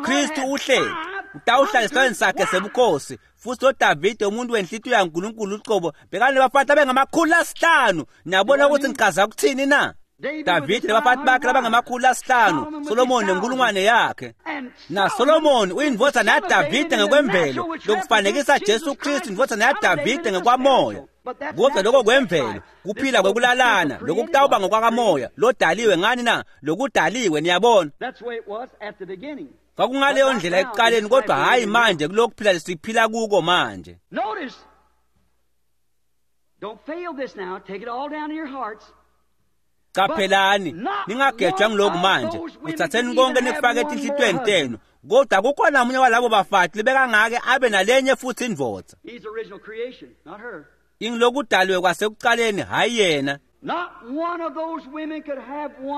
Kristu uhleli utawuhlala esihlalweni sakhe sebukhosi, futhi lo Davide umuntu wenhlitiyo yaNkulunkulu ucobo bekanebafati abengamakhulu lasihlanu. Niyabona ukuthi ngichaza ukuthini na? Davide nabafati bakhe labangamakhulu lasihlanu, Solomoni nenkulungwane yakhe. Na Solomoni uyindvodzana yaDavide ngekwemvelo, lokufanekisa Jesu Kristu indvodzana yaDavide ngekwamoya. Kodwa lokho kwemvelo kuphila kwekulalana, lokhu kutawuba ngokwakamoya lodaliwe ngani na? Lokudaliwe, niyabona. Kwakungaleyo ndlela ekuqaleni, kodwa hhayi manje kulokuphila lesiphila kuko manje. Qaphelani ningagejwa ngilokhu manje, kuthatheni konke nikufake etinhlitiyweni tenu. Kodwa kukhona munye walabo bafati lebekangake abe nalenye futhi indvodza. Ingilokudaliwe kwasekuqaleni, hhayi yena.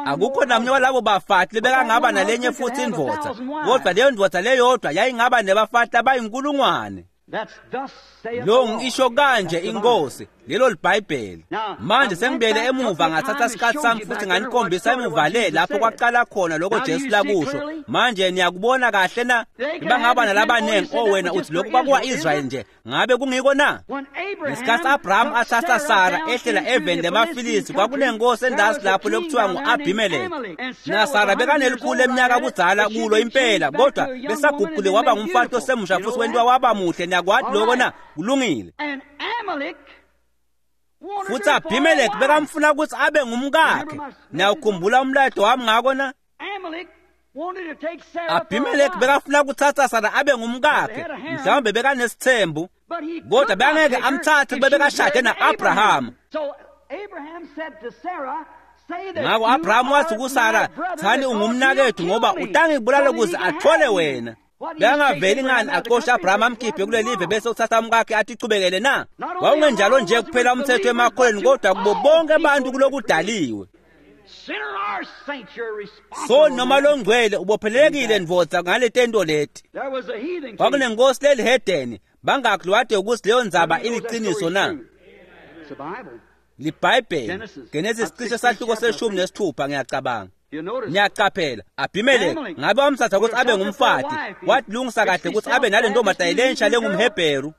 Akukho namunye walabo bafati lebekangaba nalenye futhi indvodza, kodwa leyo ndvodza leyodwa yayingaba nebafati abayinkulungwane. Lo ngisho kanje inkosi, lelo liBhayibheli. Manje sengibuyele emuva ngathatha isikhathi sami futhi nganikhombisa emuva le lapho kwaqala khona lokho Jesu lakusho. Manje niyakubona kahle na? Bangaba nalabanengi, oh wena uthi lokhu kwakuwa-Israyeli nje. Ngabe kungiko na? Ngesikhathi Abraham athatha Sara ehlela eveni lemaFilisti, kwakunenkosi endasi lapho lokuthiwa ngu-Abimeleki. Na Sara bekanelikhulu eminyaka budzala kulo impela, kodwa besaguqule waba ngumfati osemusha futhi wentiwa waba muhle. Niyakwati lokho na? Kulungile. Futhi Abimeleki bekamfuna ukuthi abe ngumkakhe. Niyawukhumbula umlayeto wami ngako na? Abimeleki bekafuna kutsatsa Sara abe ngumkakhe, mhlawumbe bekanesithembu, kodwa bekangeke amtsatse kube bekashade na-Abrahamu. Ngako Abrahamu wathi kuSara, "Thani ungumnakethu ngoba utangibulala ukuze athole wena." Bekangaveli ngani axoshe Abrahamu amkhiphe kulelive bese uthatha umkakhe atichubekele na? Wawungenjalo nje kuphela umthetho emakholweni kodwa kubo bonke abantu kulokudaliwe. So noma longcwele ubophelelekile ndvodza ngaletento leti. Kwakunenkosi lelihedeni bangakhi ukuthi leyo ndzaba iliqiniso na? LiBhayibheli Genesis cishe sahluko seshumi nesithupha ngiyacabanga. Niyaqaphela Abimeleki ngabe wamthatha ukuthi abe ngumfati, watilungisa kahle ukuthi abe nale ntombazane lensha lengumHebheru,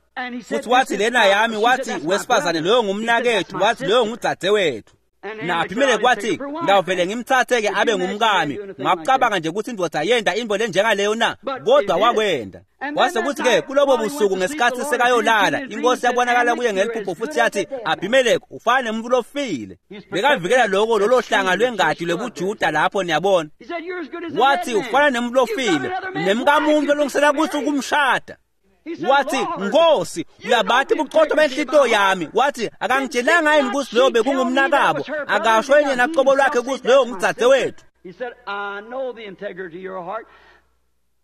futhi wathi lena yami, wathi wesifazane loyo ngumnakethu, wathi loyo ngudzadzewethu. Na Abimeleki wathi ngawuvele ngimthathe-ke abe ngumkami. Ngakucabanga nje ukuthi indvodza yenda into lenjengaleyo na? Kodwa wakwenda. Kwase kuthi-ke kulobo busuku ngesikhathi sekayolala, inkosi yabonakala kuye ngeliphupho futhi yathi, Abimeleki ufana nemuntu lofile. Bekavikela loko lolo hlanga lwengadi lwebuJuda lapho niyabona. Wathi ufana nemuntu lofile, nemkamuntu olungisela ukuthi ukumshada. Wathi Nkosi uyabathi buqotho benhlito yami. Wathi akangitshelanga yini ukuthi loyo bekungumnakabo, akasho yena qobo lwakhe ukuthi loyo ngudzadzewethu.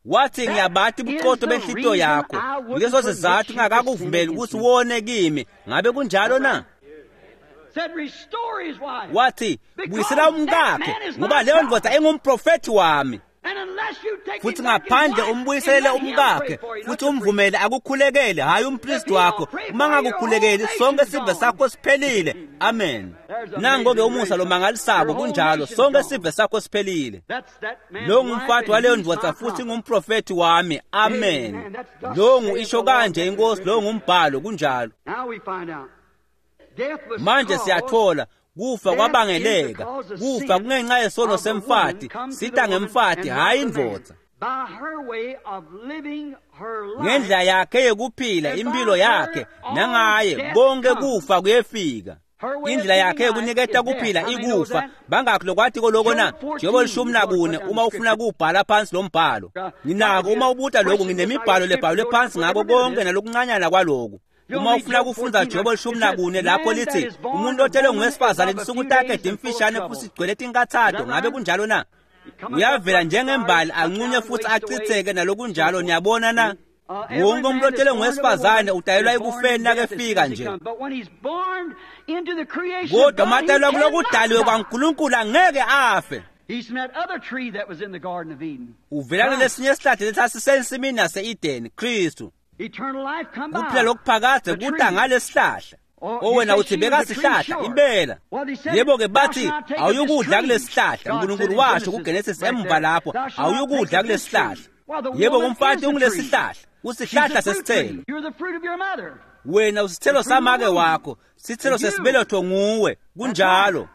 Wathi ngiyabathi buqotho benhlito yakho, leso sizathu ngakakuvumeli ukuthi wone kimi. Ngabe kunjalo na? Wathi buyisela umkakhe ngoba leyo ndvodza engumprofethi wami. Futhi ngaphandle umbuyisele umkakhe futhi umvumele akukhulekele, hayi umpristi wakho. Uma ngakukhulekeli sonke sive sakho siphelile. Amen. Nango-ke umusa lomangalisako, kunjalo, sonke sive sakho siphelile. Lo ngumfati waleyo ndvodza futhi ngumprofethi wami. Amen. Lo ngu isho kanje inkosi, lo ngumbhalo, kunjalo. Manje siyathola kufa kwabangeleka, kufa kungenxa yesono semfati, sita ngemfati hayi indvodza. Ngendlela yakhe yekuphila impilo yakhe nangaye konke kufa kuyefika. Indlela yakhe yokuniketa kuphila ikufa. Bangakhi lokwati koloko na? Jobo lishumi nakune uma ufuna kuwubhala phansi lo mbhalo. Nginako uma ubuta lokhu, nginemibhalo lebhalwe phansi ngako konke nalokuncanyana kwaloku. Uma ufuna kufundza Jobo lishumi nakune lapho lithi umuntu otelwe ngowesifazane tinsuku takhe timfishane futhi sigcwele tinkathato. Ngabe kunjalo na? Uyavela njengembali anqunye futhi achitheke nalokunjalo. Niyabona na? Wonke umuntu otelwe ngowesifazane udalelwa ekufeni nakefika nje, kodwa uma atalelwa kulokudaliwe kwaNkulunkulu angeke afe. Uvela kulesinye isihlahla lesasisensimini yase-Edeni, Kristu. Kuphila lokuphakadze kuta ngalesihlahla. Owena uthi bekasihlahla impela. Yebo-ke bathi awuyukudla kulesihlahla. uNkulunkulu washo kuGenesis emva lapho, awuyukudla kulesihlahla. Yebo umfati ungulesihlahla, usihlahla sesithelo. Wena usithelo samake wakho, sithelo sesibeletho nguwe, kunjalo.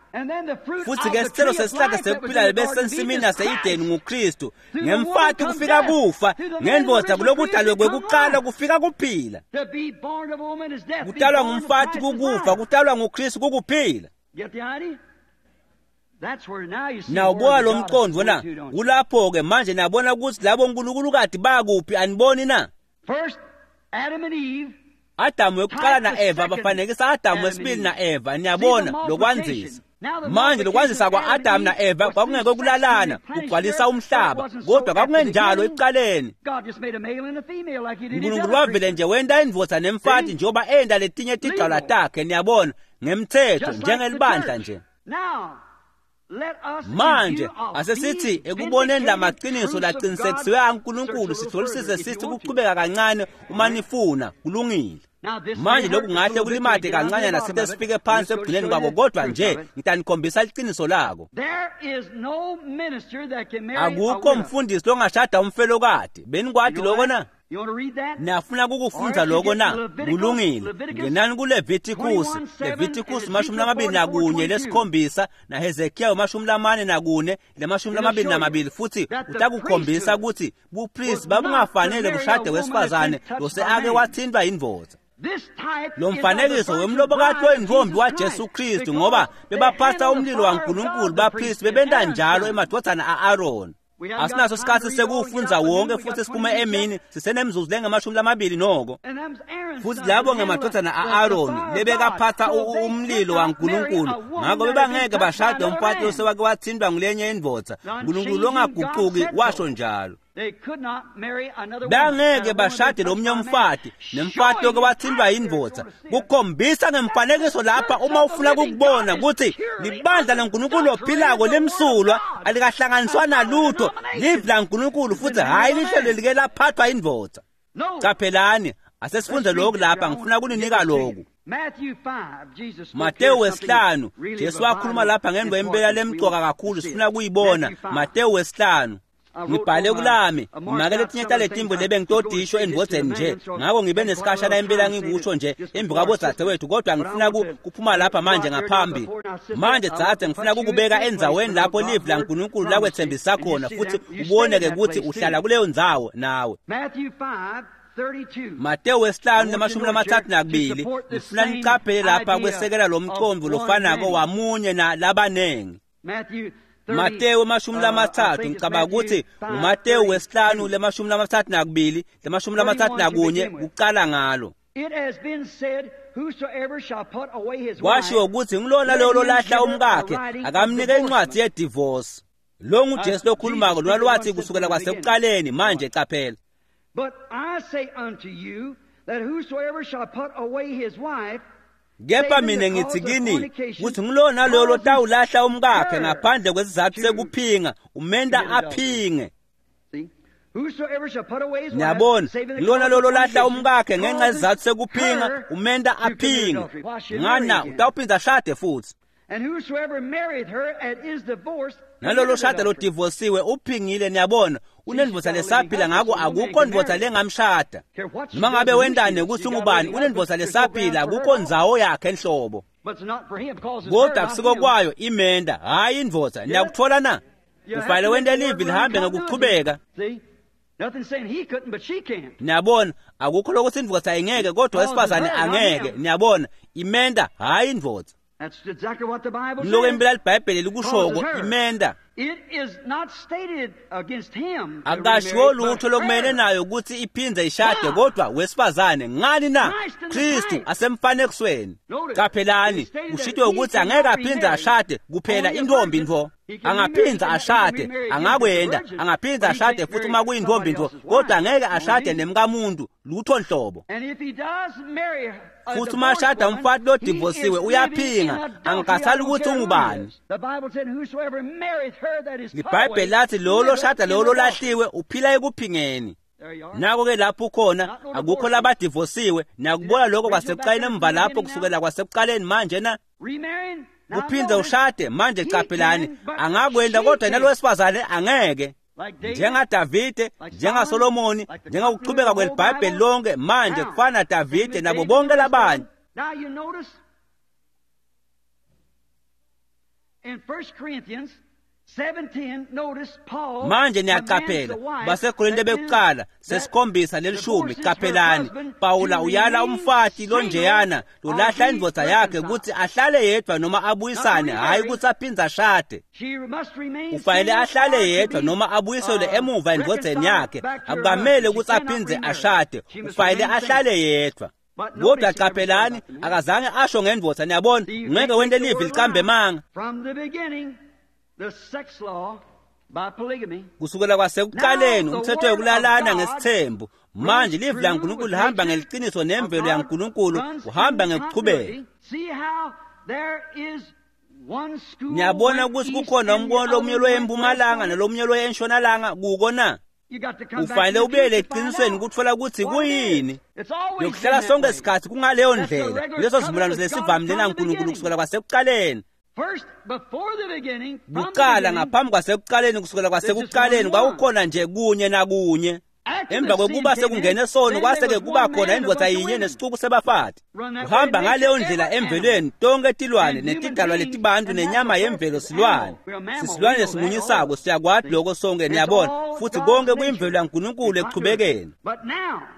Futhi-ke sithelo sesihlahla sekuphila besensimini yase-Edeni nguKristu. Ngemfati kufika kufa, ngendvodza kulokudalwe kwekuqala kufika kuphila. Kutalwa ngumfati kukufa, kutalwa nguKristu kukuphila. Nawubuka lo mqondo na? Kulapho-ke manje nabona ukuthi labo nkulunkulukati bakuphi, aniboni na? Adamu wekuqala na-Eva bafanekisa Adamu wesibili na-Eva. Niyabona lokwandzisa. Manje lokwandzisa kwa-Adamu na-Eva kwakungeke kulalana kugcwalisa umhlaba, kodwa kwakungenjalo ekuqaleni. uNkulunkulu wavele nje wenta indvodza nemfati njengoba enta letinye tigcawula takhe, niyabona, ngemthetho njengelibandla nje. Manje asesithi ekuboneni lamaqiniso laqinisekisiwe aNkulunkulu sihlolisise sithi kuchubeka kancane uma nifuna, kulungile. Manje lokhu ngahle kulimade kancanyana sithe sifike phansi ekugcineni kwako, kodwa nje ngitanikhombisa iqiniso lako. Akukho mfundisi longashada umfelokati. Benikwati loko na? Niyafuna kukufundza loko na? Kulungile. Ngenani kuLevitikusi, Levitikusi mashumi lamabili nakunye lesikhombisa naHezekiya mashumi lamane nakune lemashumi lamabili namabili, futhi utakukhombisa ukuthi bupristi babungafanele bushade wesifazane lose ake wathintwa yindvodza. Lo mfanekiso wemlobokati oyintombi waJesu Kristu, ngoba bebaphatha umlilo waNkulunkulu, bapristi bebenta njalo emadvodzana a-Aroni. Asinaso sikhatsi sekuwufundza wonke futhi siphume emini sisenemzuzu lengamashumi lamabili noko. Futhi labo ngemadodana a-Aroni lebekaphatha umlilo waNkulunkulu, ngakho bebangeke bashade umfati losewake wathintwa ngulenye indvodza. Nkulunkulu longagucuki washo njalo. Bangeke bashade lomunye umfati nemfati loke wathintwa indvodza. Kukhombisa ngemfanekiso lapha uma ufuna kukubona ukuthi libandla laNkulunkulu ophilako lemsulwa alikahlanganiswa nalutho, livi laNkulunkulu futhi hhayi lihlelo like laphathwa indvodza. Caphelani, asesifunde lokhu lapha, ngifuna kuninika lokhu. Matewu wesihlanu, Jesu wakhuluma lapha ngemva impela lemcoka kakhulu, sifuna kuyibona. Matewu wesihlanu. Ngibhale kulami make letinye taletimbo lebe ngitodisho endvodzeni nje, ngako ngibe nesikhashana impela ngikusho nje embi kwabodzadzewethu, kodwa ngifuna kuphuma lapha manje ngaphambi. Manje dzadze, ngifuna kukubeka endzaweni lapho livi laNkulunkulu lakwetsembisa khona futhi ubone-ke ukuthi uhlala kuleyo ndzawo nawe. Matewu wesihlanu lamashumi lamatsatfu nakubili, ngifuna nicaphele lapha kwesekela lo mcondvo lofanako wamunye na labanengi. Matewu emashumi lamatsatfu, ngicabanga ukuthi nguMatewu wesihlanu lemashumi lamatsatfu nakubili lemashumi lamatsatfu nakunye kucala ngalo. Kwashiwo ukuthi ngilona loyo lolahla umkakhe akamnike incwadzi yedivorce. Lo nguJesu lokhulumako, lona lwathi kusukela kwasekuqaleni. Manje caphela. But I say unto you that whosoever shall put away his wife, kepha mina ngithi kini ukuthi ngilona loyo lotawulahla umkakhe ngaphandle kwesizathu sekuphinga umenda aphinge. Niyabona, ngilona loyo lolahla umkakhe ngenxa yesizathu sekuphinga umenda aphinge. Ngana utawuphinda ashade futhi. Nalolo shada lodivosiwe uphingile. Niyabona, unendvodza lesaphila, ngako akukho ndvodza lengamshada. Noma ngabe wendane ukuthi ungubani, unendvodza lesaphila, akukho ndzawo yakhe enhlobo. Kodwa akusiko kwayo imenda, hhayi indvodza. Niyakuthola na? Kufanele wente livi lihambe ngekuchubeka. Niyabona, akukho lokuthi indvodza ingeke kodwa wesifazane angeke. Niyabona, imenda hhayi indvodza. Ngiloko impela liBhayibheli likushoko, imenda. Akashiwo lutho lokumele nayo ukuthi iphindze ishade, kodwa wesifazane. Ngani na? Kristu asemfanekisweni. Caphelani, kushitwe ukuthi angeke aphindze ashade kuphela intombi ntfo. Angaphinza ashade, angakwenda, angaphinza ashade futhi uma kuyintombi ntfo, kodwa angeke ashade nemkamuntu lutho nhlobo. Futhi uma ashada umfati lodivosiwe uyaphinga, angikhathali ukuthi ungubani. LiBhayibheli lathi lowo loshada lowo lolahliwe uphila ekuphingeni. Nako-ke lapho ukhona, akukho labadivosiwe. Niyakubona lokho kwasekuqaleni emva lapho, kusukela kwasekuqaleni manje na? Uphinde ushade manje. Caphelani, angakwenda kodwa nalo wesifazane angeke. NjengaDavide, njengaSolomoni, njengokuchubeka kweliBhayibheli lonke manje kufana Davide nabo bonke labanye. Manje niyaqaphela baseKorinte bekuqala sesikhombisa lelishumi. Qaphelani, Pawula uyala umfati lonjeyana lolahla indvodza yakhe ukuthi ahlale yedwa noma abuyisane, hhayi ukuthi aphindze ashade. Ufanele ahlale yedwa noma abuyiselwe emuva endvodzeni yakhe, akukamele ukuthi aphindze ashade, ufanele ahlale yedwa. Kodwa qaphelani, akazange asho ngendvodza. Niyabona, ngeke wente livi licambe manga. Kusukela kwasekuqaleni umthetho wokulalana ngesithembu. Manje livi laNkulunkulu lihamba ngeliqiniso nemvelo yaNkulunkulu uhamba ngekuchubeka. Niyabona ukuthi kukhona umbono lomunye loya empumalanga nalomunye loya entshonalanga kuko na? Ufanele ubuyele eqinisweni ukuthola ukuthi kuyini. Yokuhlala sonke isikhathi kungaleyo ndlela, leso sivumelwano lesivamile naNkulunkulu kusukela kwasekuqaleni. Kuqala ngaphambi kwasekuqaleni, kusukela kwasekuqaleni kwakukhona nje kunye nakunye. Emva kwekuba sekungene sono kwase-ke kuba khona indvodza yinye nesicuku sebafati. Kuhamba ngaleyo ndlela emvelweni, tonke tilwane netidalwa letibantu nenyama yemvelo silwane. Sisilwane lesimunyisako, siyakwati lokho sonke, niyabona, futhi konke kuyimvelo yaNkulunkulu ekuchubekeni.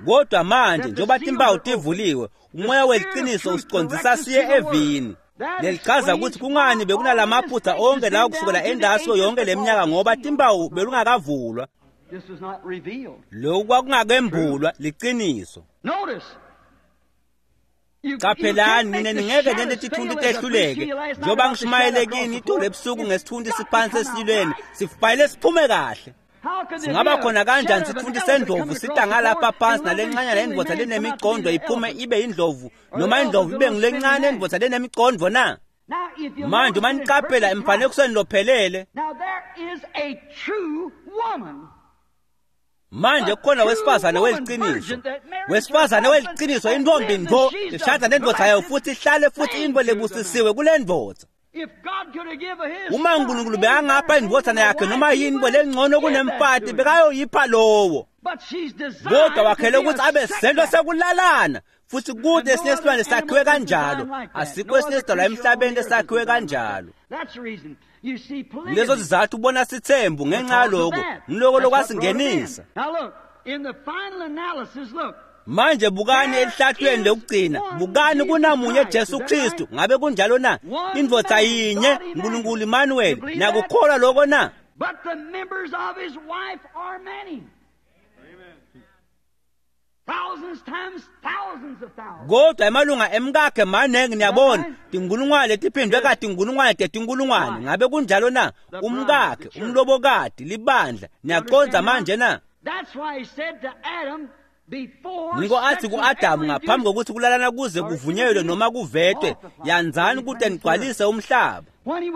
Kodwa manje njengoba timpawu tivuliwe, umoya weliqiniso usicondzisa siye evini. Lelichaza ukuthi kungani bekunalamaphutha onke lawo kusukela endaso yonke leminyaka ngoba timpawu belungakavulwa. Lokhu kwakungakembulwa liqiniso. Qaphelani nina ningeke nente tithunti tehluleke njengoba ngishumayele kini itolo ebusuku ngesithunti siphansi esililweni sifanele siphume kahle. Singaba khona kanjani sithunti sendlovu sita ngalapha phansi nalencanyana indvodza lenemicondo iphume ibe indlovu noma indlovu ibe ngulencane indvodza lenemicondo na? Manje uma niqaphela emfanekisweni lophelele manje kukhona wesifazane weliqiniso wesifazane weliqiniso intombi ntfo ishada nendvodza yayo futhi ihlale futhi intfo lebusisiwe kule ndvodza. Uma uNkulunkulu bekangapha indvodzana yakhe noma yini intfo lengcono kunemfati bekayoyipha lowo, kodwa wakhele ukuthi abe sento sekulalana futhi kude esinye isilwane sakhiwe kanjalo. Asikho esinye isidalwa emhlabeni esakhiwe kanjalo. Lezo sizathu ubona sithembu ngenxa yaloko ngiloko lokwasingenisa. Manje bukani elihlathweni lokugcina, bukani kunamunye Jesu Kristu. Ngabe kunjalo na? Indvodza yinye uNkulunkulu Emmanuel. Nakukholwa lokho na? But the members of his wife are many. Thousands times thousands of thousands. Kodwa emalunga emkakhe maningi niyabona tinkulungwane letiphindwe katinkulungwane tetinkulungwane. Ngabe kunjalo na? Umkakhe, umlobokati, libandla. Niyaqonda manje na? That's why he said to Adam before Niko athi ku-Adamu ngaphambi kokuthi kulalana kuze kuvunyelwe noma kuvetwe, yanzani ukuthi nigcwalise umhlaba.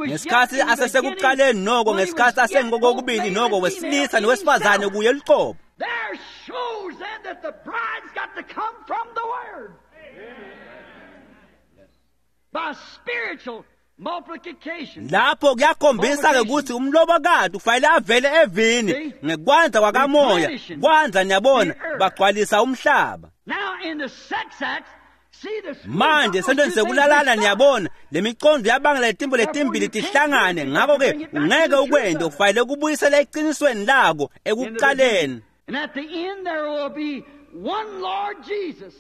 Ngesikhathi asesekuqaleni noko ngesikhathi asengokokubili noko wesilisa nowesifazane kuye luqobo. There shows then that the bride's got to come from the Word. By spiritual multiplication. Lapho kuyakhombisa-ke ukuthi umlobokati ufanele avele evini ngekwanza kwakamoya. Kwanza niyabona bagcwalisa umhlaba. Now in the sex acts, see the Manje sentweni sekulalana niyabona lemicondo yabangela letimbo letimbili tihlangane. Ngakho-ke ungeke ukwente ufanele kubuyisela eqinisweni lako ekuqaleni. And at the end there will be one Lord Jesus.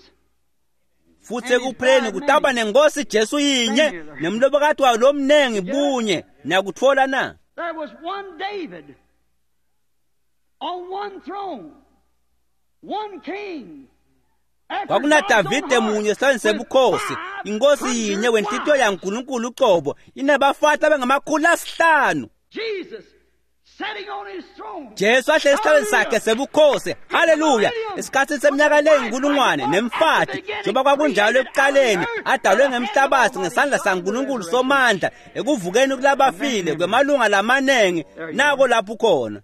Futhi ekupheleni kutaba nenkosi Jesu yinye nemlobokati wayo lomnengi bunye. Niyakutfola na? There was one David on one throne, one king. KwakunaDavide munye esihlalweni sebukhosi, inkosi yinye wenhlitiyo yaNkulunkulu uqobo, inabafati abangamakhulu asihlanu. Jesus sitting on his throne. Jesu ahleli esihlalweni sakhe sebukhosi. Haleluya! Esikhathini seminyaka leyinkulungwane nemfati njengoba kwakunjalo ekuqaleni, adalwe ngemhlabathi ngesandla saNkulunkulu somandla ekuvukeni kulabafile kwemalunga lamanengi. Nako lapho khona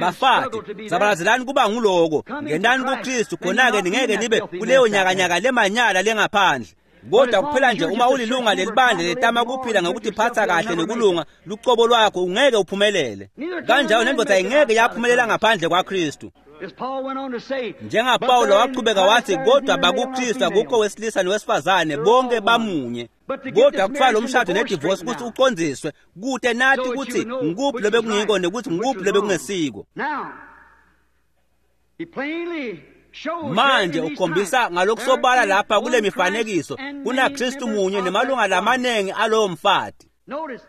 bafati zabalazelani kuba nguloko, ngenani kuKristu, khona-ke ningeke nibe kuleyo nyakanyaka lemanyala lengaphandle. Kodwa kuphela nje uma ulilunga lelibandla letama kuphila ngokutiphatha kahle nekulunga lucobo lwakho, ungeke uphumelele. Kanjalo nendvodza ingeke yaphumelela ngaphandle kwaKristu. As Paul went on to say, NjengaPawulo waqhubeka wathi, kodwa bakuKristu akukho wesilisa nowesifazane, bonke bamunye. Kodwa kuthiwa lo mshado nedivorce ukuthi uqondiswe kude nathi ukuthi ngikuphi lobekungiko nokuthi ngikuphi lobekungesiko. Now, he plainly shows Manje here in these ukhombisa times, ngalokusobala there is lapha kule one mifanekiso Christ and kunaKristu many munye members nemalunga of that body. lamanengi alowo mfati. Notice,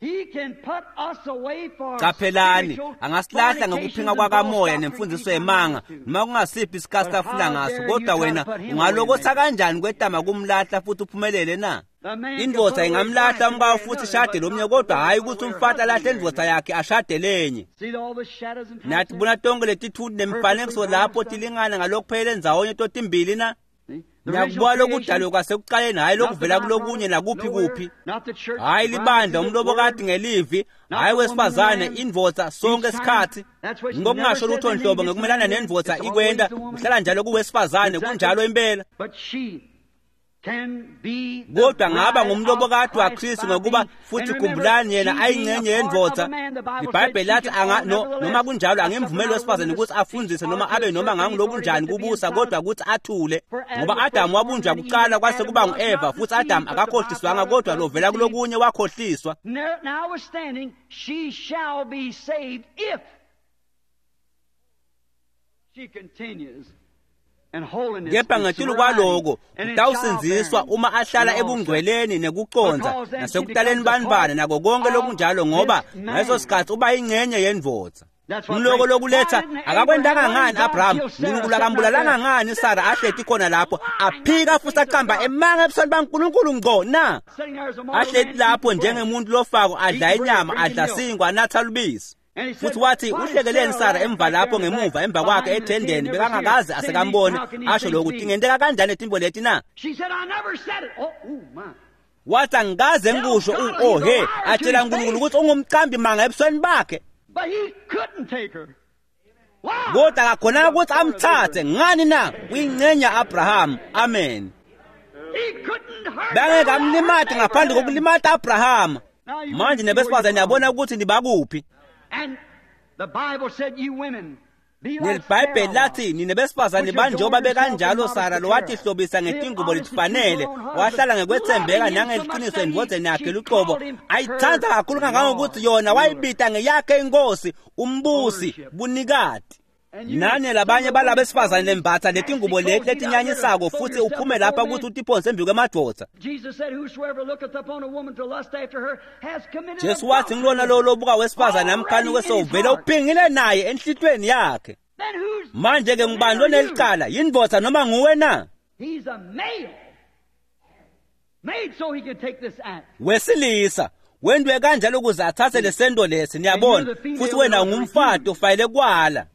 he can put us away for Qaphelani spiritual angasilahla fornications ngokuphinga and kwakamoya false nemfundiso doctrine yemanga he wants to. noma kungasiphi isikhathi But afuna how ngaso, dare you kodwa try to wena put him ungalokotha away, kanjani kwetama kumlahla futhi uphumelele na? The man can Indvodza put away ingamlahla his wife umkayo and futhi marry ishade another, lomnye, but kodwa not hhayi put ukuthi away her umfati alahle husband and indvodza marry yakhe ashade lenye. See all the shadows and types Nathi there? bona tonke letithuti nemifanekiso lapho tilingana ngalokuphelele endzawonye totimbili na? See? The Ngiyakubuka original lokudalwe creation, kwasekuqaleni, hhayi not the lokuvela kulokunye byproduct, nakuphi nowhere, kuphi. not the church, Hhayi the bride libandla through the umlobokati word, ngelivi, not hhayi the woman and the wesifazane, man. indvodza sonke Each time, isikhathi. that's why she never Ngokungasho says lutho anything nhlobo against the ngekumelana man. nendvodza It's always ikwenta, the woman. kuhlala njalo kuwesifazane, Exactly. kunjalo impela. But she can be the Kodwa ngaba bride of ngumlobokati Christ waKristu by ngokuba being- futhi and remember, khumbulani yena she being ayingxenye a part of yendvodza. a man, the Bible said Ibhayibheli she lathi can anga own no, nevertheless noma kunjalo a angimvumeli suffer wesifazane not ukuthi a woman to afundzise teach noma or to abe noma assert any authority ngangilobunjani but to be kubusa, silent. kodwa ukuthi athule. For Adam Ngoba was first Adamu formed, wabunjwa then Eve, kuqala and kwase Adam kuba was ngu-Eva, not futhi Adamu deceived, but the akakhohliswanga byproduct kodwa of lovela the seed. kulokunye wakhohliswa. Notwithstanding, she shall be saved if she continues Kepha ngetulu kwaloko utawusindziswa uma ahlala ebungcweleni nekucondza nasekutaleni bantfwana nako konke lokunjalo, ngoba ngaleso sikhatsi uba ingcenye yendvodza. Ngiloko lokuletha akakwentanga ngani Abraham? Nkulunkulu akambulalanga ngani Sara ahleti khona lapho aphika futhi aqamba emanga ebusweni baNkulunkulu ngco na? Ahleti lapho njengemuntu lofako adla inyama, adla sinkwa, anatha lubisi. Futhi wathi uhlekeleni Sara emva lapho ngemuva emva kwakhe ethendeni, bekangakaze asekambone asho lokhu, tingenteka kanjani letimbo leti na? Wathi angikaze ngikusho, oh he, atshela uNkulunkulu ukuthi ungumqambi manga ebusweni bakhe. But he couldn't take her. Kodwa akakhonanga ukuthi amthathe ngani na? Uyingcenya Abraham. Amen. Bangeke amlimate ngaphandle kokulimata Abraham. Manje nebesifazane niyabona ukuthi nibakuphi. NeliBhayibheli lathi nine besifazane banjengoba bekanjalo Sara lo watihlobisa ngetingubo letifanele, wahlala ngekwethembeka nangeliqiniso endvodzeni yakhe luqobo, ayithanda kakhulu kangangokuthi yona wayibita ngeyakhe inkosi, umbusi, bunikati. Nane labanye balaba besifazane lembatha letingubo leti letinyanyisako futhi uphume lapha ukuthi utiphonse embi kwemadvodza. Jesu wathi ngilona lowo lobuka wesifazane amkhanuke sewuvele uphingile naye enhlitweni yakhe. Manje ke ngubani lonelicala, yindvodza noma nguwe na? Wesilisa wendwe kanjalo ukuze athathe lesento lesi, niyabona, futhi wena ungumfati ufanele kwala.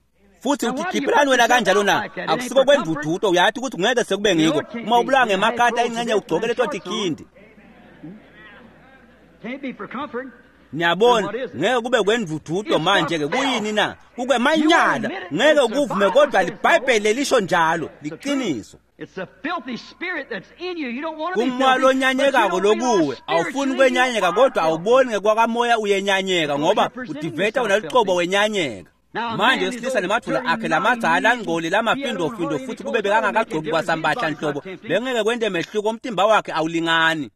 Futhi utikhiphelani wena kanjalo na? Akusiko kwendududo, uyathi ukuthi ngeke sekube ngiko uma ubulawa ngemakhata ingcenye ugcoke leto tikhindi. Niyabona, ngeke kube kwendududo manje ke kuyini na? Kukwemanyala, ngeke kuvume, kodwa liBhayibheli lelisho njalo, liqiniso. Kumoya lonyanyekako lokuwe, awufuni kwenyanyeka kodwa awuboni ngekwakamoya uyenyanyeka ngoba udiveta wena lucobo wenyanyeka. Manje wesilisa nemadvolo akhe lamadzala angcoli lamafindofindo futhi kube bekangakagcoki kwasambahla nhlobo, bengeke kwente mehluko, umtimba wakhe awulingani.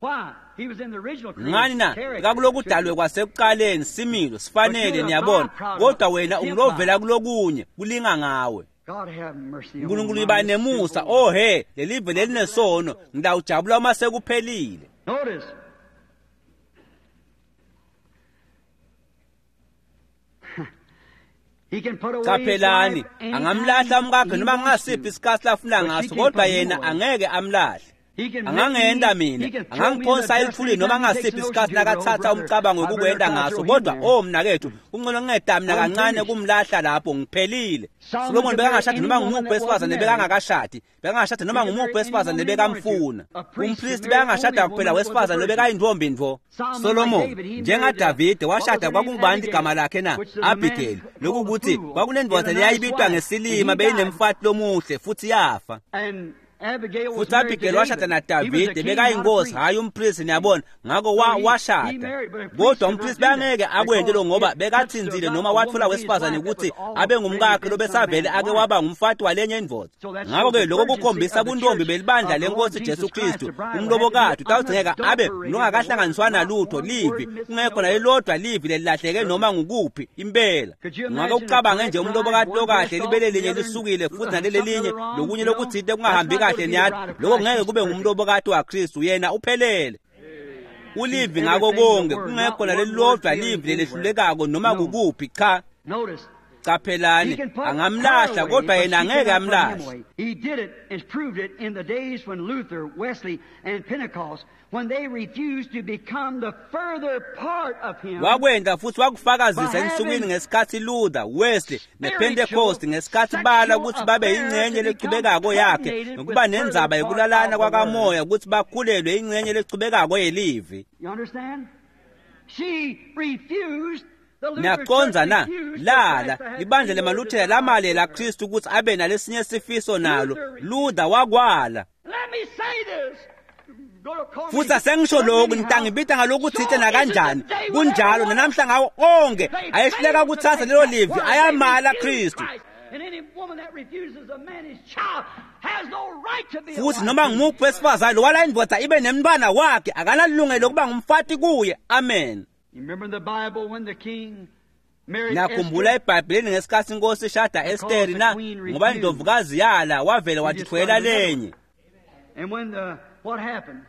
Ngani na? Kakulokudalwe kwasekuqaleni, similo sifanele, niyabona, kodwa wena ungulovela kulokunye, kulinga ngawe. Nkulunkulu iba nemusa, oh he, lelive lelinesono, ngitawujabula uma sekuphelile. Qaphelani, angamlahla umkakhe noma ngasiphi isikhathi lafuna ngaso, kodwa yena angeke amlahle. Angangenda mina, angangiphonsa elithulini noma ngasiphi isikhathi nakathatha umcabango wokukwenda ngaso, kodwa oh mnakethu, kungcono ngingeda mina kancane kumlahla lapho ngiphelile. Solomon bekangashadi noma ngumuphi wesifazane bekangakashadi, bekangashadi noma ngumuphi wesifazane bekamfuna. Umpristi bekangashada kuphela wesifazane bekayintombi ntfo. Solomon njengaDavide washada, kwakungubani igama lakhe na? Abigail. Lokukuthi kwakunendvodza leyayibitwa ngesilima, beyinemfati lomuhle futhi yafa. Futhi Abigail washada naDavide, bekayinkosi hayi umpristi, niyabona, ngakho washada. Kodwa umpristi bangeke akwente lo ngoba bekathinzile noma wathola wesifazane ukuthi abe ngumkakhe lobesavele ake waba ngumfati walenye indvodza. Ngakho-ke lokho kukhombisa buntombi belibandla lenkosi Jesu Kristu. Umlobokati utawudzingeka abe longakahlanganiswa nalutho livi, kungekho nalelodwa livi lelilahleke noma ngukuphi impela. Ngakho ucabange nje umlobokati lokahle libele linye lisukile futhi nalelelinye lokunye lokuthinte kungahambi kahle, niyathi lokho ngeke kube ngumlobokati waKristu, yena uphelele. Ulivi ngako konke, kungekho nalelilodwa livi lelehlulekako noma kukuphi, cha. Qaphelani, angamlahla kodwa yena angeke amlahle. He did it and proved it in the days when Luther, Wesley and Pentecost, when they refused to become the further part of him. Wakwenda futhi wakufakazisa ensukwini ngesikhathi Luther, Wesley nePentecost, ngesikhathi bala ukuthi babe ingcenye lechubekako yakhe nokuba nendzaba yokulalana kwakamoya ukuthi bakhulelwe ingcenye lechubekako yelivi. You understand? She refused. Niyaqonza na? Lala ibandla lemaluthela lamalela Kristu ukuthi abe nalesinye sifiso nalo. Luther wakwala. Futhi asengisho lokhu, nitangibita ngalokuthithe nakanjani. Kunjalo nanamhla ngawo onke ayehluleka ukuthatha lelo livi, ayamala Kristu. Futhi noma ngumuphi wesifazane lowala indvodza ibe nemntwana wakhe akanalungelo lokuba ngumfati kuye. Amen. You remember in the Bible when the king Nakhumbula eBhayibhelini ngesikhathi inkosi ishada Esteri na ngoba indlovukazi yala wavele wathwela lenye. And when the what happened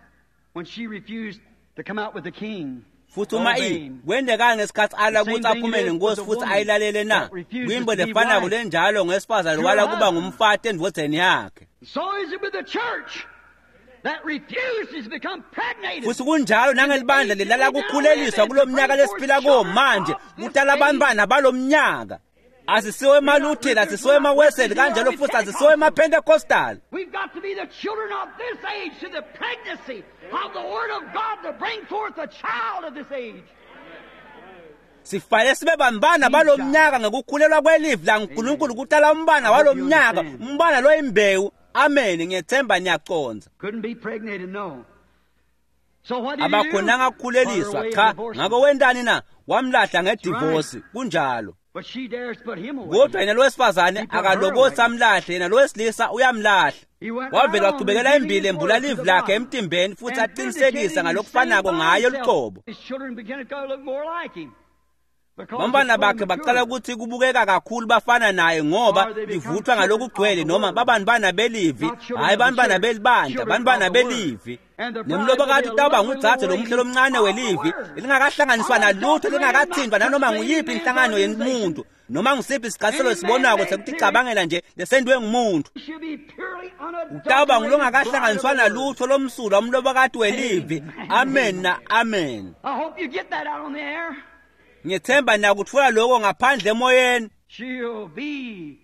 when she refused to come out with the king? Futhi uma i kwendekani ngesikhathi ala ukuthi aphume nenkosi futhi ayilalele na kwimbo lefanako lenjalo ngesifazane wala kuba ngumfati endvodzeni yakhe. So is it with the church that refuses to become pregnated. Futhi kunjalo nangelibandla lelala kukhuleliswa kulomnyaka lesiphila kuwo manje kutala abantwana balomnyaka. Asisiwe emaLuthela, asisiwe emaWeseli kanjalo futhi asisiwe emaPentecostal. We've got to be the children of this age to the pregnancy of the Word of God to bring forth a child of this age. Sifanele sibe bambana balomnyaka ngekukhulelwa kwelivi laNkulunkulu kutala umbana walomnyaka, umbana loyimbewu. Amen, ngiyethemba niyaqonza. Couldn't be pregnated, no. So what did he do? Abakhonanga kukhuleliswa cha, ngakho wendani na? Wamlahla ngedivorce, kunjalo. But she dares put him away. Kodwa yena lowesifazane akalokothi amlahle, yena lowesilisa uyamlahla. Wavele wachubekela embili embula livi lakhe emtimbeni futhi aqinisekisa ngalokufanako ngaye luqobo. His children began to look more like him. Bantwana bakhe baqala ukuthi kubukeka kakhulu bafana naye ngoba livuthwa ngalokugcwele noma babantwana belivi, hayi bantwana belibandla, bantwana belivi. Nemlobokati utawuba ngudzadze lomuhle lomncane welivi lingakahlanganiswa nalutho, lingakathintwa nanoma nguyiphi inhlangano yemuntu noma ngusiphi isichaselo esibonako sekuticabangela nje lesentiwe ngumuntu. She'll be purely Utawuba ngulongakahlanganiswa unadulterated. nalutho lomsulwa umlobokati welivi. Amen na amen. I hope you get that out on the air. Ngiyethemba niyakutfola lokho ngaphandle emoyeni. She'll be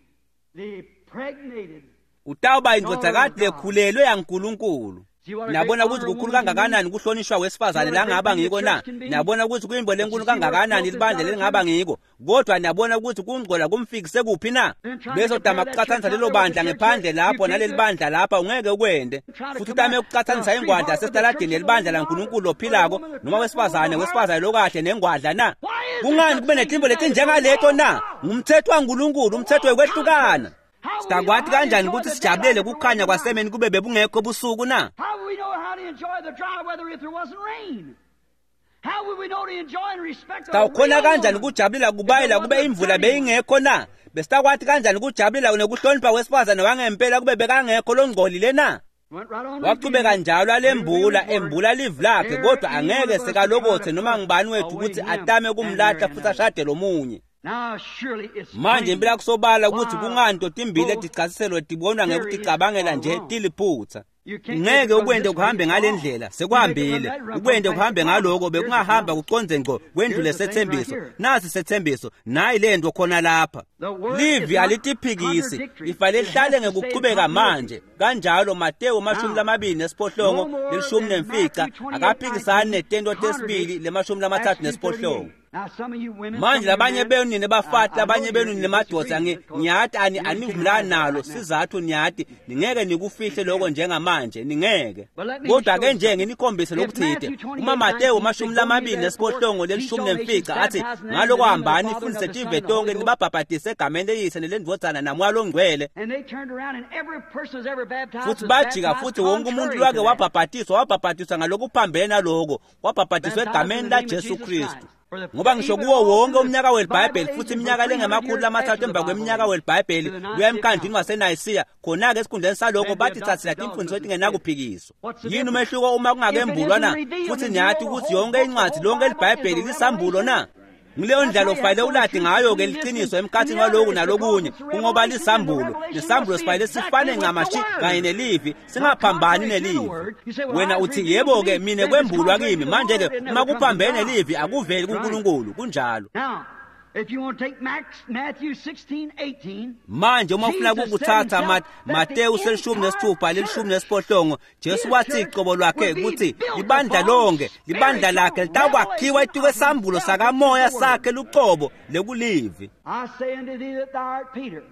the pregnated. Utawuba indvodzakati lekhulelwe yaNkulunkulu. Niyabona ukuthi kukhulu kangakanani kuhlonishwa wesifazane langaba ngiko na? Niyabona ukuthi kuyimbo lenkulu kangakanani libandla lelingaba ngiko. Kodwa niyabona ukuthi kungcola kumfikise kuphi na? Bese utama kucathanisa lelo bandla ngephandle lapho naleli bandla lapha ungeke ukwende. Futhi utame ukucathanisa ingwadla yasesitaladini nelibandla laNkulunkulu lophilako noma wesifazane wesifazane lokahle nengwadla na? Kungani kube netimbo letinjengaleto na? Ngumthetho waNkulunkulu, umthetho wekwehlukana. Sitakwati kanjani ukuthi sijabulele kukhanya kwasemeni kube bebungekho busuku na? How would we know how to enjoy the dry weather if there wasn't rain? How would we know to enjoy and respect the Sitawukhona real kanjani woman ukujabulela kubayela kube imvula beyingekho na? Besitakwati kanjani ukujabulela nekuhlonipha wesifazane wangempela kube bekangekho longcolile na? Went right on Wachubeka njalo alembula revealing embula livi lakhe, kodwa angeke sekalokothe noma ngubani wethu ukuthi atame kumlahla futhi ashade lomunye. Now surely it's Manje plain impela kusobala ukuthi why kungani totimbili both letichasiselo tibonwa ngekuticabangela nje tiliphutha. You can't Ngeke make it ukwende run this kuhambe way. ngale It's ndlela, wrong. sekuhambile. You make it run that Ukwende way, kuhambe run ngaloko back. bekungahamba kuconze ngqo kwendlule Here's the thing sethembiso. right here. Nasi sethembiso, nayi lento khona lapha. The word Livi is not alitiphikisi, contradictory. lifanele It lihlale has to stay ngekuchubeka in manje. Kanjalo Mateyu mashumi Now, lamabili nesiphohlongo no more lelishumi than nemfica Matthew twenty-eight, akaphikisani netento nineteen, tesibili lemashumi lamathathu Acts two nesiphohlongo. thirty-eight. Now, some of you women, Manje some of you labanye men, benu nine bafati I- I labanye know benu you- nine you madoda disagree ngi- because ngiyati ani you take anivumelani it nalo right now. sizathu niyati ningeke nikufihle lokho njengamanje ningeke But let me kodwa show ke you nje something. nginikhombise If lokuthide Matthew twenty-eight, uma Mateyu nineteen mashumi says, lamabili "Go ye nesiphohlongo therefore, lelishumi teach all nemfica nations, athi baptizing them in the ngaloko name of the hambani Father and nifundise of the Son tive and the tonke Holy Ghost." nibabhabhatise egameni leyise nelendvodzana namoya longcwele And they turned around, and every person who's ever baptized futhi was bajika baptized futhi wonke umuntu contrary lwake to that. wabhabhatiswa wabhabhatiswa ngalokuphambene naloko wabhabhatiswa Baptized egameni in the name of laJesu Jesus Kristu Christ. For the- ngoba ngisho even kuwo all wonke through the umnyaka welibhayibheli Bible futhi ages iminyaka for three hundred lengemakhulu years lamathathu after the emva Bible kweminyaka age, welibhayibheli to the kuya Nicene emkhandlwini Council. waseNayisiya khona-ke esikhundleni salokho Then bathi they thathela adopted timfundiso dogmas etingenakuphikiswa What's the yini difference? umehluko uma If it kungakembulwa isn't na revealed, futhi then niyati you know ukuthi the whole yonke book, the incwadi whole lonke Bible is libhayibheli a lisambulo na revelation. ngileyo That's ndlela how you ufanele have to ulati truth ngayo-ke between this liqiniso and emkhathini the other waloku is nalokunye because it's a kungoba revelation, and the lisambulo revelation nesambulo must be sifanele exactly sifane with the ncamashi word. kanye nelivi Not singaphambani contrary to the nelivi word. You say, well, wena I uthi revealed to yebo-ke me. mina Then if it's kwembulwa contrary kimi to the manje-ke word, it uma never comes from kuphambene God. nelivi akuveli Right. kuNkulunkulu kunjalo Now, if you want to take Max, Matthew sixteen, eighteen, manje uma ufuna Jesus said kukuthatha himself Ma- that the Mateyu selishumi entire nesithupha lelishumi church, nesiphohlongo Jesu his wathi church, icobo lwakhe would be ukuthi built libandla upon lonke libandla lakhe spiritual litakwakhiwa revelation etukwe of sambulo himself, which is sakamoya the word. sakhe luqobo lekulivi I say unto thee that thou art Peter.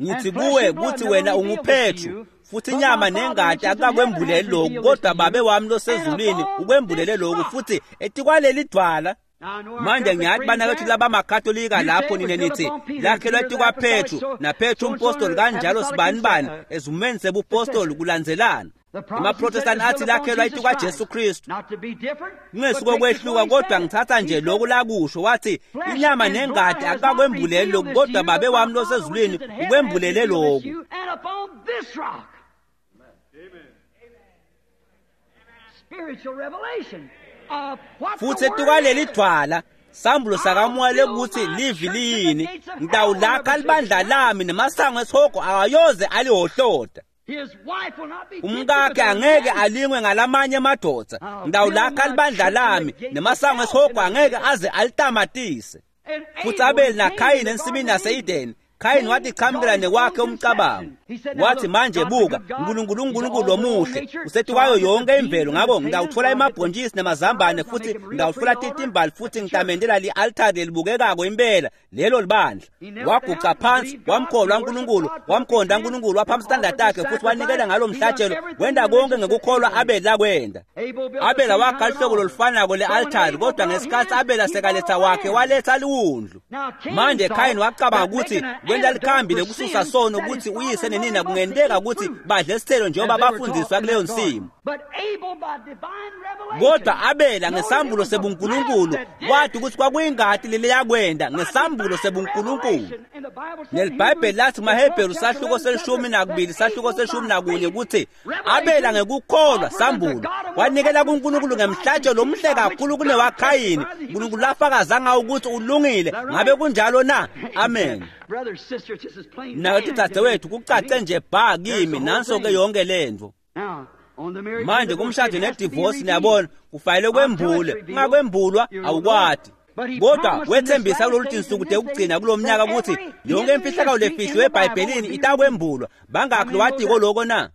ngithi And flesh kuwe and blood kuthi never wena revealed this to unguPetru you, futhi but inyama my Father which nengati is in heaven akakwembuleli hath lokhu revealed this kodwa to babe you. wami And losezulwini upon ukwembulele this lokhu rock. futhi etikwaleli dwala Now, I know our manje Catholic ngiyathi friends banakethu there. labamakatolika You say lapho it was nine built nithi upon Peter, lakhelwa Peter the etikwaPetru apostolic, so naPetru so and so umpostoli kanjalo apostolic sibanibani uh, ezumeni sebupostoli successor. kulandzelana Emaprotestani athi lakhelwa itukwa Jesu Kristu. Kungesuko kwehluka, kodwa ngithatha nje lokhu lakusho. Wathi inyama nengati akakwembuleli lokhu, kodwa Babe wami losezulwini ukwembulele lokhu. Futhi etukwaleli dwala, sambulo sakamoya lekuthi livi liyini, ngitawulakha libandla lami, nemasango esihogo awayoze alihohloda. Umkakhe angeke alingwe ngalamanye amadvodza. Ngitawulakha libandla lami, nemasango esihogo angeke aze alitamatise. Futhi Abeli naKhayini ensimini yase-Edeni, Khayini wathi chamukela nekwakhe umcabango. Wathi manje buka, uNkulunkulu uNkulunkulu omuhle, usetukwayo yonke imvelo, ngakho ngitawuthola emabhontshisi namazambane, futhi ngitawuthola titimbali, futhi ngitamendela li-altari lelibukekako impela, lelo libandla. Waguca phansi, wamkholwa uNkulunkulu, wamkhonda uNkulunkulu, waphamisa isitandard takhe, futhi wanikela ngalo mhlatshelo, wenda konke ngekukholwa Abeli lakwenda. Abela wakha luhlobo lolufanako le-altari, kodwa ngesikhathi Abela sekaletha wakhe, waletha liwundlu. Manje Khayini wacabanga ukuthi kwenta likhambi lekususa sono ukuthi uyise nenina kungenteka ukuthi badle isithelo njengoba bafundiswa kuleyo nsimu. Kodwa Abela ngesambulo sebuNkulunkulu wathi ukuthi kwakuyingati leleyakwenda, ngesambulo sebuNkulunkulu. NeliBhayibheli lathi kumaHebheru sahluko selishumi nakubili sahluko selishumi nakunye ukuthi Abela ngekukholwa, sambulo, wanikela kuNkulunkulu ngemhlatshelo omuhle kakhulu kunewaKhayini, uNkulunkulu lafakaza ngawo ukuthi ulungile. Ngabe kunjalo na? Amen. Nathi dzadzewethu, kucace nje bha kimi, nanso-ke yonke lento. Manje kumshado nedivosi, niyabona, kufanele kwembule, ungakwembulwa awukwati. Kodwa wethembisa kulolu tinsuku tekugcina kulo mnyaka ukuthi yonke imfihlakalo lefihliwe eBhayibhelini itakwembulwa. Bangakhi lowatiko loko na?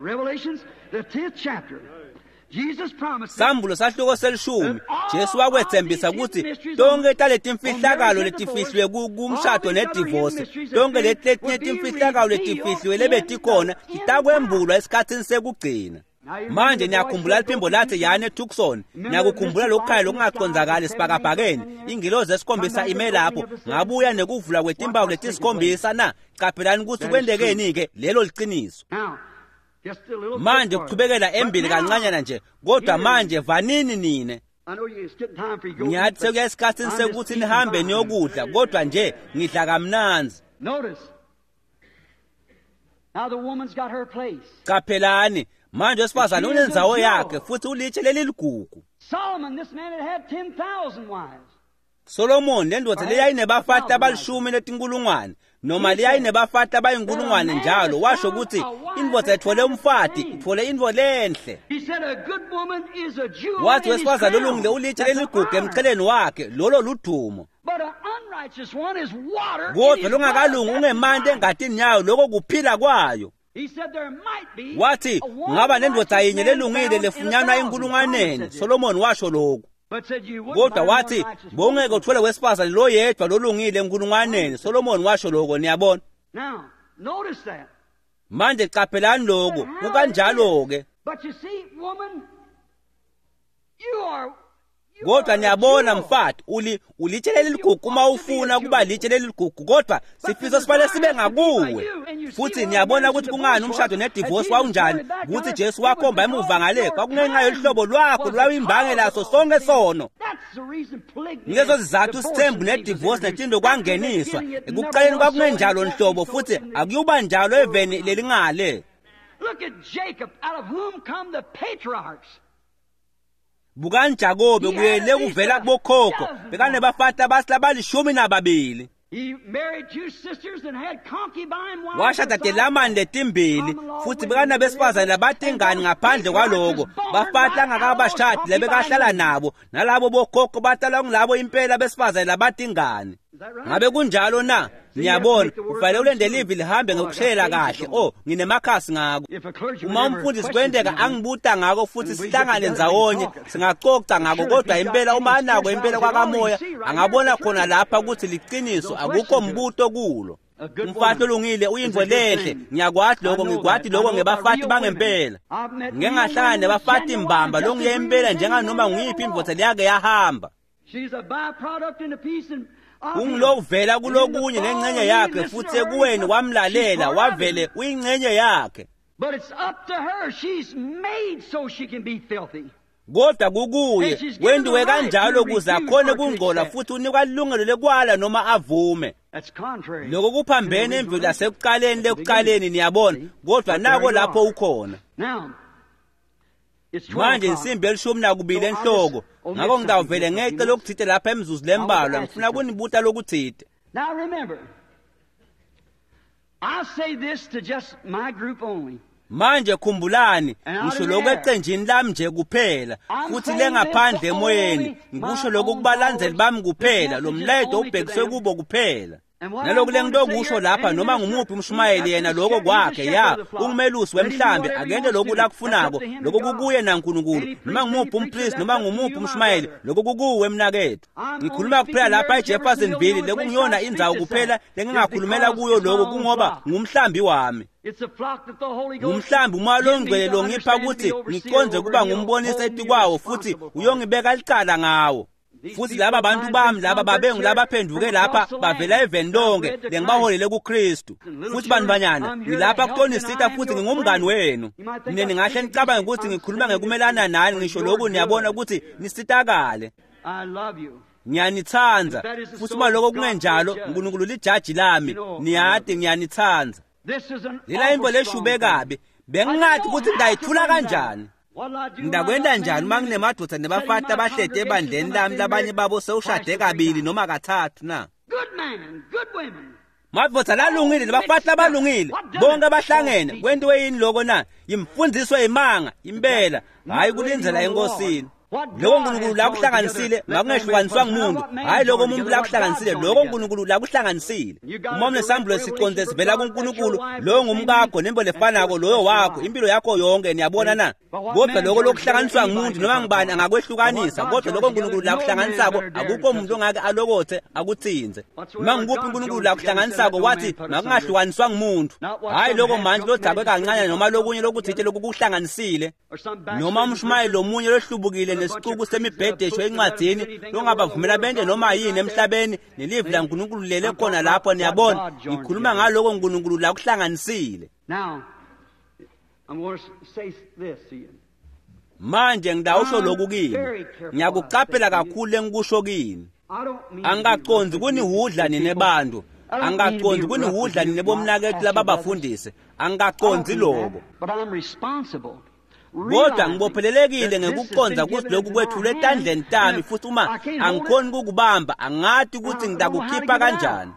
Sambulo sahluko selishumi, Jesu wakwethembisa ukuthi tonke taletimfihlakalo letifihliwe kumshado nedivosi, tonke leti letinye timfihlakalo letifihliwe lebetikhona titakwembulwa esikhathini sekugcina. Manje niyakhumbula liphimbo lathi yani eTucson, niyakukhumbula lokukhanya lokungacondzakali esibhakabhakeni, ingilozi esikhombisa ime lapho, ngabuya nekuvula kwetimpawu letisikhombisa na? Qaphelani ukuthi kwentekeni-ke, lelo liciniso. Manje kuchubekela embili kancanyana nje, kodwa manje vanini nine. Ngiyathi sekuya esikhathini sekuthi nihambe niyokudla, kodwa nje ngidla kamnandzi. Qaphelani manje wesifazane unendzawo yakhe, futhi ulitshe leliligugu. Solomon lendoda leyayinebafati abalishumi letinkulungwane, noma leyayinebafati abayinkulungwane njalo, washo ukuthi indvodza ithole umfati ithole intfo lenhle. Wathi wesifazane olungile ulitshe leligugu emcheleni wakhe, lolo ludumo. Kodwa longakalungi ungemanti engatini yayo, lokho kuphila kwayo. Wathi ngaba nendoda yinye lelungile lefunyanwa enkulungwaneni, Solomon washo lokhu. Kodwa wathi bongeke uthole wesifazane lo yedwa lolungile enkulungwaneni, Solomon washo lokho, niyabona. Manje qaphelani lokho, kukanjalo-ke. Kodwa niyabona mfati, uli ulitshe leligugu uma ufuna kuba litshe leligugu, kodwa sifiso sifanele sibe ngakuwe. Futhi niyabona ukuthi kungani umshado nedivosi wawunjani, ukuthi Jesu wakhomba emuva ngale, kwakungenxa yoluhlobo lwakho lwayimbangela so sonke sono. Ngezo zizathu isithembu nedivosi netindo kwangeniswa. Ekuqaleni kwakungenjalo nhlobo, futhi akuyuba njalo eveni lelingale. Look at Jacob, out of whom come the patriarchs. Bukani Jakobe kuyele kuvela kubokhokho, bekanebafati abasilabalishumi nababili. Washada telamani letimbili, futhi bekanabesifazane labatingani ngaphandle kwaloko, bafati angakabashadi lebekahlala nabo, nalabo bokhokho batalwa ngilabo impela besifazane labatingani. Ngabe kunjalo na? Niyabona, kufanele ulende livi lihambe ngokushela kahle. Oh, nginemakhasi ngako. Uma umfundisi kwenteka angibuta ngako futhi sihlangane ndzawonye, singacoca ngako, kodwa impela uma anako impela kwakamoya, angabona khona lapha ukuthi liciniso, akukho mbuto kulo. Umfati olungile uyintfo lenhle, ngiyakwati lokho, ngikwati lokho ngebafati bangempela. Ngike ngahlangana nebafati mbamba longiye impela njenganoma nguyiphi indvodza leyake yahamba. Ungilovela kulokunye nengcenye yakhe, futhi ekuweni wamlalela wavele uyingcenye yakhe. But it's up to her. She's made so she can be filthy. Kodwa kukuye wendiwe kanjalo ukuze akhone kungcola futhi unikwa ilungelo lekwala noma avume. Lokho kuphambene emvelo yasekuqaleni lekuqaleni, niyabona, kodwa nako lapho ukhona. Manje insimbi elishumi nakubili enhloko, ngakho ngitawuvele ngece lokuthite lapha emzuzu lembalwa, ngifuna kunibuta lokuthite. Now remember, I say this to just my group only. Manje khumbulani, ngisho lokho ecenjini lami nje kuphela, futhi lengaphandle emoyeni, ngikusho lokho kubalandzeli bami kuphela, lo mlayeto ubhekiswe kubo kuphela. Naloku lengitokusho lapha noma ngumuphi umshumayeli yena lokho kwakhe, ya, ungumelusi wemhlambi, akente lokhu lakufunako, lokho kukuye naNkulunkulu, noma ngumuphi umpristi, noma ngumuphi umshumayeli, lokho kukuwe mnakethu. Ngikhuluma kuphela lapha eJeffersonville, lekungiyona indzawo kuphela lengingakhulumela kuyo lokho kungoba ngumhlambi wami. Ngumhlambi umoya longcwele longipha ukuthi ngiconze kuba ngumbonisi etikwawo futhi uyongibeka licala ngawo. Futhi laba bantu bami laba babengulabaphenduke lapha bavela eveni lonke lengibaholele kuKristu. Futhi bantwanyana ngilapha kutonisita futhi ngingumngani wenu. Mina ningahle nicabange ukuthi ngikhuluma ngekumelana nani, ngisho lokhu niyabona ukuthi nisitakale. Ngiyanithanda futhi uma lokho kungenjalo uNkulunkulu lijaji lami, niyati ngiyanithanda. Lela imbo leshube kabi, bengingathi ukuthi ngidayithula kanjani. Ngidakwenda njani uma nginemadoda nebafati abahlede ebandleni lami labanye babo sewushade kabili noma kathathu na? Madoda lalungile nabafati labalungile bonke abahlangene, kwentiwe yini lokho na? Imfundiso yemanga impela, hayi kulindzela enkosini. Lokho uNkulunkulu lakuhlanganisile makungehlukaniswa ngumuntu, hayi lokho umuntu lakuhlanganisile, lokho uNkulunkulu lakuhlanganisile. Uma unesambulo siconde sivela kuNkulunkulu, loyo ngumkakho nembo lefanako loyo wakho impilo yakho yonke, niyabona na? Kodwa lokho lokuhlanganiswa ngumuntu noma ngubani angakwehlukanisa, kodwa lokho uNkulunkulu lakuhlanganisako akukho umuntu ongake alokothe akuthinze. Noma ngikuphi uNkulunkulu lakuhlanganisako wathi makungahlukaniswa ngumuntu, hayi lokho manje lodzakwe kancane noma lokunye lokuthite lokukuhlanganisile, noma umshumayeli lomunye lohlubukile nesicuku semibhedesho encwadini longabavumela bente noma yini emhlabeni, nelivi laNkulunkulu lele khona lapho, niyabona. Ngikhuluma ngaloko uNkulunkulu lakuhlanganisile. Manje ngidawusho lokhu kini, ngiyakuqaphela kakhulu lengikusho kini. Angikaconzi kunihudla nine bantu, angikaconzi kunihudla nine bomnakethu lababafundisi, angikaconzi lokho. Kodwa ngibophelelekile ngekuconza ukuthi lokhu kwethulwe etandleni tami, futhi uma angikhoni kukubamba angathi ukuthi ngitakukhipha kanjani.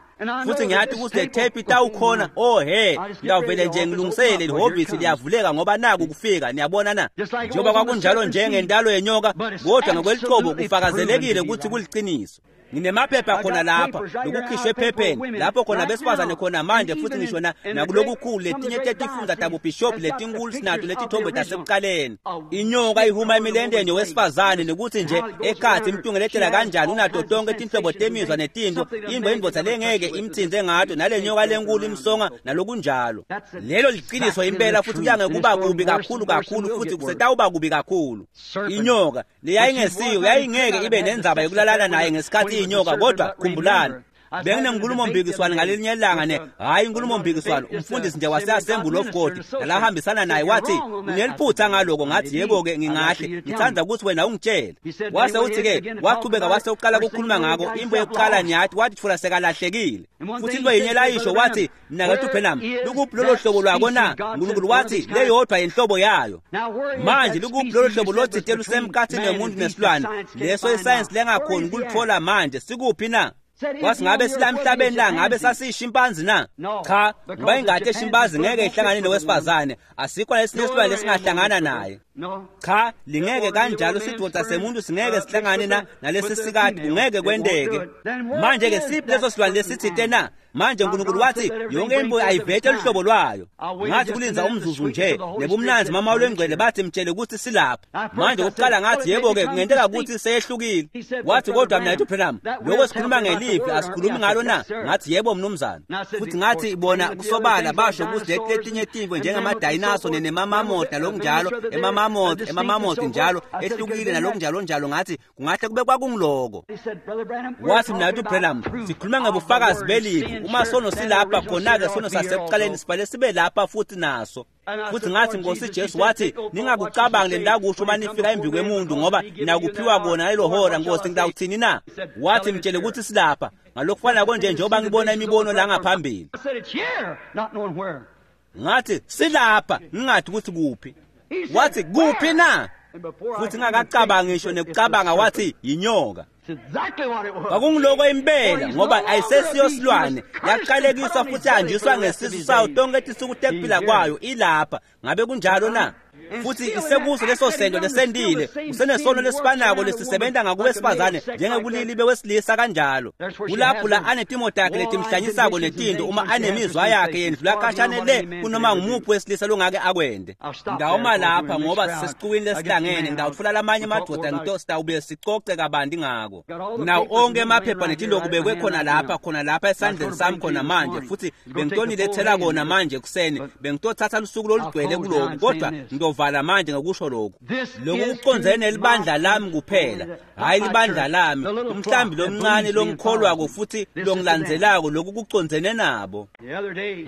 Futhi ngiyathi ukuthi le tape itawukhona, oh he, ngiyavele nje ngilungisele lihhovisi liyavuleka ngoba naku kufika, niyabona na? Njengoba kwakunjalo njengentalo yenyoka, kodwa ngokweliqobo kufakazelekile ukuthi kuliqiniso. Nginemaphepha khona lapha lokukhishwe ephepheni lapho khona besifazane khona manje, futhi ngisho nakulokukhulu letinye tetifundza tabobhishobhi letinkulu sinato letithombe tasekuqaleni. Inyoka ihuma emilendeni yowesifazane nekuthi nje ekhathi imtungeletela kanjani, unato tonke tinhlobo temizwa netinto, imbo indvodza lengeke imthinze ngato, nale nyoka lenkulu imsonga nalokunjalo. Lelo liqiniso impela, futhi kuyange kuba kubi kakhulu kakhulu, futhi kusetawuba kubi kakhulu. Inyoka leyayingesiyo yayingeke ibe nendzaba yokulalana naye ngesikhathi inyoka, kodwa khumbulani, benginenkulumo mpikiswano ngalelinye ilanga ne hayi inkulumo mpikiswano, umfundisi nje wase-Assembly of God nalahambisana naye wathi uneliphutha ngaloko. Ngathi yebo ke ngingahle ngithanda ukuthi wena ungitshele. Wase uthi ke wachubeka wase uqala ukukhuluma ngako imbo yokuqala, niyathi wathi thula sekalahlekile. Futhi into yinye layisho wathi mnakethu Branham, lukuphi lolo hlobo lwako na? uNkulunkulu wathi leyodwa inhlobo yayo. Manje lukuphi lolo hlobo lothite lusemkhathini yomuntu nesilwane leso isayensi lengakhoni ukulithola manje, sikuphi na? Wathi ngabe sila emhlabeni la ngabe sasiyishimpanzi na? Cha, ngoba ingadi eshimpanzi ngeke ihlangane nowesifazane, asikho lesinye isilwane lesingahlangana naye. Cha, lingeke kanjalo sidoda semuntu singeke sihlangane na nalesi sikati, kungeke kwenteke. Manje ke siphi leso silwane lesithite na? Manje uNkulunkulu wathi yonke imbuya ayivete luhlobo lwayo. Ngathi kulinza umzuzu nje nebumnanzi mama olwengcwele bathi mtshele ukuthi silapha. Manje kokuqala ngathi yebo ke kungenteka ukuthi seyehlukile. Wathi kodwa mina ethi Branham, lokho sikhuluma ngelivi asikhulumi ngalo na? Ngathi yebo mnumzane. Futhi ngathi bona kusobala basho ukuthi letinye tinto njengemadayinaso nemamamoti nalokunjalo, emamamoti emamamoti njalo ehlukile nalokunjalo njalo, ngathi kungahle kube kwakungiloko. Wathi mina ethi Branham, sikhuluma ngebufakazi belivi Uma sono silapha khona-ke sono sasekuqaleni sibale sibe lapha futhi naso. Futhi ngathi Nkosi Jesu wathi ningakucabangi lendakusho uma nifika embi kwemuntu ngoba nakuphiwa kona lelo hora. Nkosi ngitawuthini na? Wathi mtshele ukuthi silapha. Ngalokufana konje njengoba ngibona imibono la ngaphambili. Ngathi silapha ngingathi ukuthi kuphi. Wathi kuphi na? Futhi ngakacabangi ngisho nekucabanga wathi yinyoka. Kwakungiloko impela ngoba ayisesiyo silwane yaqalekiswa futhi yahanjiswa ngesisu sayo tonke tisuku tekuphila kwayo ilapha. Ngabe kunjalo na? Futhi isekuso leso sento lesendile usenesono lesifanako lesisebenza ngakubesifazane njengebulili bewesilisa kanjalo. Kulapho la anetimo takhe letimhlanyisako netinto uma anemizwa yakhe yendlula khashane le kunoma ngumuphi wesilisa longake akwende. Ngawuma lapha ngoba sisesicukwini lesihlangene ngawutfola lamanye amadoda ngito sitawubuye sicoce kabanti ngako. Nawo onke emaphepha netinto kubekwe khona lapha khona lapha esandleni sami khona manje futhi bengitonilethela kona manje ekuseni bengitothatha lusuku lolugcwele kuloku kodwa ngiyovala manje ngokusho lokhu. Lokhu kucondzene nelibandla lami kuphela, hhayi libandla lami, umhlambi lomncane longikholwako futhi longilandzelako. Lokhu kucondzene nabo.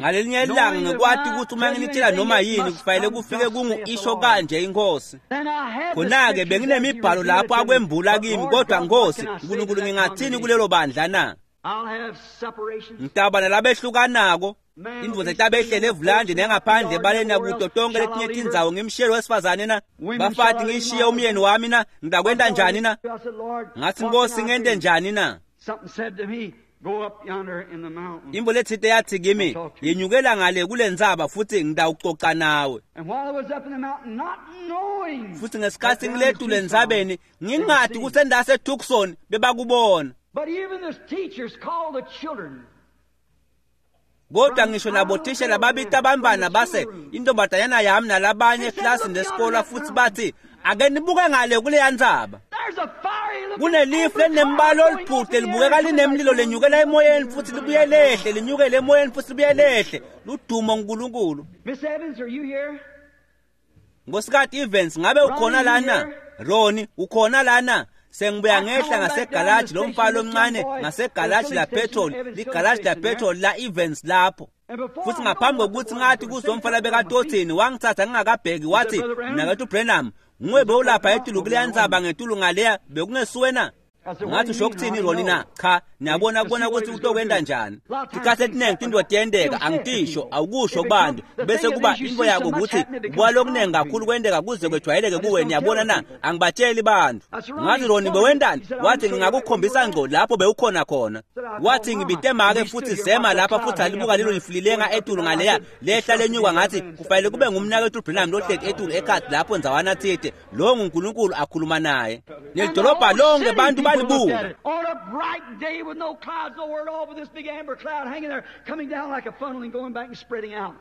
Ngalelinye ilanga ngikwati ukuthi uma nginitshela noma yini kufanele kufike kungu isho kanje inkosi. Khona-ke benginemibhalo lapho akwembula kimi, kodwa Nkosi uNkulunkulu ngingathini kulelo bandla na? Ngitawuba nalabehlukanako indvodza etabehlele evulandi nengaphandle ebaleni nakuto tonke letinye tindzawo ngimshiyele wesifazane na? Bafati ngishiye umyeni wami na? Ngitakwenta njani na? Ngathi Nkosi ngente njani na? Imbo lethite yathi kimi yenyukela ngale kule ntsaba futhi ngitawucoca nawe. Futhi ngesikhathi ngiletule entsabeni ngingadi ukuthi endase Tucson bebakubona. Kodwa ngisho nabothishela babita abantwana base intombazanyana yami nalabanye eklasini lesikole futhi bathi ake nibuke ngale kuleya ntsaba. Kunelifu lelinembala oluphuhle libukeka linemlilo lenyukela emoyeni futhi libuye lehle linyukele emoyeni futhi libuye lehle. Ludumo uNkulunkulu. Nkosikazi Evans ngabe ukhona lana? Roni ukhona lana? Sengibuya ngehla ngasegalaji lomfana omncane ngasegalaji la petrol ligalaji la petrol la Evans lapho. Futhi ngaphambi kokuthi ngathi kuzomfana bekatothini wangithatha ngingakabheki wathi mnakethu Branham nguwe bewulapha etulu kuleya ntsaba ngetulu ngaleya bekungesuwe na? Ngathi usho ukuthini Roni na? Cha, niyabona kubona ukuthi utokwenda njani. Tikhathi etiningi tinto tiyenteka angitisho awukusho kubantu bese kuba into yako ukuthi kuba lokuningi kakhulu kwenteka kuze kwejwayeleke kuwe niyabona na? Angibatsheli bantu. Ngathi Roni bewentani? Wathi ngingakukhombisa ngco lapho bewukhona khona. Wathi ngibite make futhi sema lapha futhi alibuka lelo lifulilenga etulu ngaleya lehla lenyuka ngathi kufanele kube ngumnakethu Branham lohleti etulu ekhadi lapho ndzawana thite lo nguNkulunkulu akhuluma naye. Nelidolobha lonke bantu On a bright day with no clouds nowhere at all, but this big amber cloud hanging there, coming down like a funnel and going back and spreading out.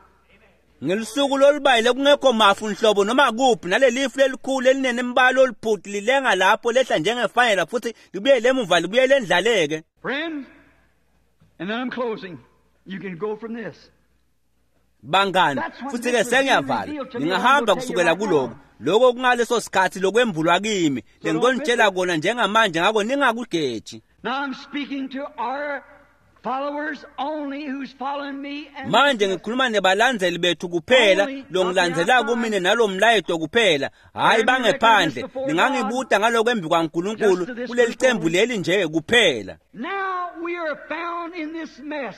Ngelusuku lolubayile kungekho mafu nhlobo noma kuphi nalelifu lelikhulu elinemibala oluphuti lilenga lapho lehla njengefanela futhi libuyele emuva libuyele endlaleke. Friends, and then I'm closing. You can go from this. Bangani, futhi ke sengiyavala. Ngingahamba kusukela kuloko. Lokho kungaleso sikhathi lokwembulwa kimi lengikonitshela kona njengamanje ngakho ningakugeji. Now I'm speaking to our followers only who's following me and manje ngikhuluma nebalandzeli bethu kuphela longilandzela kumine nalomlayeto kuphela hayi bangephandle ningangibuta ngaloko embi kwaNkulunkulu kuleli cembu leli nje kuphela. Now we are found in this mess.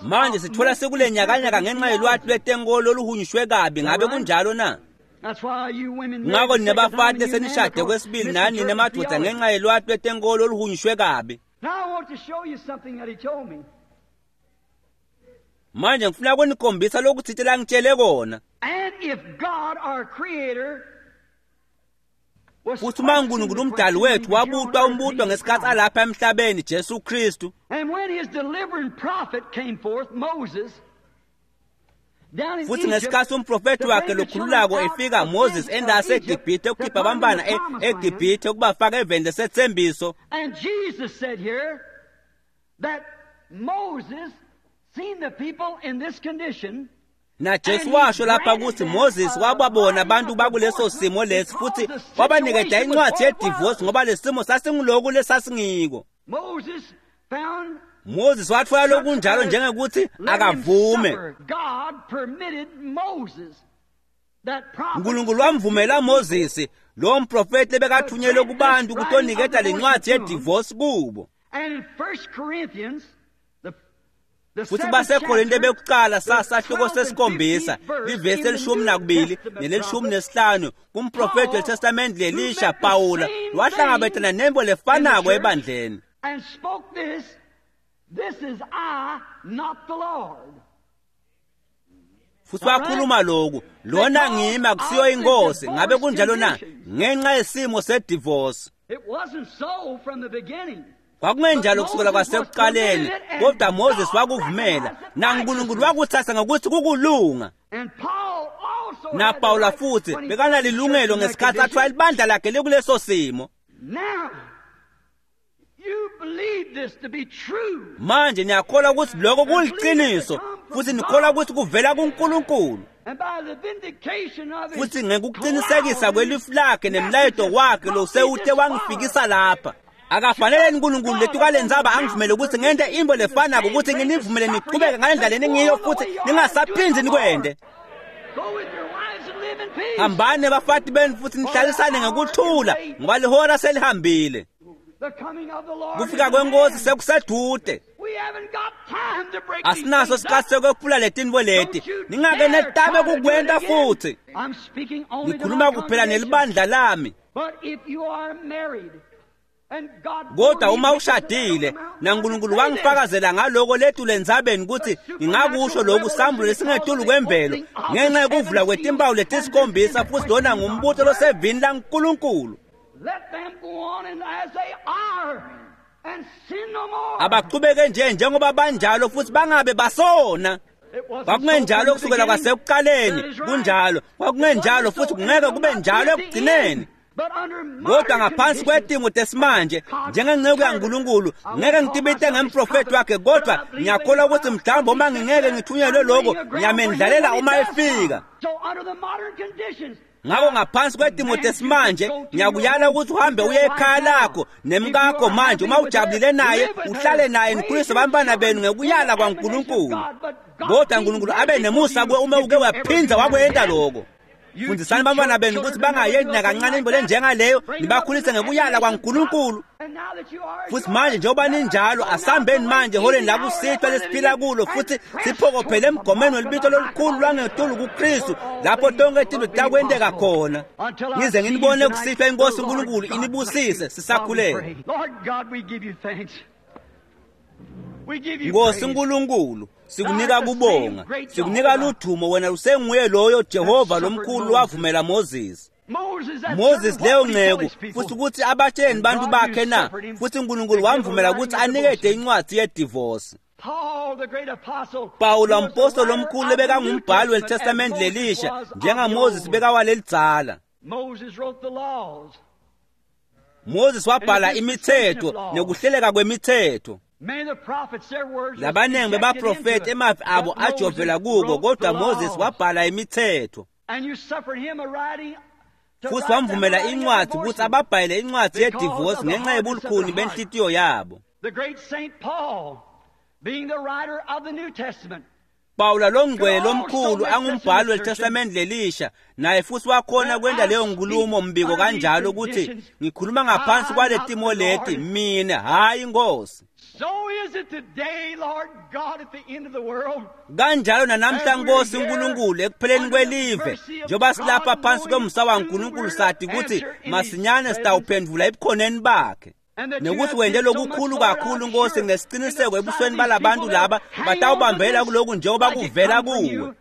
Manje sithola sekule nyakanyaka ngenxa yelwati lwetenkolo oluhunyushwe kabi ngabe kunjalo na? Ngakho nina bafati lesenishade kwesibili nani nina madoda ngenxa yelwati lwetenkolo oluhunyushwe kabi. Manje ngifuna ukunikhombisa lokuthile langitshele kona. Futhi uma uNkulunkulu umdali wethu wabutwa umbutwa ngesikhathi alapha emhlabeni Jesu Kristu. Futhi ngesikhathi umprofethi wakhe lokhululako efika Moses endase eGibhithe ukukhipha abantwana eGibhithe ukubafaka eveni lesethembiso. And Jesus said here that Moses seen the people in this condition. Na Jesu washo lapha ukuthi Moses wababona abantu bakuleso simo lesi futhi wabanikeza incwadi yedivorce ngoba lesimo sasinguloku lesasingiko. Moses found Moses watfola lokunjalo njengekuthi akavume. Nkulunkulu wamvumela Moses lo mprofeti lebekathunyelwe kubantu kutoniketa lencwadi yedivorce kubo. Futhi baseKorinte bekuqala sasahluko sesikhombisa livesi elishumi nakubili nelishumi nesihlanu kumprofeti weTestament lelisha Pawula wahlangabetana nembo lefanako ebandleni. Futhi wakhuluma lokhu, lona ngimi akusiyo inkosi. Ngabe kunjalo na? Ngenxa yesimo sedivorce. Kwakungenjalo kusukela kwasekuqaleni, kodwa Moses wakuvumela, naNkulunkulu wakuthatha ngokuthi kukulunga. NaPawula futhi bekanalilungelo ngesikhathi athiwa libandla lakhe likuleso simo. Manje niyakholwa ukuthi lokho kuliqiniso, futhi nikholwa ukuthi kuvela kuNkulunkulu. Futhi ngekuqinisekisa kwelifu lakhe nemlayeto wakhe lo sewuthe wangifikisa lapha. Akafanele uNkulunkulu lethu kalenzaba angivumele ukuthi ngente imbo lefanako ukuthi nginivumele niqhubeke ngalendlela eningiyo futhi ningasaphindzi nikwende. Hambani bafati benu futhi nihlalisane ngokuthula ngoba lihora selihambile. Kufika kwenkosi sekusedude. Asinaso isikhathi sokwephula letinto leti. Ningake netabe kukwenta futhi. Ngikhuluma kuphela nelibandla lami. Kodwa uma ushadile naNkulunkulu wangifakazela ngaloko lethu lendzabeni ukuthi ngingakusho lokhu sambulo lesingetulu kwemvelo ngenxa yokuvula kwetimpawu letisikhombisa futhi lona ngumbutho losevini laNkulunkulu. Abaqhubeke nje njengoba banjalo futhi bangabe basona. Kwakungenjalo kusukela kwasekuqaleni, kunjalo. Kwakungenjalo futhi kungeke kube njalo ekugcineni. Kodwa ngaphansi kwetimo tesimanje njengenceku yaNkulunkulu ngeke ngitibite ngemprofeti wakhe, kodwa ngiyakholwa ukuthi mhlawumbe uma ngingeke ngithunyelwe lokho ngiyamendlalela uma efika. Ngakho ngaphansi kwetimo tesimanje ngiyakuyala ukuthi uhambe uye ekhaya lakho nemkakho manje uma ujabulile naye uhlale naye nikhulise abantwana benu ngekuyala kwaNkulunkulu. Kodwa uNkulunkulu abe nemusa kuwe uma uke waphinza wakwenta lokho. Fundisani abantwana benu ukuthi bangayendi nakancane into lenjengaleyo, nibakhulise ngekuyala kwaNkulunkulu. Futhi manje njengoba ninjalo asambeni manje eholeni lakusihlwa lesiphila kulo futhi siphokophele emgomeni welibito lolukhulu lwangetulu kuKristu lapho tonke tinto takwenteka khona. Ngize nginibone kusihlwa inkosi uNkulunkulu inibusise sisakhuleka. Nkosi uNkulunkulu, sikunika kubonga, sikunika ludvumo wena usenguye loyo Jehova lomkhulu wavumela Moses. Moses leyo nceku futhi ukuthi abatsheni bantu bakhe na, futhi uNkulunkulu wamvumela ukuthi anikede incwadi yedivorce. Pawula umpostoli omkhulu bekangumbhali weTestament lelisha njengaMoses bekawalelidzala. Moses wabhala imithetho nekuhleleka kwemithetho. Labaningi bebaprofeti emavi abo ajovela kuko, kodwa Moses wabhala imithetho. Futhi wamvumela incwadi ukuthi ababhayele incwadi yedivorce ngenxa yobulukhuni benhlitiyo yabo. Pawula longcwele lomkhulu angumbhali weTestament lelisha naye futhi wakhona kwenta leyo nkulumo mbiko kanjalo ukuthi ngikhuluma ngaphansi kwale timo leti mina hayi inkosi. Kanjalo nanamhla Nkosi uNkulunkulu ekupheleni kwelive njengoba silapha phansi kwemsa waNkulunkulu sathi ukuthi masinyane sitawuphendvula ebukhoneni bakhe. Nekuthi wente lokukhulu kakhulu Nkosi ngesiciniseko ebusweni balabantu laba batawubambela kuloku njengoba kuvela kuwe.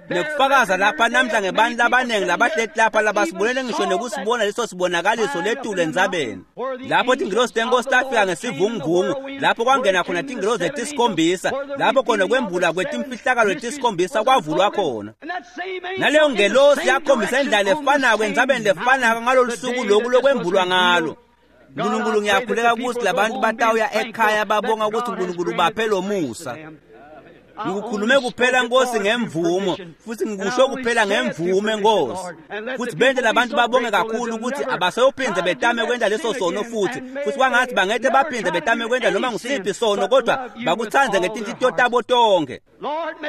Nekufakaza lapha namhla ngebantu labaningi labahleti lapha labasibonele ngisho nekusibona leso sibonakaliso letulu entsabeni lapho tingilosi tenkosi tafika ngesivunguvungu lapho kwangena khona tingilosi letisikhombisa lapho khona kwembula kwetimfihlakalo letisikhombisa kwavulwa khona. Naleyo ngelosi yakhombisa indlela lefanako entsabeni lefanako ngalolu suku loku lokwembulwa ngalo. Nkulunkulu ngiyakhuleka ukuthi labantu batawuya ekhaya babonga ukuthi uNkulunkulu baphe lo musa. Ngikukhulume kuphela Nkosi ngemvumo, futhi ngikusho kuphela ngemvume Nkosi. Futhi benze labantu babonge kakhulu ukuthi abaseyophinde betame kwenta leso sono futhi, futhi kwangathi bangete baphinde betame kwenta noma ngusiphi sono, kodwa bakuthandze ngetinhlitiyo tabo tonke.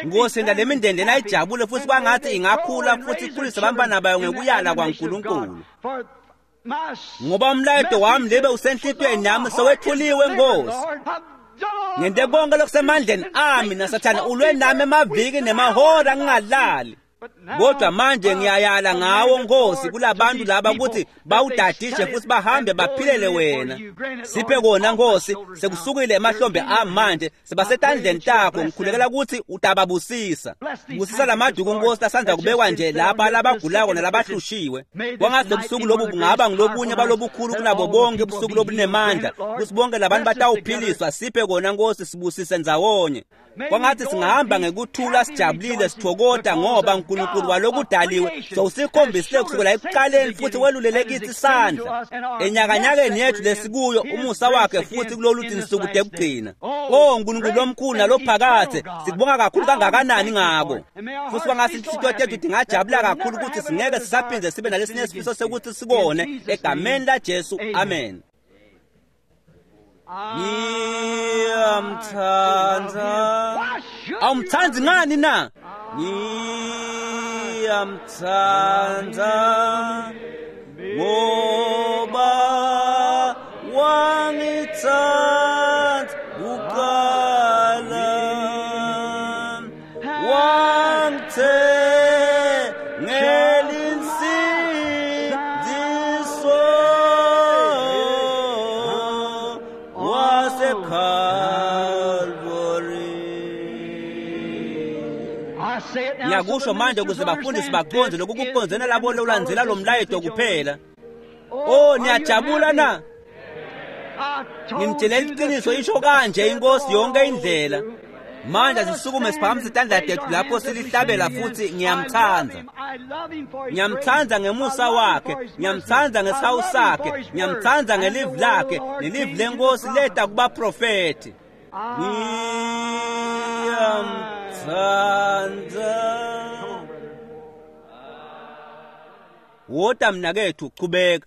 Nkosi, nda lemindeni lena ijabule futhi kwangathi ingakhula futhi ikhulise abantwana bayo ngekuyala kwaNkulunkulu. Ngoba umlayeto wami lebe usenhlitiyweni yami sewethuliwe Nkosi. Ngente konke lokusemandleni ami naSathane ulwe nami emaviki nemahora ngingalali. Kodwa manje ngiyayala ngawo Nkosi kulabantu laba ukuthi bawudadishe futhi bahambe baphilele wena. Siphe kona Nkosi, sekusukile emahlombe ami manje, sebasetandleni takho, ngikhulekela ukuthi utababusisa. Busisa lamaduku Nkosi lasandza kubekwa nje lapha labagulako nalabahlushiwe. Kwangathi lobusuku lobu bungaba ngilobunye balobukhulu kunabo bonke ubusuku lobunemandla, ukuthi bonke labantu batawuphiliswa. Siphe kona Nkosi, sibusise ndzawonye. Kwangathi singahamba ngekuthula sijabulile sithokota ngoba uNkulunkulu walokudaliwe sowusikhombisile kusukela ekuqaleni futhi welulele kithi isandla enyakanyakeni yethu lesikuyo umusa wakhe futhi kulolu tinsuku tekugcina. O Nkulunkulu lomkhulu nalophakathe, sikubonga kakhulu kangakanani ngako. Futhi kwangathi inhlitiyo tethu tingajabula kakhulu ukuthi singeke sisaphinde sibe nalesinye isifiso sekuthi sikone, egameni laJesu, amen. Ngiyamthanda. Awumthandi ngani na? Ngiyamthanda ngoba wangithanda kuqala, wangithengela insindiso waseKalvari. Ngiyakusho manje ukuze bafundisi baqonde lokhu kuqondzene labo lolandzela lo mlayeto kuphela. Oh, niyajabula na? Ngimtshela iqiniso, isho kanje inkosi yonke indlela. Manje sisukume siphakamise itandla tethu lapho silihlabela futhi ngiyamthanda. Ngiyamthanda ngemusa wakhe, ngiyamthanda ngesihawu sakhe, ngiyamthanda ngelivi lakhe, nelivi lenkosi leta kubaprofethi. Ngiyamthanda. Wota mnakethu, chubeka.